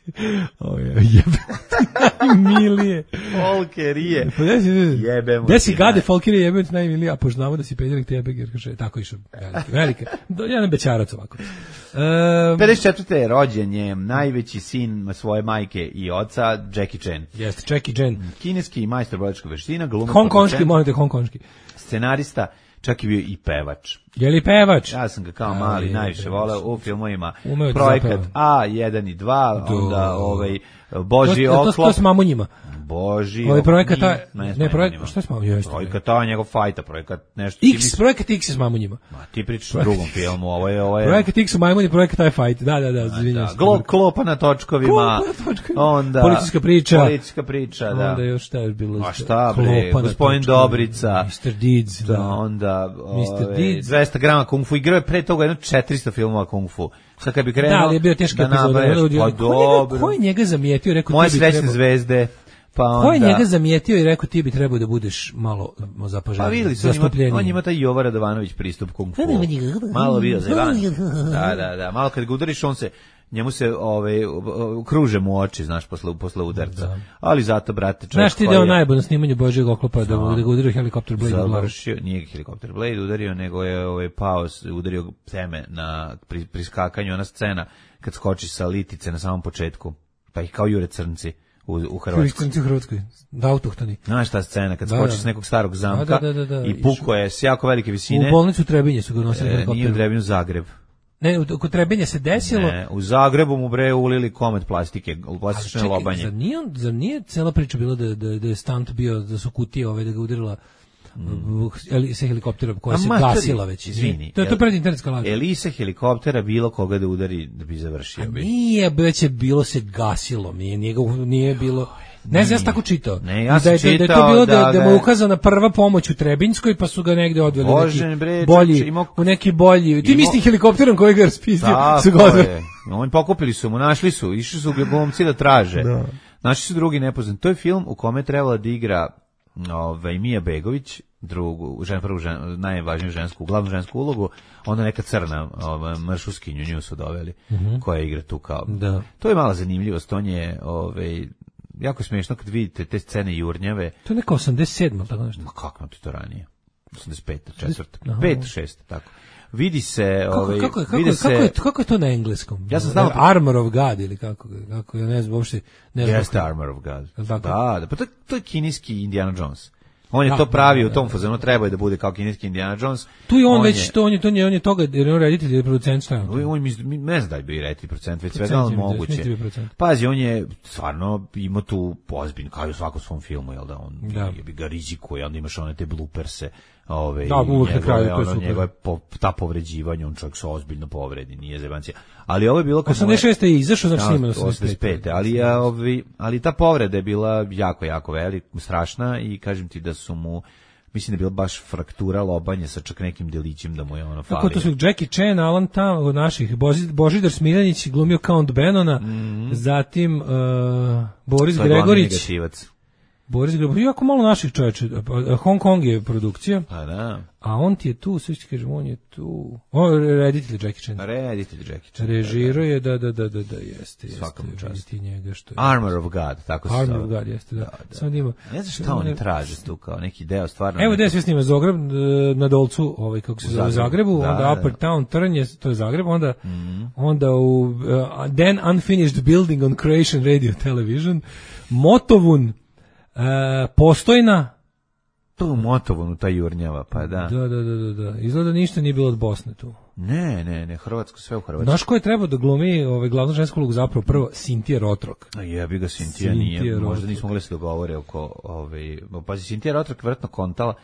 S7: O, jebe ti najmilije.
S6: Folkerije.
S7: Pa desi,
S6: jebemo
S7: desi ti gade naj... folkerije, jebemo ti najmilije, a pošto znamo da si peder, nek te jebe Gerhard Schröder. Tako išao. Velike. velike. Jedan bećarac ovako. Um,
S6: pedeset četvrte je rođen je najveći sin svoje majke i oca, Jackie Chan.
S7: Jeste, Jackie Chan.
S6: Kineski majstor borilačkih veština, glumac,
S7: hongkonški, molite, hongkonški.
S6: Scenarista, čak i bio i pevač.
S7: Je li pevač?
S6: Ja sam ga kao mali je, najviše voleo u filmovima. Projekat A jedan i dva, Do. onda ovaj Božji
S7: to, to,
S6: oklop.
S7: To, to s mamunjima.
S6: Boži.
S7: Ovaj projekat ta, ne, ne projekat, šta je s mamunjima?
S6: Projekat ta, njegov fajta, projekat nešto.
S7: X, misli... projekat X je s mamunjima.
S6: Ma, ti pričaš o drugom filmu, ovo je, ovo je.
S7: Projekat X u majmuni, projekat taj fajt, da, da, da, izvinjam se.
S6: Glo, klopa na točkovima.
S7: Klopa na točkovima.
S6: Onda.
S7: Policijska priča.
S6: Policijska priča, da.
S7: Onda još šta je bilo?
S6: A šta bre, gospodin Dobrica.
S7: mister Deeds, da.
S6: da. Onda, mister Deeds. dvesta grama kung fu, igrao je pre toga jedno četiristo filmova kung fu. Sad kad bi krenuo,
S7: da, ali je bio teški epizod.
S6: Pa dobro.
S7: Ko je njega zamijetio, rekao
S6: moje srećne zvezde. Pa onda...
S7: Ko je njega zamijetio i rekao ti bi trebao da budeš malo zapažen,
S6: pa videli su, on, on ima taj Jovo Radovanović pristup kung fu. Malo bio zajeban. Da, da, da. Malo kad ga udariš, on se, njemu se ove, kruže mu oči, znaš, posle, posle udarca. Da. Ali zato, brate, čovjek
S7: znaš ti da je on najbolj na snimanju Božjeg oklopa, da, da ga udario helikopter Blade.
S6: Završio, nije ga helikopter Blade udario, nego je ove, pao, udario teme na pri, priskakanju, ona scena kad skoči sa litice na samom početku, pa ih kao jure crnci. U, u Hrvatskoj.
S7: U Hrvatskoj, da autohtoni.
S6: Znaš ta scena, kad skoči s nekog starog zamka da, da, da, da. i puko je s jako velike visine.
S7: U bolnicu Trebinje su ga nosili
S6: e, nije u Trebinju, Zagreb.
S7: Ne, u, kod Trebinje se desilo.
S6: Ne, u Zagrebu mu bre ulili komet plastike, plastične čekaj, lobanje.
S7: Zar nije, zar nije cela priča bila da, da, da je stunt bio, da su kutije ove, da ga udarila Mm. Elise helikoptera koja se gasila već.
S6: Izvini.
S7: To je to pred internetska laža.
S6: Elise helikoptera bilo koga da udari da bi završio.
S7: Bi. Nije, već je bilo se gasilo, nije, nije, nije bilo... Ne znam, ja sam tako čitao.
S6: Ne, ja sam
S7: da je,
S6: čitao
S7: da je to bilo da, da,
S6: da,
S7: da mu ukazana prva pomoć u Trebinjskoj, pa su ga negde odveli
S6: Bože,
S7: neki
S6: bre,
S7: bolji,
S6: imao,
S7: u neki bolji. Ti misli helikopterom koji ga raspizdio,
S6: su
S7: ga odveli.
S6: Oni pokupili su mu, našli su, išli su glumci da traže.
S7: Da.
S6: Našli su drugi nepoznati. To je film u kome je trebala da igra ovaj, Mija Begović, drugu, žen, prvu žen, najvažniju žensku, glavnu žensku ulogu, onda neka crna ovaj, maršuskinju nju su doveli, mm-hmm. koja igra tu kao.
S7: Da.
S6: To je mala zanimljivost, on je ovaj, jako smiješno kad vidite te scene jurnjave.
S7: To je neka osamdeset sedma, tako nešto.
S6: Ma kako ti to ranije? osamdeset peta, četvrta, pet, šest, tako. vidi se,
S7: kako,
S6: ovaj,
S7: kako, kako,
S6: vidi
S7: kako,
S6: se...
S7: je, kako je to na engleskom?
S6: Ja sam znao...
S7: Armor of God ili kako, kako ja ne znam, uopšte... Ne znam
S6: Jeste
S7: kako...
S6: Armor of God.
S7: Da,
S6: da, pa to, to je kineski Indiana Jones. On je
S7: da,
S6: to pravi
S7: da,
S6: u tom
S7: da,
S6: fazonu, treba je da bude kao kineski Indiana Jones.
S7: Tu je on, on već,
S6: je,
S7: to on je, to je, on je toga, jer on reditelj ili producent šta je on?
S6: On mi ne zna da je bio reditelj producent, već svega on moguće.
S7: Procent.
S6: Pazi, on je stvarno ima tu ozbiljno, kao i u svakom svom filmu, jel da, on
S7: da.
S6: je bi ga rizikuje, onda imaš one te blooperse, ove,
S7: da, uvek na kraju, to je super.
S6: Njegove, po, ta povređivanja, on čovjek se ozbiljno povredi, nije zebancija. Ali ovo je bilo...
S7: osamdeset šeste je izašao, znači snima
S6: osamdeset pete ali, ovi, ali ta povreda je bila jako, jako velika, strašna i kažem ti da su mu... Mislim da je bila baš fraktura lobanje sa čak nekim delićem da mu je ono falio.
S7: Kako to su Jackie Chan, Alan Tam od naših, Božidar Smiljanić glumio Count Benona, mm-hmm. zatim uh, Boris
S6: to
S7: Gregorić.
S6: Je
S7: Boris Gregorić, jako malo naših čovječa. Hong Kong je produkcija.
S6: A da.
S7: A on ti je tu, sve ti kažem, on je tu. On je reditelj Jackie Chan.
S6: Reditelj Jackie Chan.
S7: Režirao je, da, da, da, da, da, jeste.
S6: Svakom čast.
S7: Njega što je.
S6: Armor of God, tako se
S7: Armor of God, jeste, da. da, da. Samo da ima.
S6: Ne znam šta oni traže tu, kao neki deo stvarno.
S7: Evo gde sve snima Zagreb, na Dolcu, ovaj, kako se zove, Zagrebu, da, onda Upper da. Town, Trn je, to je Zagreb, onda, mm. onda u uh, Then Unfinished Building on Croatian Radio Television, Motovun, uh, Postojna,
S6: to u Motovunu, ta jurnjava, pa da.
S7: Da, da, da, da, da. Izgleda ništa nije bilo od Bosne tu.
S6: Ne, ne, ne, Hrvatsko, sve u Hrvatskoj.
S7: Znaš ko je trebao da glumi ovaj, glavnu žensku ulogu zapravo? Prvo, Sintija Rotrok.
S6: A jebi ga, Sintija nije, možda nismo mogli se dogovore oko, ovaj, pazi, Sintija Rotrok vjerojatno kontala,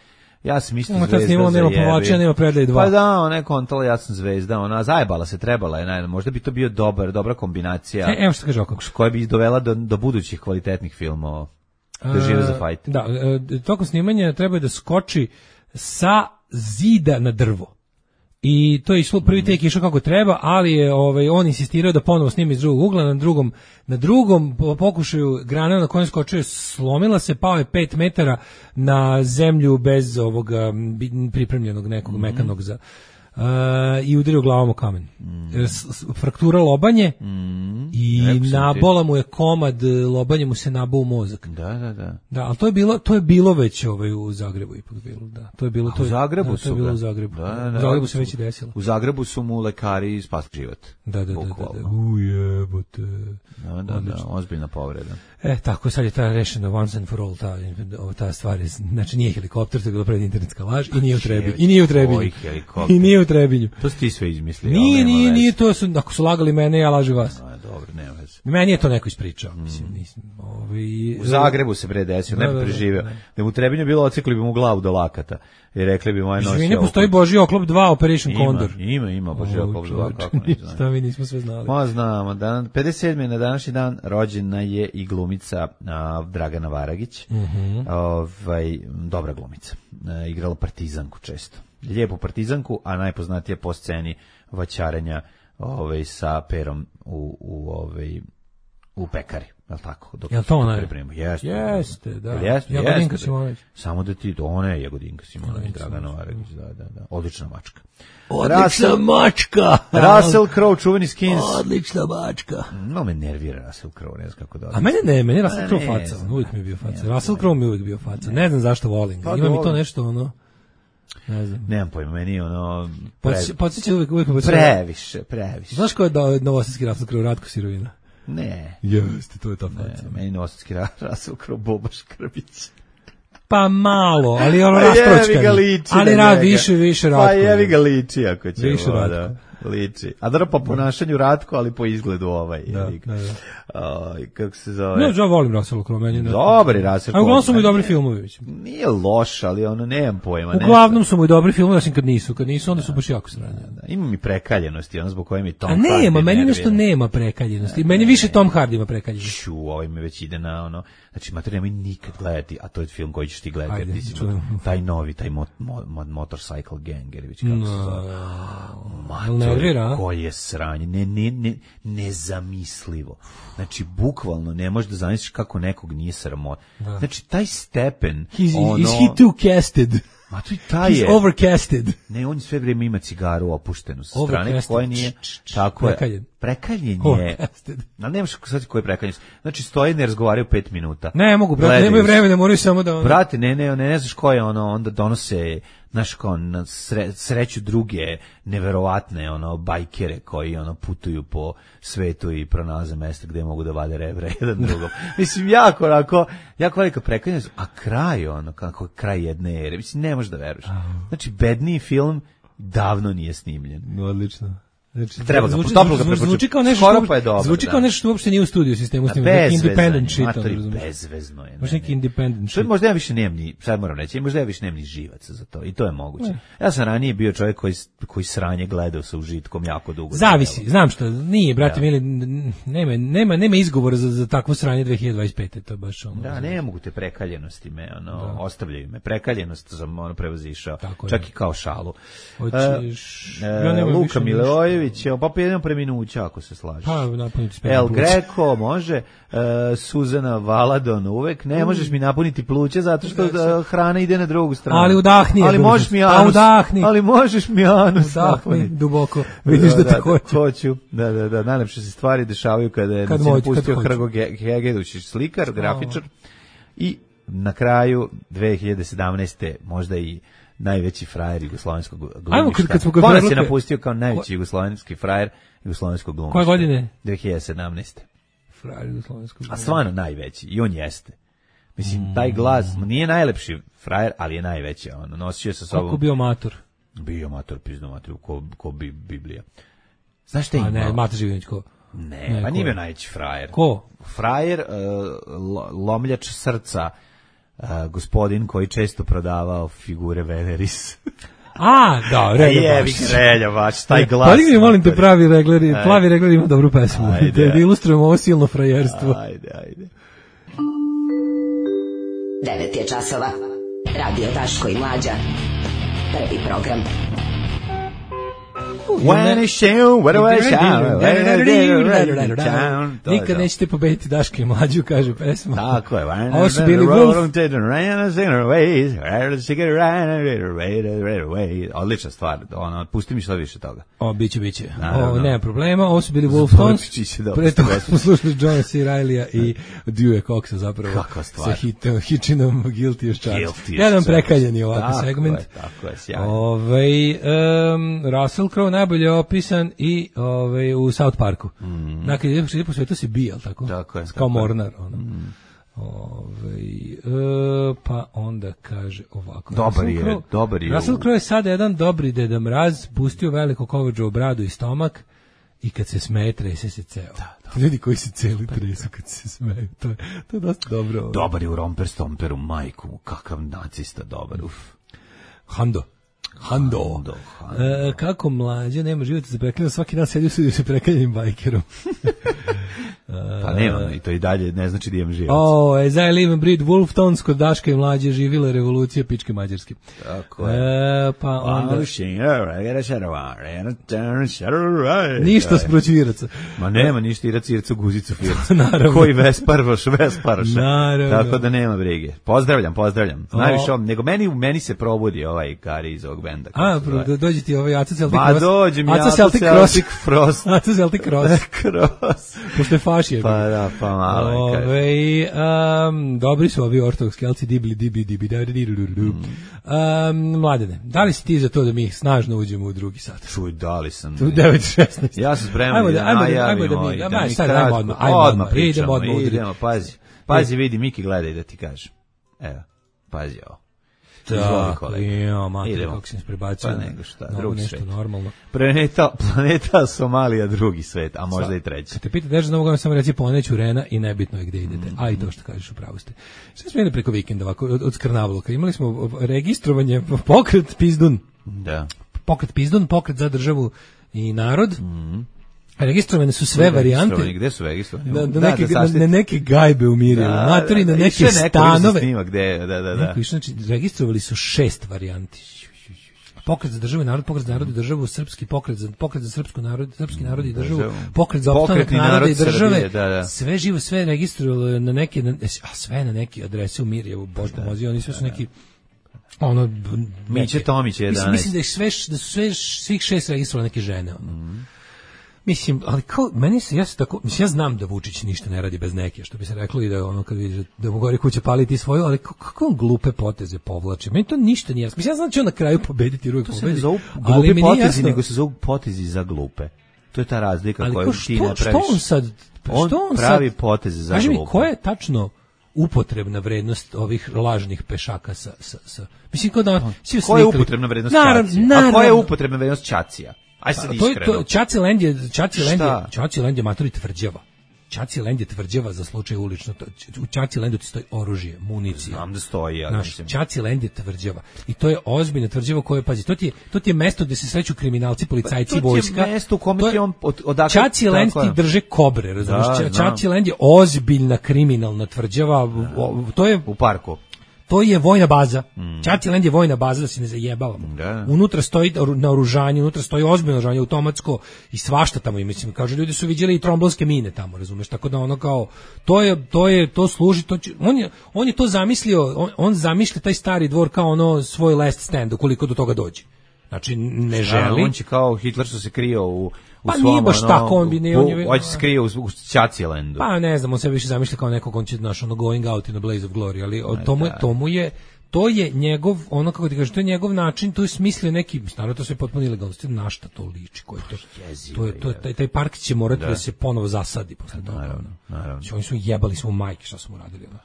S6: ja sam isto zvezda za jebi.
S7: Nema povlačenja, nema predaje dva.
S6: Pa da, ona je kontala, ja sam zvezda, ona zajebala se, trebala je, ne, možda bi to bio dobar, dobra kombinacija.
S7: E, evo što kaže oko.
S6: Koja bi dovela do, do budućih kvalitetnih filmova. Da žive za fajt.
S7: Da, tokom snimanja treba da skoči sa zida na drvo. I to je išlo, prvi tek išao kako treba, ali je ovaj, on insistirao da ponovo snimi iz drugog ugla, na drugom, na drugom pokušaju grana na kojem skočio slomila se, pao je pet metara na zemlju bez ovoga pripremljenog nekog mm-hmm. mekanog za... Uh, i udario glavom o kamen. Mm. Fraktura lobanje mm. i nabola mu je komad, lobanje mu se nabao u mozak.
S6: Da, da, da.
S7: Da, ali to je bilo, to je bilo već ovaj u Zagrebu ipak bilo, da. To je bilo to.
S6: U Zagrebu
S7: da,
S6: su
S7: to je bilo u Zagrebu.
S6: Da, da,
S7: u Zagrebu se već i desilo.
S6: U Zagrebu su mu lekari spasili život.
S7: Da, da, da, da, da. Ujebote.
S6: Da, da, da, ozbiljna povreda.
S7: E, tako sad je ta rešena once and for all ta, ta stvar, je, znači nije helikopter, to je bilo pred internetska laž i nije u Trebinju. I nije u Trebinju. I nije u Trebinju.
S6: To si ti sve izmislio.
S7: Nije, nije, nije, to su, ako su lagali mene, ja lažu vas.
S6: A, dobro, nema veze.
S7: Meni je to neko ispričao, mm. mislim, nisam. Ovi,
S6: u Zagrebu se bre desio, ne bi preživeo. Da mu u Trebinju bilo, ocekli bi mu glavu do lakata. I rekli bi moje nosi.
S7: Ne postoji Božji oklop dva Operation
S6: ima,
S7: Condor.
S6: Ima, ima Božji oklop dva, kako ne znam.
S7: Šta mi nismo sve znali.
S6: Ma znamo, dan, pedeset sedmi na današnji dan rođena je i glumica a, Dragana Varagić.
S7: Mm-hmm.
S6: Ovaj, dobra glumica. A, igrala partizanku često. Lijepu partizanku, a najpoznatija po sceni vaćarenja ovaj, sa perom u, u, ovaj, u pekari. Jel' tako? Dok
S7: jel' to ona je?
S6: Jeste,
S7: jeste, da.
S6: Jeste,
S7: Jagodinka Simonović.
S6: Samo da ti, ona je Jagodinka Simonović, Dragana Varagić, da, da, da. Odlična mačka.
S7: Odlična Russell, mačka!
S6: Russell Crowe, čuveni Skins.
S7: Odlična mačka.
S6: No, me nervira Russell Crowe, ne znam kako da.
S7: A mene ne, meni je Russell Crowe faca, on uvijek mi je bio faca. Ne, Russell Crowe mi je uvijek bio faca. Ne znam zašto volim ga. Ima mi to nešto, ono... Ne znam.
S6: Nemam pojma, meni ono...
S7: Podsjeća uvijek, uvijek...
S6: Previše, previše.
S7: Znaš ko je novosadski Russell Crowe, Ratko Sirovina?
S6: Ne.
S7: Jeste, to je ta faca.
S6: Ne, meni novosadski Russell Crowe, Boba Škrbić.
S7: Pa malo, ali ono rastročkani. Ali rad više, više Ratko.
S6: Pa jevi ga liči, ako će.
S7: Više Ratko.
S6: Liči. A da po ponašanju Ratko, ali po izgledu ovaj.
S7: Da, da, da.
S6: Uh, kako se zove?
S7: Ne, ja volim Russell Crowe, meni ne.
S6: Dobri Russell Crowe.
S7: A uglavnom su mu i dobri filmovi.
S6: Nije loš, ali ono, nemam pojma.
S7: Uglavnom su mu i dobri filmovi, osim kad nisu. Kad nisu, onda su baš jako sranje.
S6: Da, ima mi prekaljenosti, ono zbog koje mi Tom
S7: Hardy. A nema, meni nešto nema prekaljenosti. Meni više Tom Hardy ima prekaljenosti.
S6: Šu, ovaj me već ide na ono, znači, mater, nemoj nikad gledati, a to je film koji ćeš ti gledati. Ajde, ti taj novi, taj mo, mo, mo, Motorcycle Gang, ili već kako no. se zove. Mater, koji je sranje, ne, ne, ne, nezamislivo. Znači, bukvalno ne možeš da zamisliš kako nekog nije sramota. Znači, taj stepen...
S7: He's,
S6: ono,
S7: is he too casted?
S6: Ma to i taj
S7: He's
S6: je.
S7: overcasted.
S6: Ne, on sve vrijeme ima cigaru opuštenu sa strane, koja nije... Tako
S7: prekaljen.
S6: je. Prekaljen je. Ali nemaš sad koji je prekaljen. Znači, stoje ne razgovaraju pet minuta.
S7: Ne mogu, brate, nemaju vremena, moraju samo da... Ono...
S6: Brate, ne, ne, ne, ne znaš ko je ono, onda donose znaš, kao na sre, sreću druge neverovatne ono bajkere koji ono putuju po svetu i pronalaze mesta gde mogu da vade rebra jedan drugom. Mislim, jako onako, jako velika prekanjenost, a kraj ono, kako kraj jedne ere, mislim, ne možeš da veruješ. Znači, bedniji film davno nije snimljen.
S7: Odlično. Znači,
S6: treba
S7: zvuči,
S6: ga
S7: zvuči, zvuči kao nešto
S6: skoro pa je dobro.
S7: Zvuči kao nešto što uopšte nije u studiju sistemu snimano, neki independent shit, razumiješ.
S6: Bezvezno je.
S7: Baš neki independent shit.
S6: Možda ja više nemam ni, sad moram reći, možda ja više nemam ni živaca za to i to je moguće. Ne. Ja sam ranije bio čovjek koji, koji sranje gledao sa užitkom jako dugo.
S7: Zavisi, znam što, nije, brate, mili, nema, nema, nema izgovora za, za takvo sranje dve hiljade dvadeset pete, to je baš ono.
S6: Da, ne mogu te prekaljenosti me, ono, da. Ostavljaju me. Prekaljenost sam ono prevazišao, tako čak je. I kao šalu.
S7: Hoćeš,
S6: uh, ja Luka Milojević, pa jednom preminuća, ako se slažeš.
S7: Pa,
S6: El Greco, može, uh, Suzana Valadon uvek, ne možeš mi napuniti pluća zato što uh, hrana ide na drugu stranu.
S7: Ali udahni.
S6: Ali možeš mi anus.
S7: Udahni.
S6: Ali možeš mi anus.
S7: Udahni duboko. Vidiš da, da te hoću.
S6: Hoću. Da, da, da. Najlepše se stvari dešavaju kada je kad moć, pustio Hrgo Hegedušić, slikar, grafičar. I na kraju dve hiljade sedamnaeste možda i najveći frajer jugoslovenskog glumišta. Ko nas je napustio kao najveći jugoslovenski frajer jugoslovenskog glumišta?
S7: Koje godine?
S6: dve hiljade sedamnaeste.
S7: Frajer jugoslovenskog glumišta.
S6: A stvarno najveći, i on jeste. Mislim, taj glas, nije najlepši frajer, ali je najveći. On nosio sa sobom...
S7: Kako bio mator?
S6: Bio mator, pizno mator, ko, ko bi Biblija. Znaš šta ima?
S7: A ne, Mata Živinić, ko?
S6: Ne, ne pa nije bio najveći frajer.
S7: Ko?
S6: Frajer, uh, lomljač srca, Uh, gospodin koji često prodavao figure Veneris.
S7: A, da, Relja baš.
S6: Relja baš, taj glas.
S7: Pa mi molim te pravi regleri, plavi regler ima dobru pesmu. Ajde. Da ilustrujemo ovo silno frajerstvo.
S6: Ajde, ajde.
S11: devet je časova. Radio Daško i Mlađa. Prvi program.
S6: When is show, what do I shout?
S7: Nikad nećete pobediti Daška i Mlađu, kaže pesma.
S6: Tako je.
S7: Ovo su bili Wolf.
S6: Odlična stvar. Ono, pusti mi što više toga.
S7: O, biće, biće. O, nema problema. Ovo su bili Wolf Tones. Pre toga smo slušali Johna C. Reillya i Dewey Coxa zapravo.
S6: Kakva stvar.
S7: Sa hitom, Hitchinom Guilty as Charged. Jedan prekaljeni ovakav segment.
S6: Tako je, sjajno.
S7: Ovaj Russell Crowe najbolje opisan i ovaj u South Parku. Mm. Dakle, je po svetu se bija, tako?
S6: Tako je.
S7: Kao
S6: tako
S7: Mornar, ono. Mm. Ovaj e, pa onda kaže ovako.
S6: Dobar je, Crowe, dobar je.
S7: Russell Crowe je sad jedan dobri Deda Mraz, pustio veliko kovađu u bradu i stomak i kad se smeje, trese se ceo. Da, da. Ljudi koji se celi tresu kad se smeju, to je, to je dosta dobro. Ovaj.
S6: Dobar je u Romper Stomperu, majku, kakav nacista dobar, uf.
S7: Hando. Hando. Hando, Hando. E, kako Mlađa nema života za prekaljenom, svaki dan sedi u studiju sa prekaljenim bajkerom.
S6: Pa nema, i to i dalje ne znači da imam život.
S7: O, as I live and breathe Wolf Tones, kod Daška i Mlađe živila revolucija pičke mađarske.
S6: Tako je.
S7: E, pa onda... Ništa s proćviraca.
S6: Ma nema ništa, irac, irca, guzicu, firca. Naravno. Koji vesparvaš, vesparvaš.
S7: Naravno.
S6: Tako da nema brige. Pozdravljam, pozdravljam. Najviše ovom, nego meni, meni se probudi ovaj Kari iz ovog benda.
S7: A, do, dođe ti ovaj Aca Celtic
S6: Cross. Ma dođe mi Aca Celtic Frost.
S7: Aca Celtic Cross.
S6: Cross.
S7: Pošto je fašije.
S6: Pa da, pa malo.
S7: Ove, um, dobri su ovi ortodoksi kelci, dibli, dibli, dibli, dibli, dibli, um, Mladene, da li si ti za to da mi snažno uđemo u drugi sat?
S6: Čuj, da li sam.
S7: Tu devet šesnaest.
S6: Ja sam spreman da, da najavimo.
S7: Ajmo da mi kratko, odmah, odmah
S6: pričamo. Idemo, pazi. Pazi, vidi, Miki gledaj da ti kaže. Evo, pazi ovo.
S7: Tako, jo, mater, kako sam se prebacio.
S6: Pa nego šta, drugi
S7: nešto
S6: svet.
S7: Normalno.
S6: Planeta, planeta Somalija, drugi svet, a možda i treći.
S7: Kad te pita nešto da mogu vam samo reći poneću Rena i nebitno je gde idete. Mm. A i to što kažeš, upravo ste. Šta smo imali preko vikenda ovako, od, od Skrnavluka? Imali smo registrovanje, pokret Pizdun.
S6: Da.
S7: Pokret Pizdun, pokret za državu i narod. Mm. Registrovane su sve varijante.
S6: Gde su registrovane?
S7: Na, na, neke, da na, na neke gajbe u Mirjevu, da, matori na neke
S6: neko
S7: stanove.
S6: Snima, gde, da, da, da.
S7: Neko, znači, registrovali su šest varijanti. Pokret za državu i narod, pokret za narod i državu, srpski pokret za pokret za srpsku narod, srpski narod i državu, pokret za opstanak naroda i države. Srbije, da, da. Sve živo, sve registrovalo na neke, na, a sve na neke adrese u Mirjevu, Bož pomozi, oni sve su neki ono
S6: Miće Tomić je
S7: jedanaest. Mislim, mislim da je sve da su sve svih šest registrovali neke žene, ono. Mm. Mislim, ali kao, meni se, ja se tako, mislim, ja znam da Vučić ništa ne radi bez neke, što bi se reklo i da ono, kad vidiš da mu gori kuće paliti svoju, ali kako on glupe poteze povlači? Meni to ništa nije jasno. Mislim, ja znam da će on na kraju pobediti, uvijek pobedi.
S6: To se ne zovu glupe potezi, nego se zovu potezi za glupe. To je ta razlika
S7: ali
S6: koju
S7: što,
S6: ti ne praviš.
S7: Što on sad,
S6: on,
S7: što on
S6: pravi
S7: sad,
S6: poteze za
S7: kaži
S6: glupe.
S7: Mi, koja je tačno upotrebna vrednost ovih lažnih pešaka sa, sa, sa mislim kao da svi
S6: koja je upotrebna vrednost Čacija? A koja je upotrebna vrednost Čacija? Aj sad iskreno.
S7: To, to Čaciland je, Čaciland je, Čaciland je matori tvrđava. Čaciland je tvrđava za slučaj ulično. U Čacilandu ti stoji oružje, municija.
S6: Znam da stoji, ali mislim.
S7: Čaciland je tvrđava. I to je ozbiljna tvrđava koja, pazi, to ti je, to ti je mesto gde se sreću kriminalci, policajci,
S6: pa, to
S7: vojska.
S6: To je mesto u kome ti on od, odakle...
S7: Čaciland ti drže kobre, razumiješ? Da, Čaciland je ozbiljna kriminalna tvrđava. Da. To je...
S6: U parku.
S7: To je vojna baza. Mm. Čaciland je vojna baza, da se ne zajebavamo.
S6: Da.
S7: Unutra stoji naoružanje, unutra stoji ozbiljno naoružanje, automatsko i svašta tamo. I mislim, kaže, ljudi su viđeli i tromblonske mine tamo, razumeš? Tako da ono kao, to je, to je, to služi, to će, on je, on je to zamislio, on, on zamišlja taj stari dvor kao ono svoj last stand, ukoliko do toga dođe. Znači, ne želi.
S6: On će kao Hitler što se krio u, u
S7: pa
S6: svom,
S7: nije baš
S6: ono,
S7: tako, on bi ne, on je...
S6: Hoće se krio u, u Čacilandu.
S7: Pa ne znam, on se više zamišlja kao nekog, on će, znaš, ono, going out in a blaze of glory, ali o, tomu, je, tomu je, to je njegov, ono kako ti kažeš, to je njegov način, to je smislio neki, naravno to sve potpuno ilegalno, na šta to liči, koji to, to je, to je, taj, taj park će morati da, da se ponovo zasadi posle toga.
S6: Naravno, naravno.
S7: Oni su jebali smo majke, šta su mu radili, ono.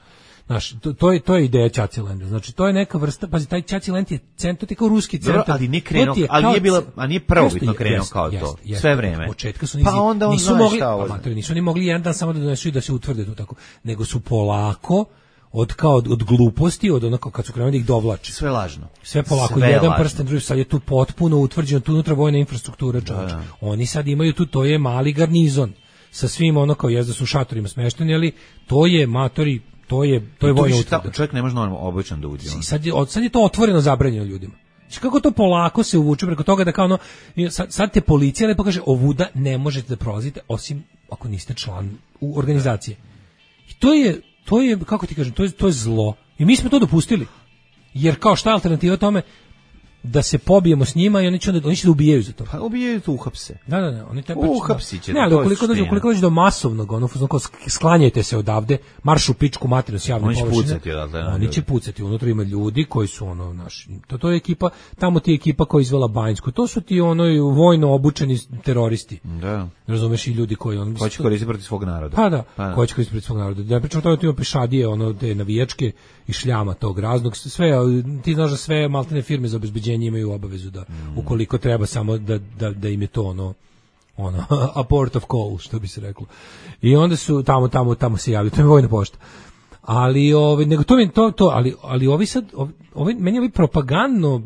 S7: Znaš, to, to, je, to je ideja Čacilanda. Znači, to je neka vrsta, pazi, taj Čaciland je centar, to je kao ruski centar.
S6: Dobro, ali nije krenuo, ali nije bila, a nije prvobitno krenuo kao
S7: jest,
S6: to,
S7: jest,
S6: sve vreme.
S7: Od početka su
S6: nizi, pa onda on
S7: nisu mogli, amatori, nisu oni mogli jedan dan samo da donesu i da se utvrde to tako, nego su polako, od kao od, od gluposti, od onako kad su krenuli da ih dovlače.
S6: Sve lažno.
S7: Sve polako, sve jedan prsten, drugi, sad je tu potpuno utvrđeno, tu unutra vojna infrastruktura, čovječe. Oni sad imaju tu, to je mali garnizon, sa svim ono kao jezda su u šatorima smešteni, ali to je matori, to je to je vojna utvrda.
S6: Čovjek ne može normalno običan da uđe.
S7: Sad je, sad je to otvoreno zabranjeno ljudima. Znači kako to polako se uvuče preko toga da kao ono, sad, sad te policija lepo kaže, ovuda ne možete da prolazite osim ako niste član u organizacije. I to je, to je, kako ti kažem, to je, to je zlo. I mi smo to dopustili. Jer kao šta je alternativa tome? Da se pobijemo s njima i oni će onda, oni će da ubijaju za to.
S6: Pa ubijaju to uhapse.
S7: Da, da, da, oni taj
S6: uhapsi će.
S7: Ne, ali ukoliko dođe, ukoliko dođe do masovnog, ono kao sklanjajte se odavde, marš u pičku materinu s javne površine.
S6: Oni će pucati odatle.
S7: Oni će pucati, unutra ima ljudi koji su ono naši. To to je ekipa, tamo ti je ekipa koja izvela Banjsku. To su ti ono vojno obučeni teroristi.
S6: Da.
S7: Razumeš, i ljudi koji on
S6: koji će koristiti protiv svog naroda.
S7: Pa da, pa da. koji će koristiti protiv svog naroda. Da pričamo to ima pešadije, ono te navijačke i šljama tog raznog, sve ti znaš da sve maltene firme za obezbeđenje imaju obavezu da mm. ukoliko treba samo da, da, da im je to ono ono a port of call, što bi se reklo. I onda su tamo tamo tamo se javljaju, to je vojna pošta. Ali ovaj nego to to to ali ali ovi sad ovi meni ovi propagandno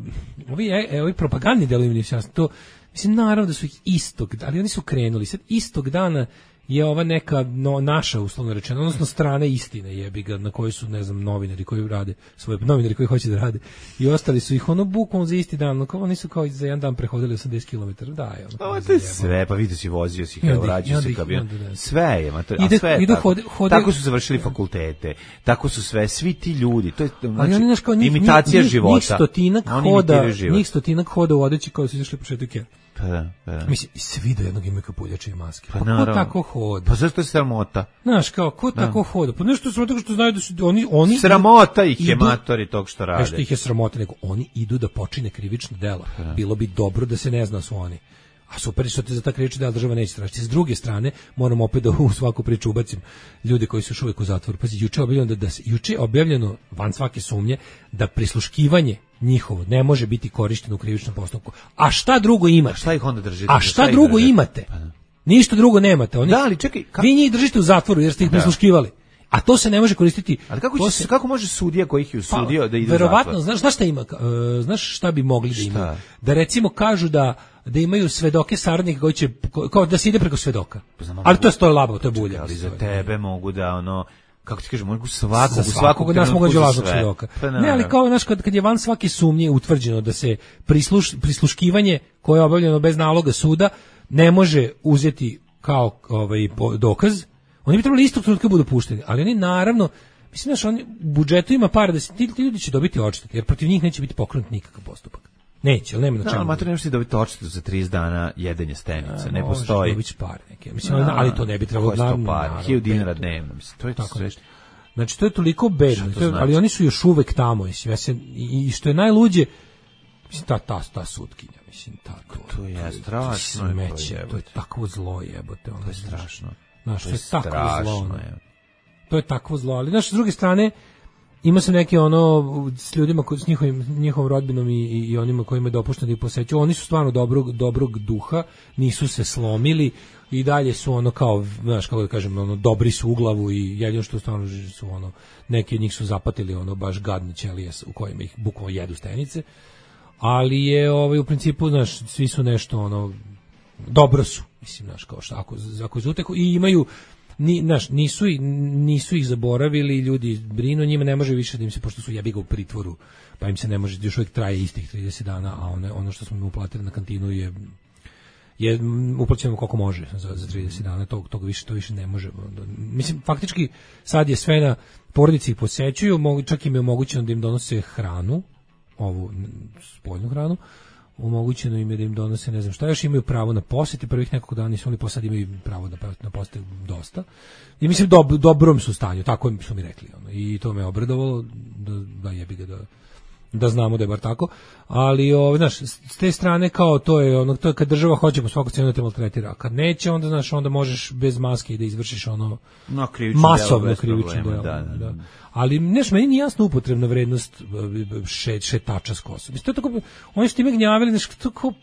S7: ovi e, ovi propagandni delovi mi se to mislim naravno da su ih istog, ali oni su krenuli sad istog dana je ova neka no, naša uslovno rečeno, odnosno strane istine jebi ga, na kojoj su, ne znam, novinari koji rade, svoje novinari koji hoće da rade i ostali su ih ono bukvalno za isti dan, ono, oni su kao za jedan dan prehodili osamdeset kilometara, da je ono.
S6: Ovo je sve, pa vidio si, vozio si, evo, vraćao si kamion, sve je, ma to, a
S7: ide,
S6: sve je
S7: ide,
S6: tako.
S7: Hode, hode,
S6: tako su završili fakultete, tako su sve, svi ti ljudi, to je znači,
S7: oni, znaš, kao, njih,
S6: imitacija
S7: njih,
S6: života.
S7: Njih stotinak hoda, njih stotinak hoda u odeći koji su izašli po šetu.
S6: Pa da, pa da.
S7: Mislim, i svi do jednog imaju kapuljače i maske.
S6: Pa,
S7: pa ko tako hoda?
S6: Pa zašto je sramota?
S7: Znaš, kao, ko da. tako hoda? Pa nešto sramota što znaju da su oni... oni
S6: sramota ih je idu, matori tog što rade.
S7: Nešto ih je sramota, nego oni idu da počine krivično dela. Da. Bilo bi dobro da se ne zna su oni. A super što te za ta krivična dela država neće tražiti. S druge strane, moram opet da u svaku priču ubacim ljudi koji su još uvijek u zatvoru. Pazi, juče je objavljeno, da, da se, juče je objavljeno van svake sumnje da prisluškivanje njihovo ne može biti korišteno u krivičnom postupku. A šta drugo imate?
S6: A šta ih onda držite?
S7: A šta, šta drugo držite? Imate? Pa ništa drugo nemate. Oni,
S6: da, ali čekaj,
S7: ka... vi njih držite u zatvoru jer ste ih da. prisluškivali. A to se ne može koristiti.
S6: Ali kako, će, se, kako može sudija koji ih je usudio pa, da ide u
S7: verovatno, znaš, znaš šta ima? Uh, znaš šta bi mogli da imaju? Da recimo kažu da da imaju svedoke saradnike koji će kao da se ide preko svedoka. Pa znam, ali to je sto labavo, to je bulja.
S6: Ali za tebe mogu da ono kako ti kažem, mogu svakog,
S7: za svakog nas mogu da lažnog svedoka.
S6: Pa,
S7: ne, ali kao znaš kad kad je van svake sumnje utvrđeno da se prisluš, prisluškivanje koje je obavljeno bez naloga suda ne može uzeti kao ovaj dokaz. Oni bi trebali istog trenutka budu pušteni, ali oni naravno, mislim znaš, oni u budžetu ima para da se ti, ti ljudi će dobiti odštetu, jer protiv njih neće biti pokrenut nikakav postupak. Neće, ali nema na čemu.
S6: Da, mater, nemaš ti dobiti odštetu za trideset dana jedenje stenice, ne postoji.
S7: Možeš dobiti par neke. Mislim, ali, ali to ne bi trebalo...
S6: Koje sto par? Hiljadu dinara dnevno, mislim, to je
S7: tako
S6: sve.
S7: Znači, to je toliko bedno,
S6: to
S7: to je,
S6: znači?
S7: ali oni su još uvek tamo, mislim, ja se, i, i što je najluđe, mislim, ta, ta, ta sutkinja, mislim, ta, to,
S6: to je strašno,
S7: to, smeće, to je takvo zlo, jebote, ono,
S6: to je strašno,
S7: znaš,
S6: to
S7: je,
S6: je
S7: takvo
S6: strašno,
S7: zlo, ono.
S6: je.
S7: To je takvo zlo, ali, znaš, s druge strane, ima se neke ono s ljudima koji s njihovim njihovom rodbinom i, i, i onima kojima je dopušteno da ih posećuju, oni su stvarno dobrog dobrog duha, nisu se slomili i dalje su ono kao, znaš, kako da kažem, ono dobri su u glavu i jedino što stvarno su ono, neki od njih su zapatili ono baš gadne ćelije u kojima ih bukvalno jedu stenice, ali je ovaj u principu, znaš, svi su nešto ono dobro su, mislim, znaš, kao što ako ako zuteku i imaju ni naš nisu nisu ih zaboravili, ljudi brinu njima, ne može više da im se, pošto su jebi ga u pritvoru, pa im se ne može, još uvijek traje istih trideset dana, a one, ono što smo im uplatili na kantinu je je uplaćeno koliko može za, za trideset dana, tog, tog više, to više ne može. Mislim, faktički sad je sve na porodici ih posećuju, mogu, čak im je omogućeno da im donose hranu, ovu spoljnu hranu, omogućeno im je da im donose, ne znam šta, još imaju pravo na posete, prvih nekoliko dana nisu oni, posad imaju pravo da na posete dosta. I mislim, dob, dobrom su stanju, tako su mi rekli. Ono. I to me obradovalo, da, da jebi ga da, da znamo da je bar tako. Ali, o, znaš, s te strane kao to je, ono, to je kad država hoće po svaku cenu da te maltretira, a kad neće, onda, znaš, onda možeš bez maske da izvršiš ono
S6: no,
S7: masovno krivično delo.
S6: Da, da, da.
S7: Ali, znaš, meni nije jasno upotrebna vrednost še, šetača s Kosova. Mislim, to je tako, oni su time gnjavili, znaš, to kao,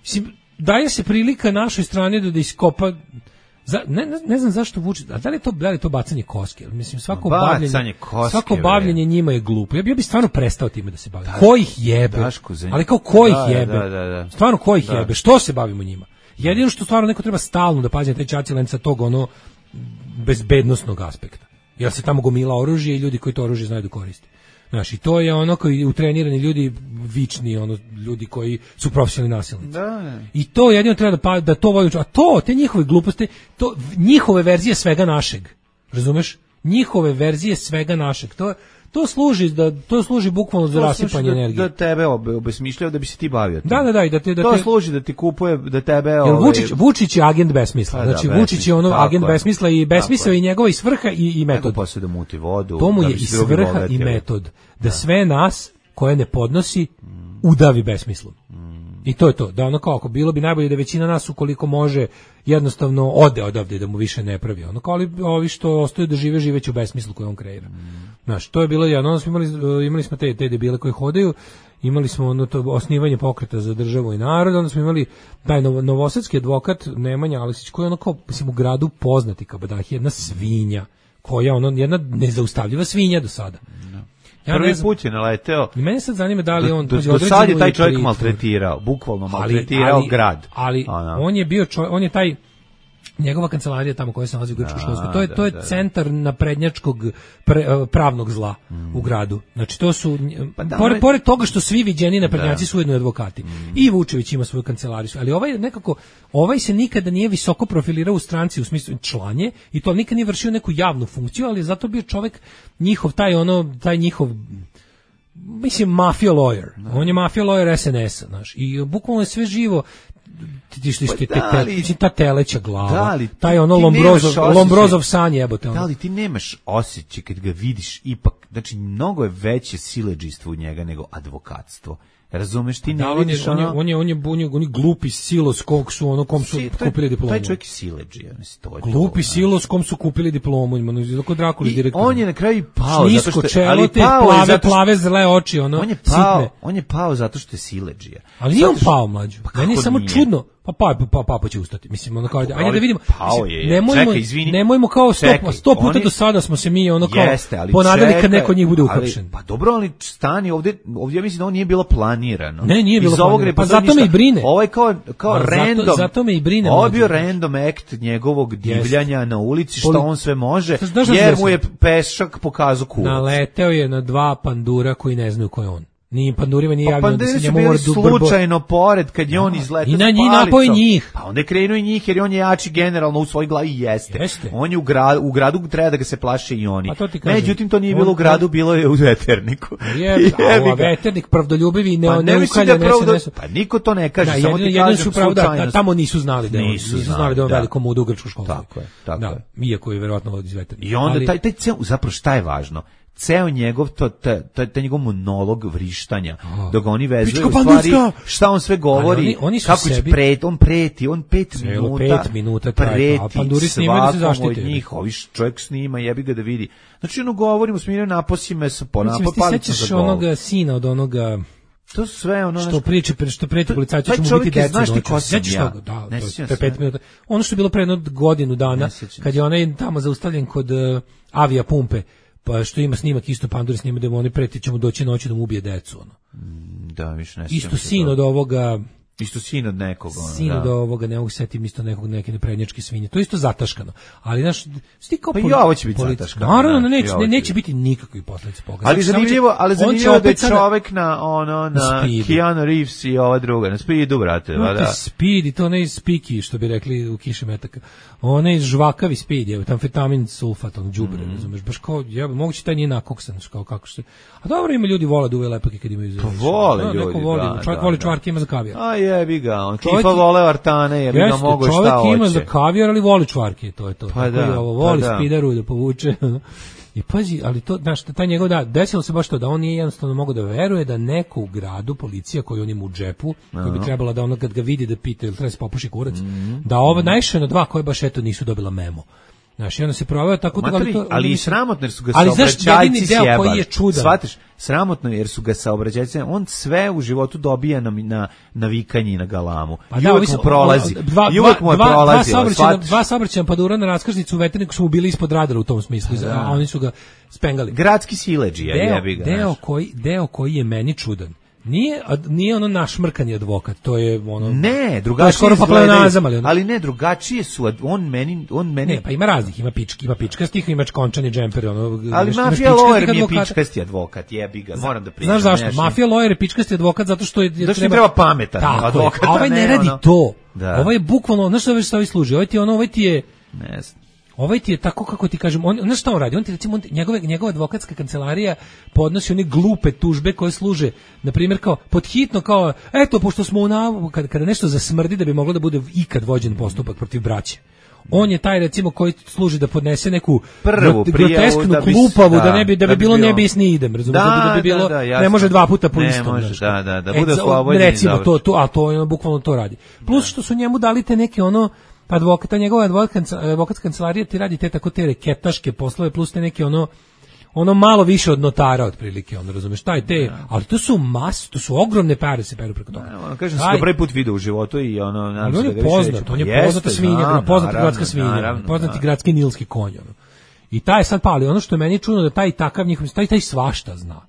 S7: mislim, daje se prilika našoj strani da, da iskopa, za, ne, ne, ne znam zašto vuče, a da li je to, da li je to bacanje koske? Mislim, svako bavljenje, koske, svako bavljenje njima je glupo. Ja bi, ja bi stvarno prestao time da se bavim. Ko ih jebe? Ali kao ko ih
S6: da,
S7: jebe?
S6: Da, da, da.
S7: Stvarno ko ih da. jebe? Što se bavimo njima? Jedino što stvarno neko treba stalno da pazi na taj čacilen sa tog ono bezbednosnog aspekta. Jer se tamo gomila oružje i ljudi koji to oružje znaju da koriste. Znaš, i to je ono koji utrenirani ljudi, vični, ono, ljudi koji su profesionalni nasilnici.
S6: Da.
S7: I to jedino treba da, pa, da to voli, a to, te njihove gluposti, to, njihove verzije svega našeg, razumeš? Njihove verzije svega našeg, to to služi da to služi bukvalno za rasipanje
S6: da,
S7: energije.
S6: Da tebe obesmišljava da bi se ti bavio.
S7: Da, da, da, i da te da
S6: to
S7: te,
S6: služi da ti kupuje, da tebe
S7: jer
S6: ovaj
S7: Vučić Vučić je agent besmisla.
S6: Da,
S7: znači
S6: da,
S7: Vučić je ono agent
S6: je.
S7: besmisla i besmisao i njegova i svrha i i metod.
S6: Posle da muti vodu.
S7: To mu
S6: da
S7: je i svrha i metod da, da sve nas koje ne podnosi udavi besmislom. Mm. I to je to. Da ono kao ako bilo bi najbolje da većina nas ukoliko može jednostavno ode odavde da mu više ne pravi. Ono kao ali ovi što ostaju da žive živeće u besmislu koji on kreira. Mm. Znaš, to je bilo jedno, onda smo imali, imali smo te, te debile koji hodaju, imali smo ono to osnivanje pokreta za državu i narod, onda smo imali taj novo, novosadski advokat Nemanja Aleksić koji je ono kao, mislim, u gradu poznati kabadah, jedna svinja, koja ono, jedna nezaustavljiva svinja do sada.
S6: No. Ja Prvi znam, put je naleteo.
S7: I mene sad zanima da li on...
S6: Do, do, do sad je taj čovjek maltretirao, bukvalno maltretirao
S7: ali, ali,
S6: grad.
S7: Ali Ana. on je bio čovjek, on je taj... Njegova kancelarija tamo koja se nalazi u Grčko-Školskoj, to je, to je da, centar da. naprednjačkog pre, pravnog zla mm. u gradu. Znači to su, pa da, pored, pored toga što svi viđeni naprednjaci da. su ujedno advokati. Mm. I Vučević ima svoju kancelariju, ali ovaj nekako, ovaj se nikada nije visoko profilirao u stranci u smislu članje i to nikad nije vršio neku javnu funkciju, ali zato bio čovjek njihov, taj ono, taj njihov, mislim, mafia lawyer. Da. On je mafia lawyer es en es a, znaš, i bukvalno je sve živo. Ti što ti ta ta teleća glava li, taj ono Lombrozov Lombrozov san jebote
S6: da li ti nemaš osjećaj kad ga vidiš ipak, znači mnogo je veće siledžijstvo u njega nego advokatstvo. Razumeš, ti ne
S7: da,
S6: vidiš
S7: on je, on je on je on je on je glupi silos kog su ono kom su si, kupili diplomu.
S6: Taj čovjek je siledžija, mislim to je.
S7: Glupi to, silos kom su kupili diplomu, ima no Drakuli direktor.
S6: On je na kraju pao
S7: zato što čelo, ali pao plave zato što, plave zle oči, ono.
S6: On je pao,
S7: sitne.
S6: on je pao zato što je siledžija.
S7: Ali nije on pao, mlađu. Pa meni je samo nije? čudno. Pa pa pa pa pa će ustati. Mislim ono kao ajde, ajde da vidimo.
S6: Mislim,
S7: nemojmo čekaj, izvini. Nemojmo kao sto sto puta oni, do sada smo se mi ono kao jeste, ponadali kad neko od njih bude uhapšen.
S6: Pa dobro, ali stani ovdje, ovdje ja mislim da ovo nije bilo planirano.
S7: Ne, nije bilo planirano. Pa zato me i brine.
S6: Ovaj kao kao random.
S7: Zato, zato me i brine.
S6: Ovo je bio random act njegovog divljanja na ulici, što on sve može, jer mu je pešak pokazao kurac.
S7: Naleteo je na dva pandura koji ne znaju ko je on. Ni pandurima nije
S6: pa
S7: javljeno da se njemu
S6: mora
S7: dubar
S6: slučajno pored kad je on izletao
S7: i na njih napoje njih.
S6: Pa onda je krenuo i njih jer on je jači generalno u svojoj glavi jeste.
S7: jeste.
S6: On je u gradu, u gradu treba da ga se plaše i oni.
S7: To
S6: međutim to nije bilo on, u gradu, bilo je u veterniku.
S7: Je, a veternik pravdoljubivi i ne, pa ne ukalja ne
S6: pravda, se pa niko to ne kaže, da, samo ti kažem
S7: su pravda, tamo nisu znali da
S6: nisu,
S7: nisu znali da on velikom u ugračku školu.
S6: Tako je, tako
S7: da,
S6: je.
S7: Iako je verovatno iz veternika.
S6: I onda taj taj ceo zapravo šta je važno? Ceo njegov to taj ta njegov monolog vrištanja oh. dok oni vezuju u stvari šta on sve govori
S7: oni, oni
S6: kako
S7: sebi...
S6: pret on preti on pet
S7: Celo
S6: minuta
S7: pet minuta
S6: preti
S7: a panduri snimaju da se zaštite
S6: od njih ovi čovjek snima jebi ga da vidi znači ono govorimo smirno naposi me sa ponapa
S7: palica za govor onoga sina od onoga
S6: to sve ono
S7: što priče što preti policajci će mu biti deca
S6: znaš ti ko sam ja
S7: da to je pet minuta ono što je bilo pre jedno godinu dana kad je onaj tamo zaustavljen kod avija pumpe pa što ima snimak isto panduri snima da mu oni preti ćemo doći noći da mu ubije decu ono.
S6: Da, više ne.
S7: Isto sin od ovoga
S6: isto sin od nekog ono,
S7: sin od ovoga ne mogu setim isto nekog neke neprednjačke svinje. To je isto zataškano. Ali znaš sti kao
S6: pa i ovo će biti zataškano.
S7: Naravno neće ne, neće biti nikakvih posledica pogađanja.
S6: Ali zanimljivo, ali zanimljivo da je čovjek na ono na Keanu Reeves i ova druga na Speedu brate,
S7: no,
S6: da.
S7: Speed i to ne spiki što bi rekli u Kiši metaka. Onaj žvakavi Speed, je amfetamin sulfat, on đubre, mm. razumeš, baš kao ja moguće taj nije nakoksan, kao kako se. A dobro ima ljudi vole da uve lepake kad imaju.
S6: Pa vole ljudi.
S7: Neko voli,
S6: da,
S7: čovjek
S6: da,
S7: voli
S6: da.
S7: čvarke ima za kavijar.
S6: A jebi ga, on tipa vole artane, jebi ga mogo šta hoće.
S7: Čovjek ima za kavijar, ali voli čvarke, to je to.
S6: Pa
S7: tako
S6: da,
S7: je ovo, voli
S6: pa da.
S7: spideru da povuče. I pazi, ali to, znaš, taj njegov da, desilo se baš to da on nije jednostavno mogao da veruje da neko u gradu, policija koji on ima u džepu, koji bi trebala da ono kad ga vidi da pita ili treba se popuši kurac, mm-hmm. da ovo najše na dva koje baš eto nisu dobila memo. Znaš, i onda se proveo tako da
S6: ali,
S7: to,
S6: ali i sramotno jer su ga
S7: ali
S6: saobraćajci sjebali.
S7: Koji je čudan.
S6: Shvatiš, sramotno jer su ga saobraćajci, on sve u životu dobija na, na, na vikanje i na galamu. Pa I da, uvek mu prolazi.
S7: Dva,
S6: I uvek mu je
S7: dva,
S6: prolazi.
S7: Dva saobraćajna, dva saobraćajna padura na raskrsnicu u veterniku su bili ispod radara u tom smislu, da. A oni su ga spengali.
S6: Gradski siledžija, jebi ga.
S7: Deo koji, deo koji je meni čudan. Nije, nije ono našmrkani advokat, to je ono...
S6: Ne, drugačije
S7: pa ali,
S6: ali ne, drugačije su, on meni... On meni...
S7: Ne, pa ima raznih, ima pički, ima pičkastih, ima končani džemper, ono...
S6: Ali mafija lawyer mi je pičkasti advokat, jebi ga, moram da pričam.
S7: Znaš zašto? Mafija lawyer je pičkasti advokat zato što je...
S6: Zato što treba, treba pametan advokat,
S7: a ovaj ne radi
S6: ono...
S7: to. Da. Ovaj je bukvalno, znaš što ovaj stavi služi, ovaj ti ono, ovaj ti je...
S6: Ne znam.
S7: Ovaj ti je tako kako ti kažem, on znaš šta on radi? On ti recimo on, njegove njegova advokatska kancelarija podnosi one glupe tužbe koje služe na primjer kao podhitno kao eto pošto smo u navu kada kada nešto zasmrdi da bi moglo da bude ikad vođen postupak protiv braće. On je taj recimo koji služi da podnese neku
S6: prvu
S7: grotesknu
S6: da bi,
S7: klupavu
S6: da,
S7: da ne bi da bi, da bi bilo ne bi ni idem, razumiješ, da, da bi bilo
S6: da, da,
S7: ne može dva puta po istom.
S6: Ne može, da, da, da
S7: e,
S6: bude slobodno.
S7: Recimo to, to, a to on bukvalno to radi. Plus što su njemu dali te neke ono pa advokata, njegova advokatska kancelarija ti radi te tako te reketaške poslove plus te neke ono ono malo više od notara otprilike, ono razumeš, taj te, ali to su mas, to su ogromne pare se peru preko toga.
S6: Ne, ono kažem se da prvi put video u životu i ono nadam se da ga
S7: poznat, on je poznata svinja, poznata gradska svinja, poznati gradski nilski konj, ono. I taj sad pali, ono što je meni čudno da taj takav njihov, taj taj svašta zna.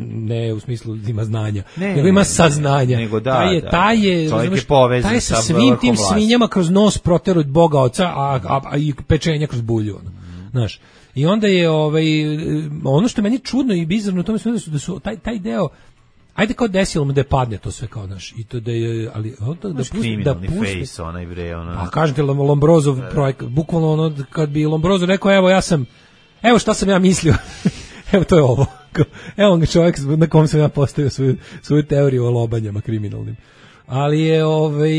S7: Ne u smislu da ima znanja, ne, nego ima saznanja.
S6: Nego da,
S7: taj je,
S6: da,
S7: taj je,
S6: razumeš, je
S7: taj je sa svim tim vlast. Svinjama kroz nos proteru od Boga oca, a, a, a i pečenja kroz bulju. Ono. Mm. Znaš, i onda je ovaj, ono što je meni čudno i bizarno u tome da su, da su taj, taj deo, ajde kao desilo mu da je padne to sve kao naš i to da je, ali da, da pusti, da pusti,
S6: face, onaj bre, ono.
S7: A kažete Lombrozov projekt, bukvalno ono kad bi Lombrozov rekao evo ja sam, evo šta sam ja mislio, evo to je ovo. Evo ga čovjek na kom sam ja postavio svoju, svoju teoriju o lobanjama kriminalnim. Ali je ovaj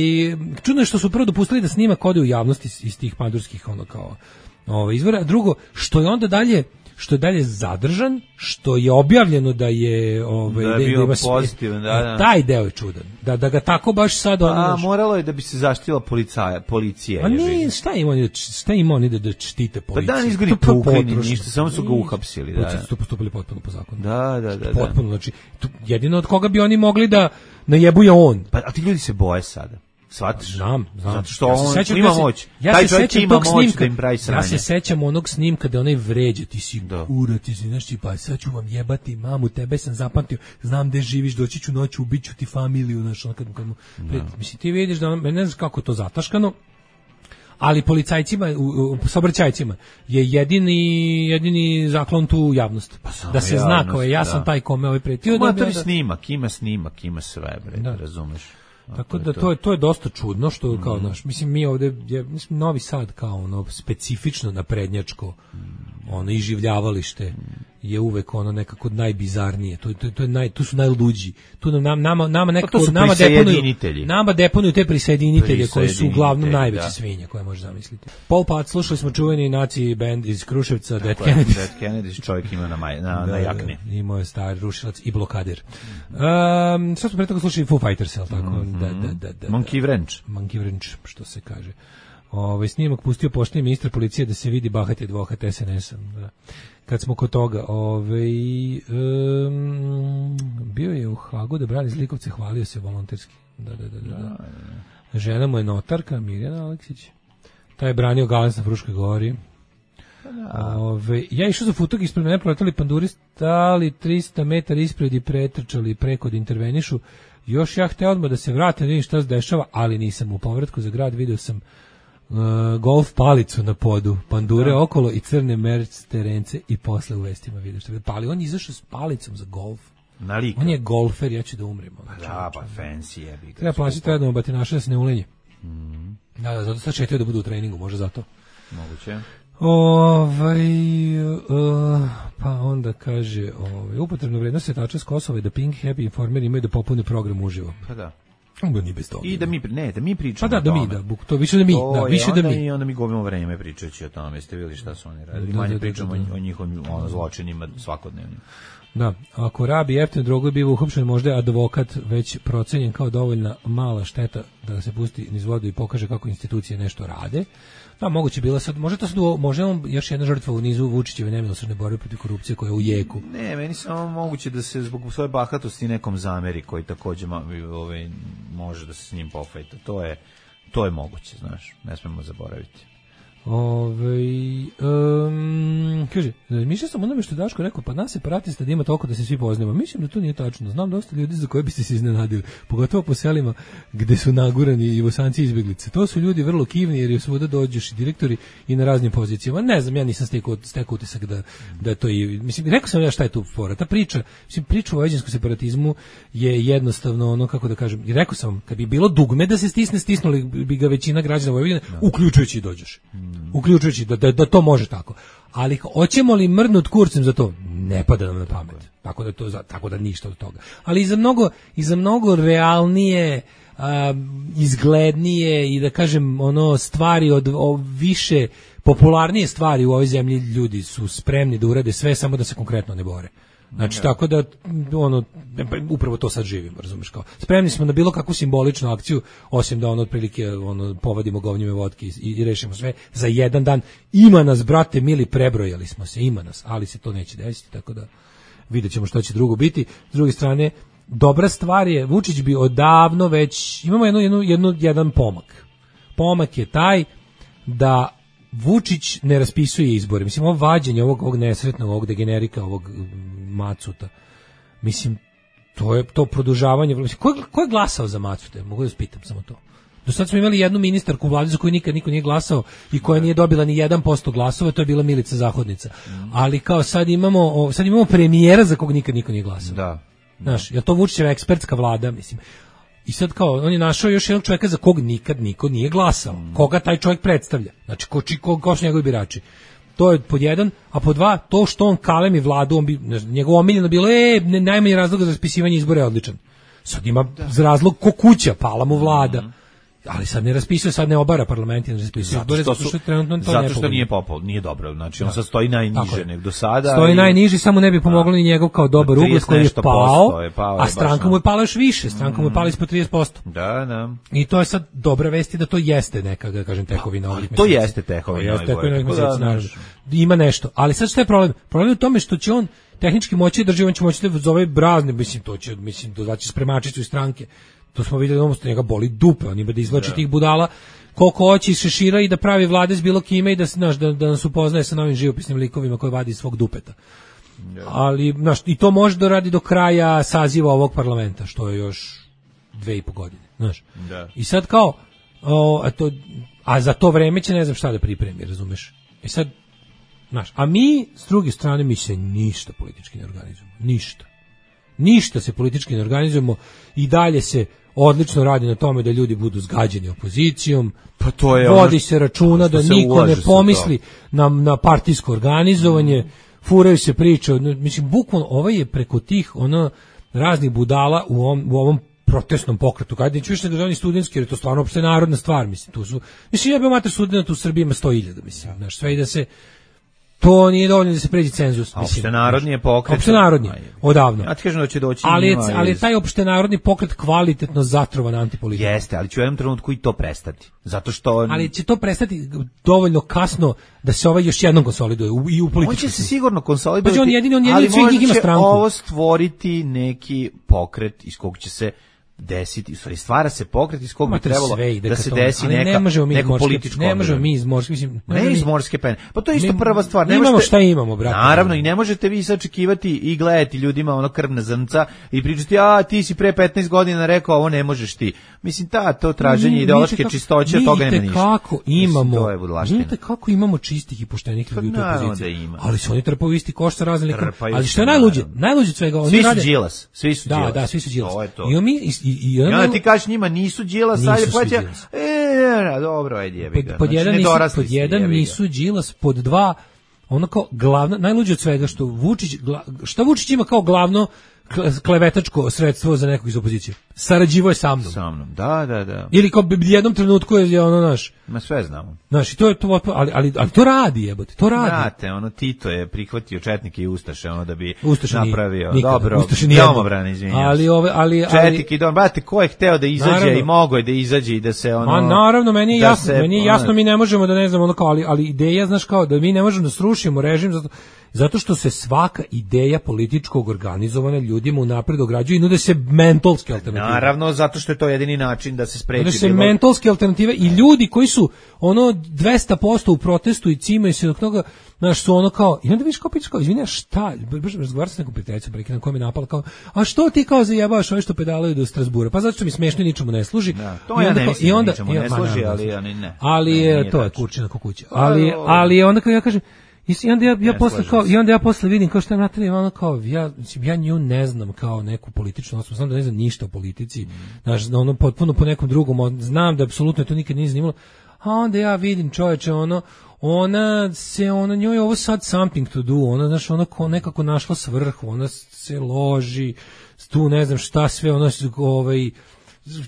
S7: čudno je što su prvo dopustili da snima kode u javnosti iz, iz tih pandurskih ono kao ovaj izvora, a drugo što je onda dalje što je dalje zadržan, što je objavljeno da je ovaj
S6: da je bio da pozitivan, da, da.
S7: Taj deo je čudan. Da da ga tako baš sad ono.
S6: A moralo je da bi se zaštitila policija, policija.
S7: A ni šta ima oni, šta ima oni da da štite policiju.
S6: Pa da nisu ga tukli ništa, samo su ga uhapsili, da.
S7: Su postupili potpuno po zakonu.
S6: Da, da, da.
S7: Potpuno, znači jedino od koga bi oni mogli da najebuje on.
S6: Pa a ti ljudi se boje sada. Shvatiš?
S7: Znam, znam.
S6: Zato što ja on sećam, ima moć.
S7: Ja
S6: taj
S7: se
S6: čovjek ima moć
S7: snimka,
S6: da im pravi sranje.
S7: Ja se sećam onog snimka da onaj vređa, ti si kura, ti si, znaš, pa sad ću vam jebati mamu, tebe sam zapamtio, znam gde živiš, doći ću noću, ubiću ti familiju, znaš, ono kad, kad mu, pred, mislim, ti vidiš da on, ne znaš kako je to zataškano, ali policajcima, u, u saobraćajcima je jedini jedini zaklon tu javnost. Pa da se javnost, zna kao je, ja sam da. taj kome ovaj pretio.
S6: Ma to je snimak, ima snimak, ima sve, bre, da. razumeš.
S7: Tako da to je to je dosta čudno što kao mm. naš, mislim mi ovde je mislim Novi Sad kao ono specifično naprednjačko mm. ono iživljavalište je uvek ono nekako najbizarnije. To to to je naj tu su najluđi. Tu nam nama nama nekako
S6: pa
S7: nama deponuju nama deponuju te prisjedinitelje koji su uglavnom najveće da. svinje koje možeš zamisliti. Paul Pat, slušali smo čuveni naci band iz Kruševca, Dead Kennedys.
S6: Dead Kennedys, čovjek ima na maj, na, da, na jakni.
S7: Imao je stari rušilac i blokader. Um, sad smo pre toga slušali Foo Fighters, al tako mm-hmm. da, da, da, da,
S6: Monkey Wrench.
S7: Monkey Wrench, što se kaže. Ovaj snimak pustio pošteni ministar policije da se vidi bahati advokat S N S-a. Da. Kad smo kod toga, ovaj um, bio je u Hagu da brani zlikovce, hvalio se volonterski. Da, da, da, da. da. Žena mu je notarka, Mirjana Aleksić. Taj je branio Galens na Fruškoj gori. Da. Ove, ja išao za futog, ispred mene proletali panduri, stali trista metara ispred i pretrčali preko da intervenišu. Još ja hteo odmah da se vratim, da vidim šta se dešava, ali nisam. U povratku za grad video sam uh, golf palicu na podu, pandure da. okolo i crne merc terence i posle u vestima vidio šta. Pa ali on je izašao s palicom za golf.
S6: Nalika.
S7: On je golfer, ja ću da umrem.
S6: Pa da, pa fancy je.
S7: Treba plaćati redno batinaša da se ne ulenje. Mm. Da, da, zato sad četio da budu u treningu, može zato.
S6: Moguće.
S7: Ovaj uh, pa onda kaže, ovaj upotrebna vrednost setača s Kosova je da Pink, Happy, Informer imaju da popune program uživo.
S6: Pa da.
S7: Onda ni bez toga.
S6: I da mi ne, da mi pričamo.
S7: Pa da, da mi da, to više da mi,
S6: to
S7: da više da mi.
S6: I onda mi gubimo vreme pričajući o tome. Jeste videli šta su oni radili? Da, manje da, pričamo da, da. o njihovim ono zločinima svakodnevnim.
S7: Da, ako rabi jeftinu drogu biva uhapšen, možda je advokat već procenjen kao dovoljna mala šteta da se pusti niz vodu i pokaže kako institucije nešto rade. Da, moguće bila sad, može to sad, može on još jedna žrtva u nizu Vučićeve nemilosrdne borbe protiv korupcije koja je u jeku.
S6: Ne, meni samo moguće da se zbog svoje bahatosti nekom zameri koji takođe ovaj, može da se s njim pofajta. To je, to je moguće, znaš, ne smemo zaboraviti.
S7: Ove, um, kaže, mišljam sam onome što je Daško rekao, pa nas separatista da ima toliko da se svi poznamo. Mislim da to nije tačno. Znam dosta ljudi za koje biste se iznenadili, pogotovo po selima gde su nagurani i Bosanci izbeglice. To su ljudi vrlo kivni jer je svuda dođeš i direktori i na raznim pozicijama. Ne znam, ja nisam stekao, stekao utisak da, da je to i... Mislim, rekao sam ja šta je tu fora. Ta priča, mislim, priča o vojvođanskom separatizmu je jednostavno ono, kako da kažem, i rekao sam, kad bi bilo dugme da se stisne, stisnuli bi ga većina građana Vojvodine, uključujući i dođeš. Uključujući da, da, da to može tako. Ali hoćemo li mrnut kurcem za to? Ne pada nam na pamet. Tako da to tako da ništa od toga. Ali i za mnogo i za mnogo realnije, a, izglednije i da kažem ono stvari od o, više popularnije stvari u ovoj zemlji ljudi su spremni da urade sve samo da se konkretno ne bore. Znači, tako da, ono, upravo to sad živimo, razumiješ kao. Spremni smo na bilo kakvu simboličnu akciju, osim da ono, otprilike, ono, povadimo govnjeve vodke i, i rešimo sve za jedan dan. Ima nas, brate, mili, prebrojali smo se, ima nas, ali se to neće desiti, tako da vidjet ćemo što će drugo biti. S druge strane, dobra stvar je, Vučić bi odavno već, imamo jednu, jednu, jednu, jedan pomak. Pomak je taj da Vučić ne raspisuje izbore. Mislim, ovo vađenje ovog, ovog nesretnog, ovog degenerika, ovog Macuta, mislim, to je to produžavanje. Mislim, ko, ko je glasao za Macute? Mogu da spitam samo to. Do sad smo imali jednu ministarku u vladi za koju nikad niko nije glasao i koja nije dobila ni jedan posto glasova, to je bila Milica Zahodnica. Ali kao sad imamo, sad imamo premijera za kog nikad niko nije glasao.
S6: Da.
S7: Znaš, je to Vučićeva ekspertska vlada, mislim. I sad kao, on je našao još jednog čovjeka za kog nikad niko nije glasao. Mm. Koga taj čovjek predstavlja? Znači, ko, ko, ko su njegovi birači? To je pod jedan, a pod dva, to što on kalemi vladu, on bi, njegovo omiljeno bilo, e, ne, najmanji razlog za raspisivanje izbora je odličan. Sad ima da. razlog ko kuća, pala mu vlada. Mm. Ali sad ne raspisuje, sad ne obara parlament, ne raspisuje izbore, zato što trenutno to
S6: zato što nije popol, nije dobro. Znači on da. sad stoji najniže nego do sada.
S7: Stoji i... najniži, samo ne bi pomoglo da. ni njegov kao dobar ugled koji je pao, je pao a stranka mu je pala još više, stranka mu je pala ispod trideset posto.
S6: Da, da.
S7: I to je sad dobra vest da to jeste neka, da kažem, tekovina ovih meseci.
S6: To jeste tekovina ovih
S7: meseci. Ima nešto, ali sad šta je problem? Problem je u tome što će on tehnički moći drži, on će moći da zove brazne, mislim to će, mislim dodaći spremačicu iz stranke. To smo vidjeli, ono što njega boli dupe, on ima da izvlači yeah. tih budala koliko hoće iz šešira i da pravi vlade s bilo kime i da, znaš, da, da nas upoznaje sa novim živopisnim likovima koji vadi iz svog dupeta. Yeah. Ali, znaš, i to može da radi do kraja saziva ovog parlamenta, što je još dve i po godine, znaš. Yeah. I sad kao, o, a, to, a za to vreme će ne znam šta da pripremi, razumeš? E sad, znaš, a mi, s druge strane, mi se ništa politički ne organizujemo. Ništa. Ništa se politički ne organizujemo i dalje se odlično radi na tome da ljudi budu zgađeni opozicijom,
S6: pa to je
S7: vodi ono se računa da niko ne pomisli na, na partijsko organizovanje, mm. furaju se priče, mislim, bukvalno ovaj je preko tih ono raznih budala u ovom, u ovom protestnom pokretu, kada neću više državni studentski, jer je to stvarno opšte narodna stvar, mislim, tu su, mislim, ja bi mater studenta u Srbiji ima sto hiljada, mislim, znaš, sve i da se to nije dovoljno da se pređe cenzus.
S6: Opštenarodni je pokret.
S7: Opštenarodni, odavno.
S6: Ja ti kažem da će doći
S7: ali,
S6: njima.
S7: Ali je taj opštenarodni pokret kvalitetno zatrovan antipolitikom.
S6: Jeste, ali će u jednom trenutku i to prestati. Zato što...
S7: Ali će to prestati dovoljno kasno da se ovaj još jednom konsoliduje u, i u političkom.
S6: On će se sigurno konsolidovati,
S7: pa on jedini, on jedini
S6: ali možda
S7: njih ima
S6: će
S7: stranku.
S6: Ovo stvoriti neki pokret iz kog će se desiti, u stvari stvara se pokret iz kog bi trebalo da se desi neka,
S7: ne možemo mi
S6: neko političko.
S7: Ne možemo mi iz morske, mislim,
S6: ne, ne iz morske pene. Pa to je isto
S7: mi,
S6: prva stvar.
S7: Ne imamo šta imamo, brate.
S6: Naravno, i ne možete vi sačekivati i gledati ljudima ono krvna zrnca i pričati, a ti si pre petnaest godina rekao, ovo ne možeš ti. Mislim, ta, to traženje ideološke čistoće, od toga nema ništa.
S7: Kako imamo,
S6: vidite
S7: kako imamo čistih i poštenih ljudi u toj opoziciji. Ali su oni trpaju isti koš sa raznim likom. Ali što je najluđe, najluđe od svega, oni rade.
S6: Svi su Đilas, svi su Đilas.
S7: Da, da, svi su Đilas.
S6: I
S7: mi i
S6: i kažeš njima nisu Đilas, ajde plaća. E, dobro, ajde jebi ga.
S7: Pod jedan nisu, pod jedan nisu Đilas, pod dva ono kao glavno, najluđe od svega što Vučić, šta Vučić ima kao glavno klevetačko sredstvo za nekog iz opozicije. Sarađivo je sa mnom.
S6: Sa mnom, da, da, da.
S7: Ili kao u jednom trenutku je ono naš.
S6: Ma sve znamo.
S7: Znaš, i to je to, ali, ali, ali to radi, jebote, to radi.
S6: Znate, ono, Tito je prihvatio četnike i ustaše, ono, da bi
S7: Ustaše
S6: napravio.
S7: Nije,
S6: dobro, domobran, izvinjam.
S7: Ali, ove, ali,
S6: ali, četnike i dom, brate, ko je hteo da izađe naravno, i mogo je da izađe i da se, ono...
S7: A naravno, meni je jasno,
S6: se,
S7: meni je jasno, ono, mi ne možemo da ne znam, ono kao, ali, ali ideja, znaš, kao, da mi ne možemo da srušimo režim, zato, zato što se svaka ideja političkog organizovanja ljudima unapred ograđuje i nude se mentolske alternative.
S6: Naravno, zato što je to jedini način da se spreči.
S7: Nude se bilo... mentolske alternative i ljudi koji su ono dvesta posto u protestu i cimaju se dok toga, znaš, su ono kao, i onda viš kao pić kao, izvini, šta, baš razgovarati s nekom prijateljicom, prekidam koja mi napala, kao, a što ti kao zajebavaš ove što pedalaju do Strasbura? Pa zato što mi smešno i ničemu ne služi.
S6: Da, to ja ne mislim, onda, ničemu ne služi, ali oni ne.
S7: Ali je, to je kurčina kukuća. Ali, ali onda kao ja kažem, i onda ja, ja posle kao i onda ja posle vidim kao šta je Natalija, ona kao ja mislim ja nju ne znam kao neku političnu osobu, znam da ne znam ništa o politici. Znaš, mm. ono potpuno po nekom drugom, znam da apsolutno to nikad nije zanimalo. A onda ja vidim, čoveče, ono ona se ona njoj ovo sad something to do, ona znaš ona ko nekako našla svrhu, ona se loži tu ne znam šta sve, ona ovaj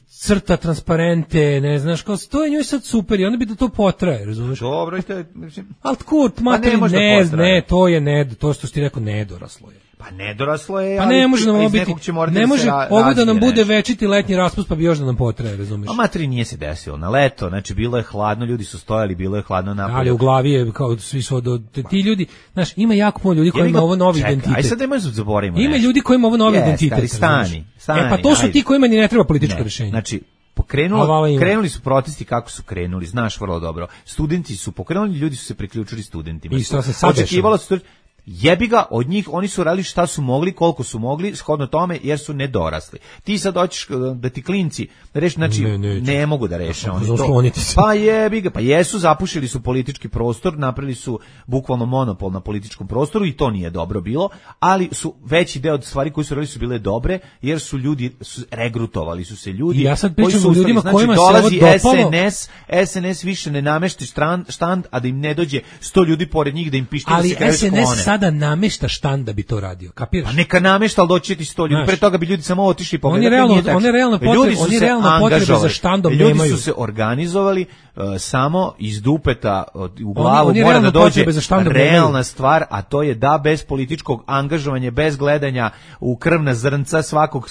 S7: crta transparente, ne znaš, kao to je njoj sad super i onda bi da to potraje, razumeš?
S6: Dobro, i to je, mislim...
S7: Ali kurt, materi, ne, ne, ne, to je ned, to što ti rekao, nedoraslo je.
S6: Pa nedoraslo je,
S7: pa ne može nam ovo biti, ne može ovo da nam bude večiti letnji raspust, pa bi još da nam potraje, razumeš?
S6: A materi nije se desilo, na leto, znači bilo je hladno, ljudi su stojali, bilo je hladno napolju.
S7: Ali u glavi je, kao svi su, do, ti ljudi, znaš, ima jako puno ljudi koji ima ovo novi
S6: čekaj,
S7: identitet.
S6: Aj sad da možemo zaboravimo
S7: Ima ljudi koji ima ovo novi
S6: yes,
S7: identitet.
S6: Stani, stani,
S7: e pa to su
S6: ajde.
S7: ti kojima ni ne treba političko
S6: ne,
S7: rješenje.
S6: Znači, pokrenulo, krenuli su protesti kako su krenuli, znaš vrlo dobro. Studenti su pokrenuli, ljudi su se priključili studentima.
S7: I što se sad
S6: očekivalo se jebi ga od njih, oni su radili šta su mogli, koliko su mogli, shodno tome, jer su nedorasli. Ti sad hoćeš da ti klinci reši, znači ne, ne, ne mogu da reše oni to. Pa jebi ga, pa jesu, zapušili su politički prostor, napravili su bukvalno monopol na političkom prostoru i to nije dobro bilo, ali su veći deo od stvari koji su radili su bile dobre, jer su ljudi su regrutovali su se ljudi.
S7: I ja sad pričam
S6: koji su
S7: o ljudima
S6: znači,
S7: kojima
S6: dolazi
S7: se ovo dopalo.
S6: S N S, S N S više ne namešti štand, štand, a da im ne dođe sto ljudi pored njih da im pištaju
S7: ali
S6: se kraju sklone.
S7: Sada namešta štand da bi to radio, kapiraš?
S6: Pa neka namešta, al doći ti sto ljudi. Znaš, pre toga bi ljudi samo otišli po.
S7: Oni realno, oni realno potrebe, oni realno potrebe za štandom
S6: ljudi
S7: nemaju.
S6: Ljudi su se organizovali uh, samo iz dupeta uh, u glavu oni, oni mora da dođe realna stvar, a to je da bez političkog angažovanja, bez gledanja u krvna zrnca svakog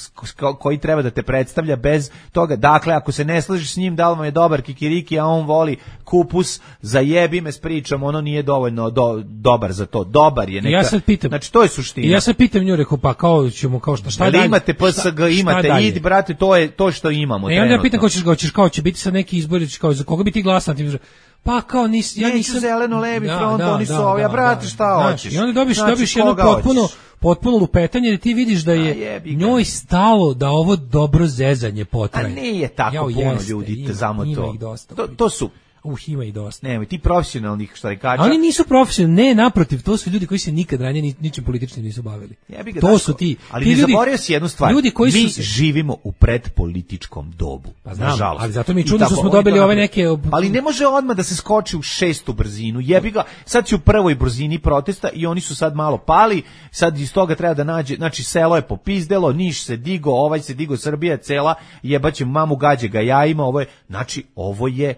S6: koji treba da te predstavlja, bez toga. Dakle, ako se ne slažeš s njim, da li vam je dobar kikiriki, a on voli kupus, zajebi me s pričom, ono nije dovoljno do, dobar za to. Dobar je neka.
S7: Ja sad pitam,
S6: znači to je suština.
S7: Ja se pitam nju, rekao, pa kao ćemo, kao šta, šta dalje?
S6: Imate P S G, imate, idi brate, to je to što imamo.
S7: E onda ja pitam, ko ćeš, ko ćeš, kao će biti sad neki izbori, kao za koga bi ti glasati. Pa kao nis, ja nisam
S6: zeleno-levi front, da, oni su ovi, a brate šta hoćeš?
S7: I onda dobiš, znači, dobiš jedno potpuno, hoćeš? potpuno lupetanje da ti vidiš da je njoj stalo da ovo dobro zezanje potraje.
S6: A nije tako Jao, puno jeste, ljudi, ima, samo
S7: ima
S6: to.
S7: Ih dosta,
S6: to. To su
S7: Uh, ima i dosta.
S6: Nemoj, ti profesionalnih štrajkača.
S7: Oni nisu profesionalni, ne, naprotiv, to su ljudi koji se nikad ranije ni, ničim političnim nisu bavili.
S6: Ga,
S7: to su ti.
S6: Ali
S7: ti
S6: ne
S7: ljudi,
S6: zaboravio si jednu stvar.
S7: Ljudi koji
S6: mi
S7: su se...
S6: živimo u predpolitičkom dobu.
S7: Pa znam, nažalost. Ali zato mi je čudno što smo dobili ove neke...
S6: Ali ne može odmah da se skoči u šestu brzinu. Jebi ga, sad si u prvoj brzini protesta i oni su sad malo pali, sad iz toga treba da nađe, znači selo je popizdelo, Niš se digo, ovaj se digo, Srbija cela, jebaće mamu gađe ga jajima, ovo je, znači ovo je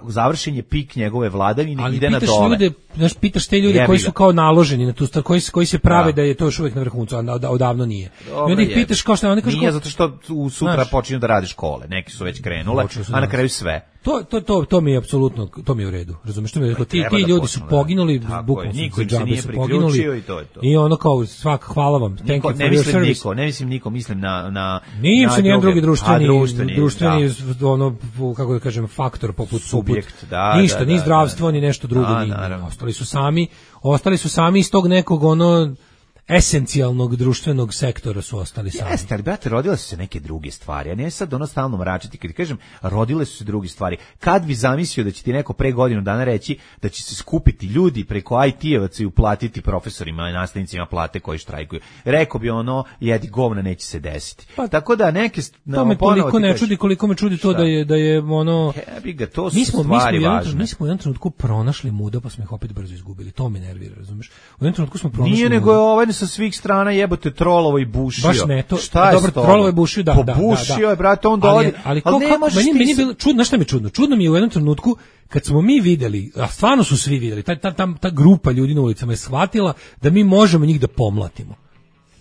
S6: završen je pik njegove vladavine,
S7: ali
S6: ide na dole.
S7: Ljude, znaš, pitaš te ljude koji su kao naloženi na tu stvar, koji, koji se prave da, da je to još uvijek na vrhuncu, a odavno nije. I onda ih pitaš kao što oni kažu...
S6: Nije, zato što u sutra znaš, počinju da rade škole, neki su već krenule, a na kraju sve.
S7: To, to, to, to mi je apsolutno, to mi je u redu. Razumeš, što mi je rekao, ti, ti ljudi su poginuli, bukvalno su džabe su poginuli.
S6: I, to je to.
S7: I ono kao, svak, hvala vam, thank
S6: niko,
S7: you for
S6: ne
S7: your
S6: mislim
S7: service.
S6: Niko, ne mislim niko, mislim na... na
S7: Nije se nijedan drugi društveni,
S6: a, društveni,
S7: društveni da. ono, kako da kažem, faktor poput
S6: subjekt,
S7: poput,
S6: da,
S7: ništa,
S6: da,
S7: ni
S6: da,
S7: zdravstvo, ni nešto drugo.
S6: Da,
S7: ni, ostali su sami, ostali su sami iz tog nekog, ono, esencijalnog društvenog sektora su ostali sami.
S6: Jeste, ali brate, rodile su se neke druge stvari. Ja ne sad ono stalno mračiti. Kad kažem, rodile su se druge stvari. Kad bi zamislio da će ti neko pre godinu dana reći da će se skupiti ljudi preko I T-evaca i uplatiti profesorima i nastavnicima plate koji štrajkuju. Rekao bi ono, jedi govna, neće se desiti. Pa, tako da neke...
S7: To me toliko ne čudi, koliko me čudi to da je, da je ono...
S6: Jebi ga, to su mi smo, stvari
S7: mi smo
S6: važne.
S7: Mi smo u jednom trenutku pronašli muda, pa smo ih opet brzo izgubili. To me nervira, razumeš? U jednom trenutku smo pronašli
S6: Nije nego je ovaj sa svih strana jebote trolovo i bušio.
S7: Baš ne, to,
S6: šta je
S7: dobro, trolovo i bušio, da, da,
S6: Pobušio
S7: da, da.
S6: je, brate, on dolazi.
S7: Ali, ali, ali ne možeš meni, meni bilo čudno, šta mi je čudno? Čudno mi je u jednom trenutku kad smo mi videli, a stvarno su svi videli, ta, ta, ta, ta grupa ljudi na ulicama je shvatila da mi možemo njih da pomlatimo.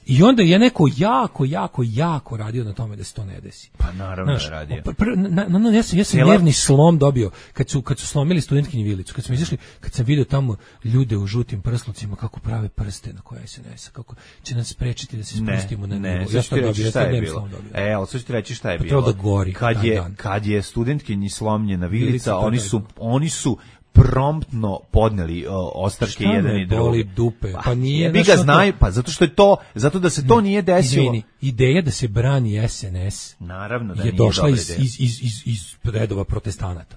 S7: I onda je neko jako, jako, jako radio na tome da se to ne desi.
S6: Pa naravno Znaš, je radio.
S7: Pr, pr, na, na, ja sam, ja sam nervni slom dobio kad su, kad su slomili studentkinju vilicu, kad smo izašli, kad sam vidio tamo ljude u žutim prslucima kako prave prste na koje S N S-a, kako će nas sprečiti da se spustimo na nivo.
S6: Ja sam dobio, ja sam nervni slom dobio. E, ali sad ću ti reći šta je bilo.
S7: Da gori,
S6: kad, je,
S7: dan.
S6: kad je studentkinji slomljena vilica, oni su, oni su promptno podneli uh, ostavke jedan i drugi.
S7: Boli dupe. Pa, pa nije
S6: bi ga znaju, pa zato što je to, zato da se to nije desilo.
S7: Izvini, ideja da se brani S N S.
S6: Naravno da
S7: je
S6: nije
S7: došla iz, iz, iz, iz, iz redova protestanata.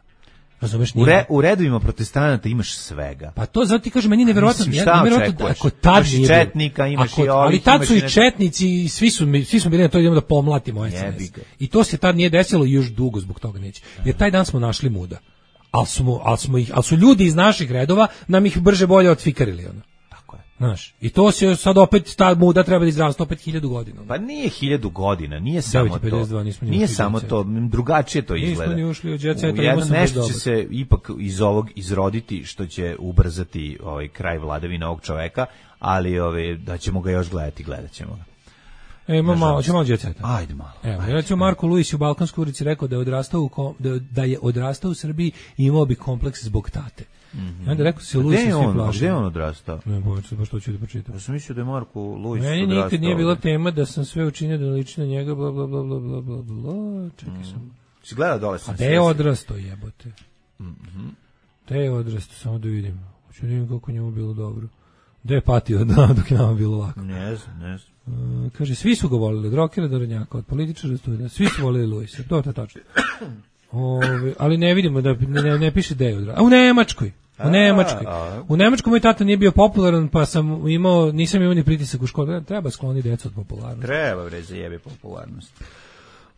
S7: Razumeš,
S6: u, re, u redovima protestanata imaš svega.
S7: Pa to zato ti kažem, meni neverovatno,
S6: ja neverovatno
S7: da ako tad
S6: nije četnika, imaš
S7: ako,
S6: i ovih,
S7: ali tad su i
S6: nešto...
S7: četnici i svi su svi smo bili na to idemo da pomlatimo S N S. I to se tad nije desilo i još dugo zbog toga neće. Jer taj dan smo našli muda. Al smo, al smo ih, al su ljudi iz naših redova nam ih brže bolje otfikarili ono.
S6: Tako je.
S7: Znaš, i to se sad opet ta muda treba da izrasta opet hiljadu godina.
S6: Pa nije hiljadu godina, nije samo to. Nije samo to, drugačije to izgleda.
S7: Nismo ni ušli u jet set,
S6: jedno nešto će se ipak iz ovog izroditi što će ubrzati ovaj kraj vladavine ovog čoveka, ali ovaj da ćemo ga još gledati, gledaćemo ga.
S7: E, imamo malo, ćemo malo jet seta.
S6: Ajde malo.
S7: Evo, recimo Marko Luis u Balkanskoj ulici rekao da je odrastao u da, da je odrastao u Srbiji i imao bi kompleks zbog tate. Mm -hmm. I onda rekao se Luis svi plaši.
S6: Gde je on odrastao?
S7: Ne, bojte, baš to ću da pročitam.
S6: Ja sam mislio da je Marko Luis
S7: Meni
S6: odrastao.
S7: nikad nije bila tema da sam sve učinio da liči na njega, bla, bla, bla, bla, bla, bla, bla. Čekaj mm. sam.
S6: Si gledao dole sam.
S7: A gde je odrastao, jebote?
S6: Mhm. Mm
S7: Gde je odrastao, samo da vidim. Hoću da vidim kako njemu bilo dobro. Gde je patio da, dok je nama bilo lako?
S6: Ne znam, ne znam.
S7: Uh, kaže, svi su ga volili, od rokera do rodnjaka, od političara do studenta, svi su volili Luisa, to je tačno. Ove, ali ne vidimo, da ne, ne piše da je odrastao. A u Nemačkoj, u Nemačkoj. U Nemačkoj moj tata nije bio popularan, pa sam imao, nisam imao ni pritisak u školi, treba skloniti decu od popularnosti.
S6: Treba, bre, zajebi popularnost.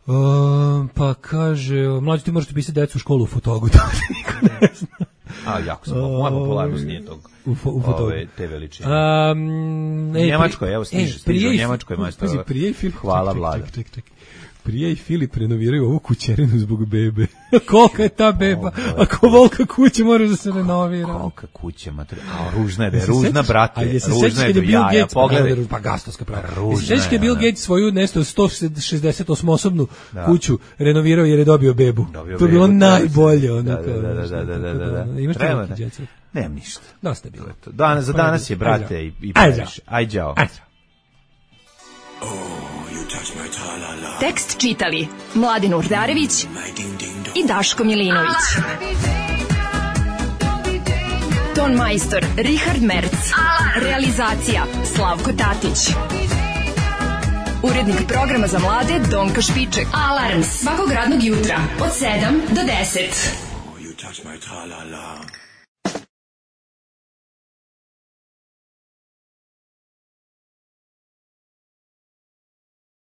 S7: Uh, pa kaže, mlađi ti možete pisati decu u školu u Fotogu, to niko ne zna.
S6: A, jako sam, moja popularnost nije tog,
S7: u, u
S6: ove, te veličine.
S7: Um,
S6: u Njemačkoj, evo, stiže, stiže u Njemačkoj majstor. Hvala, Vlada.
S7: Ček, ček, ček. Prije i Filip renoviraju ovu kućerinu zbog bebe. Kolika je ta beba? Ako volka kuće moraš da se renovira.
S6: Kolika kuća, mater. A, ružna je, be, ružna, brate. Ružna je do jaja, pogledaj.
S7: Pa gastovska prava. Ružna je. Sjećaš kad je Bill Gates svoju nešto sto šezdeset osmosobnu kuću renovirao jer je dobio bebu. To je bilo najbolje.
S6: Da, da, da, da, da, da.
S7: Imaš te neki djece?
S6: Nemam ništa.
S7: Dosta je bilo.
S6: Danas, za danas je, brate, i previše. Aj, đao.
S7: Aj,
S6: đao.
S8: Tekst čitali Mladin Urdarević i Daško Milinović.
S12: Ton majstor Richard Merc. Realizacija Slavko Tatić. Urednik programa za mlade Donka Špiček. Alarms svakog radnog jutra od sedam do deset.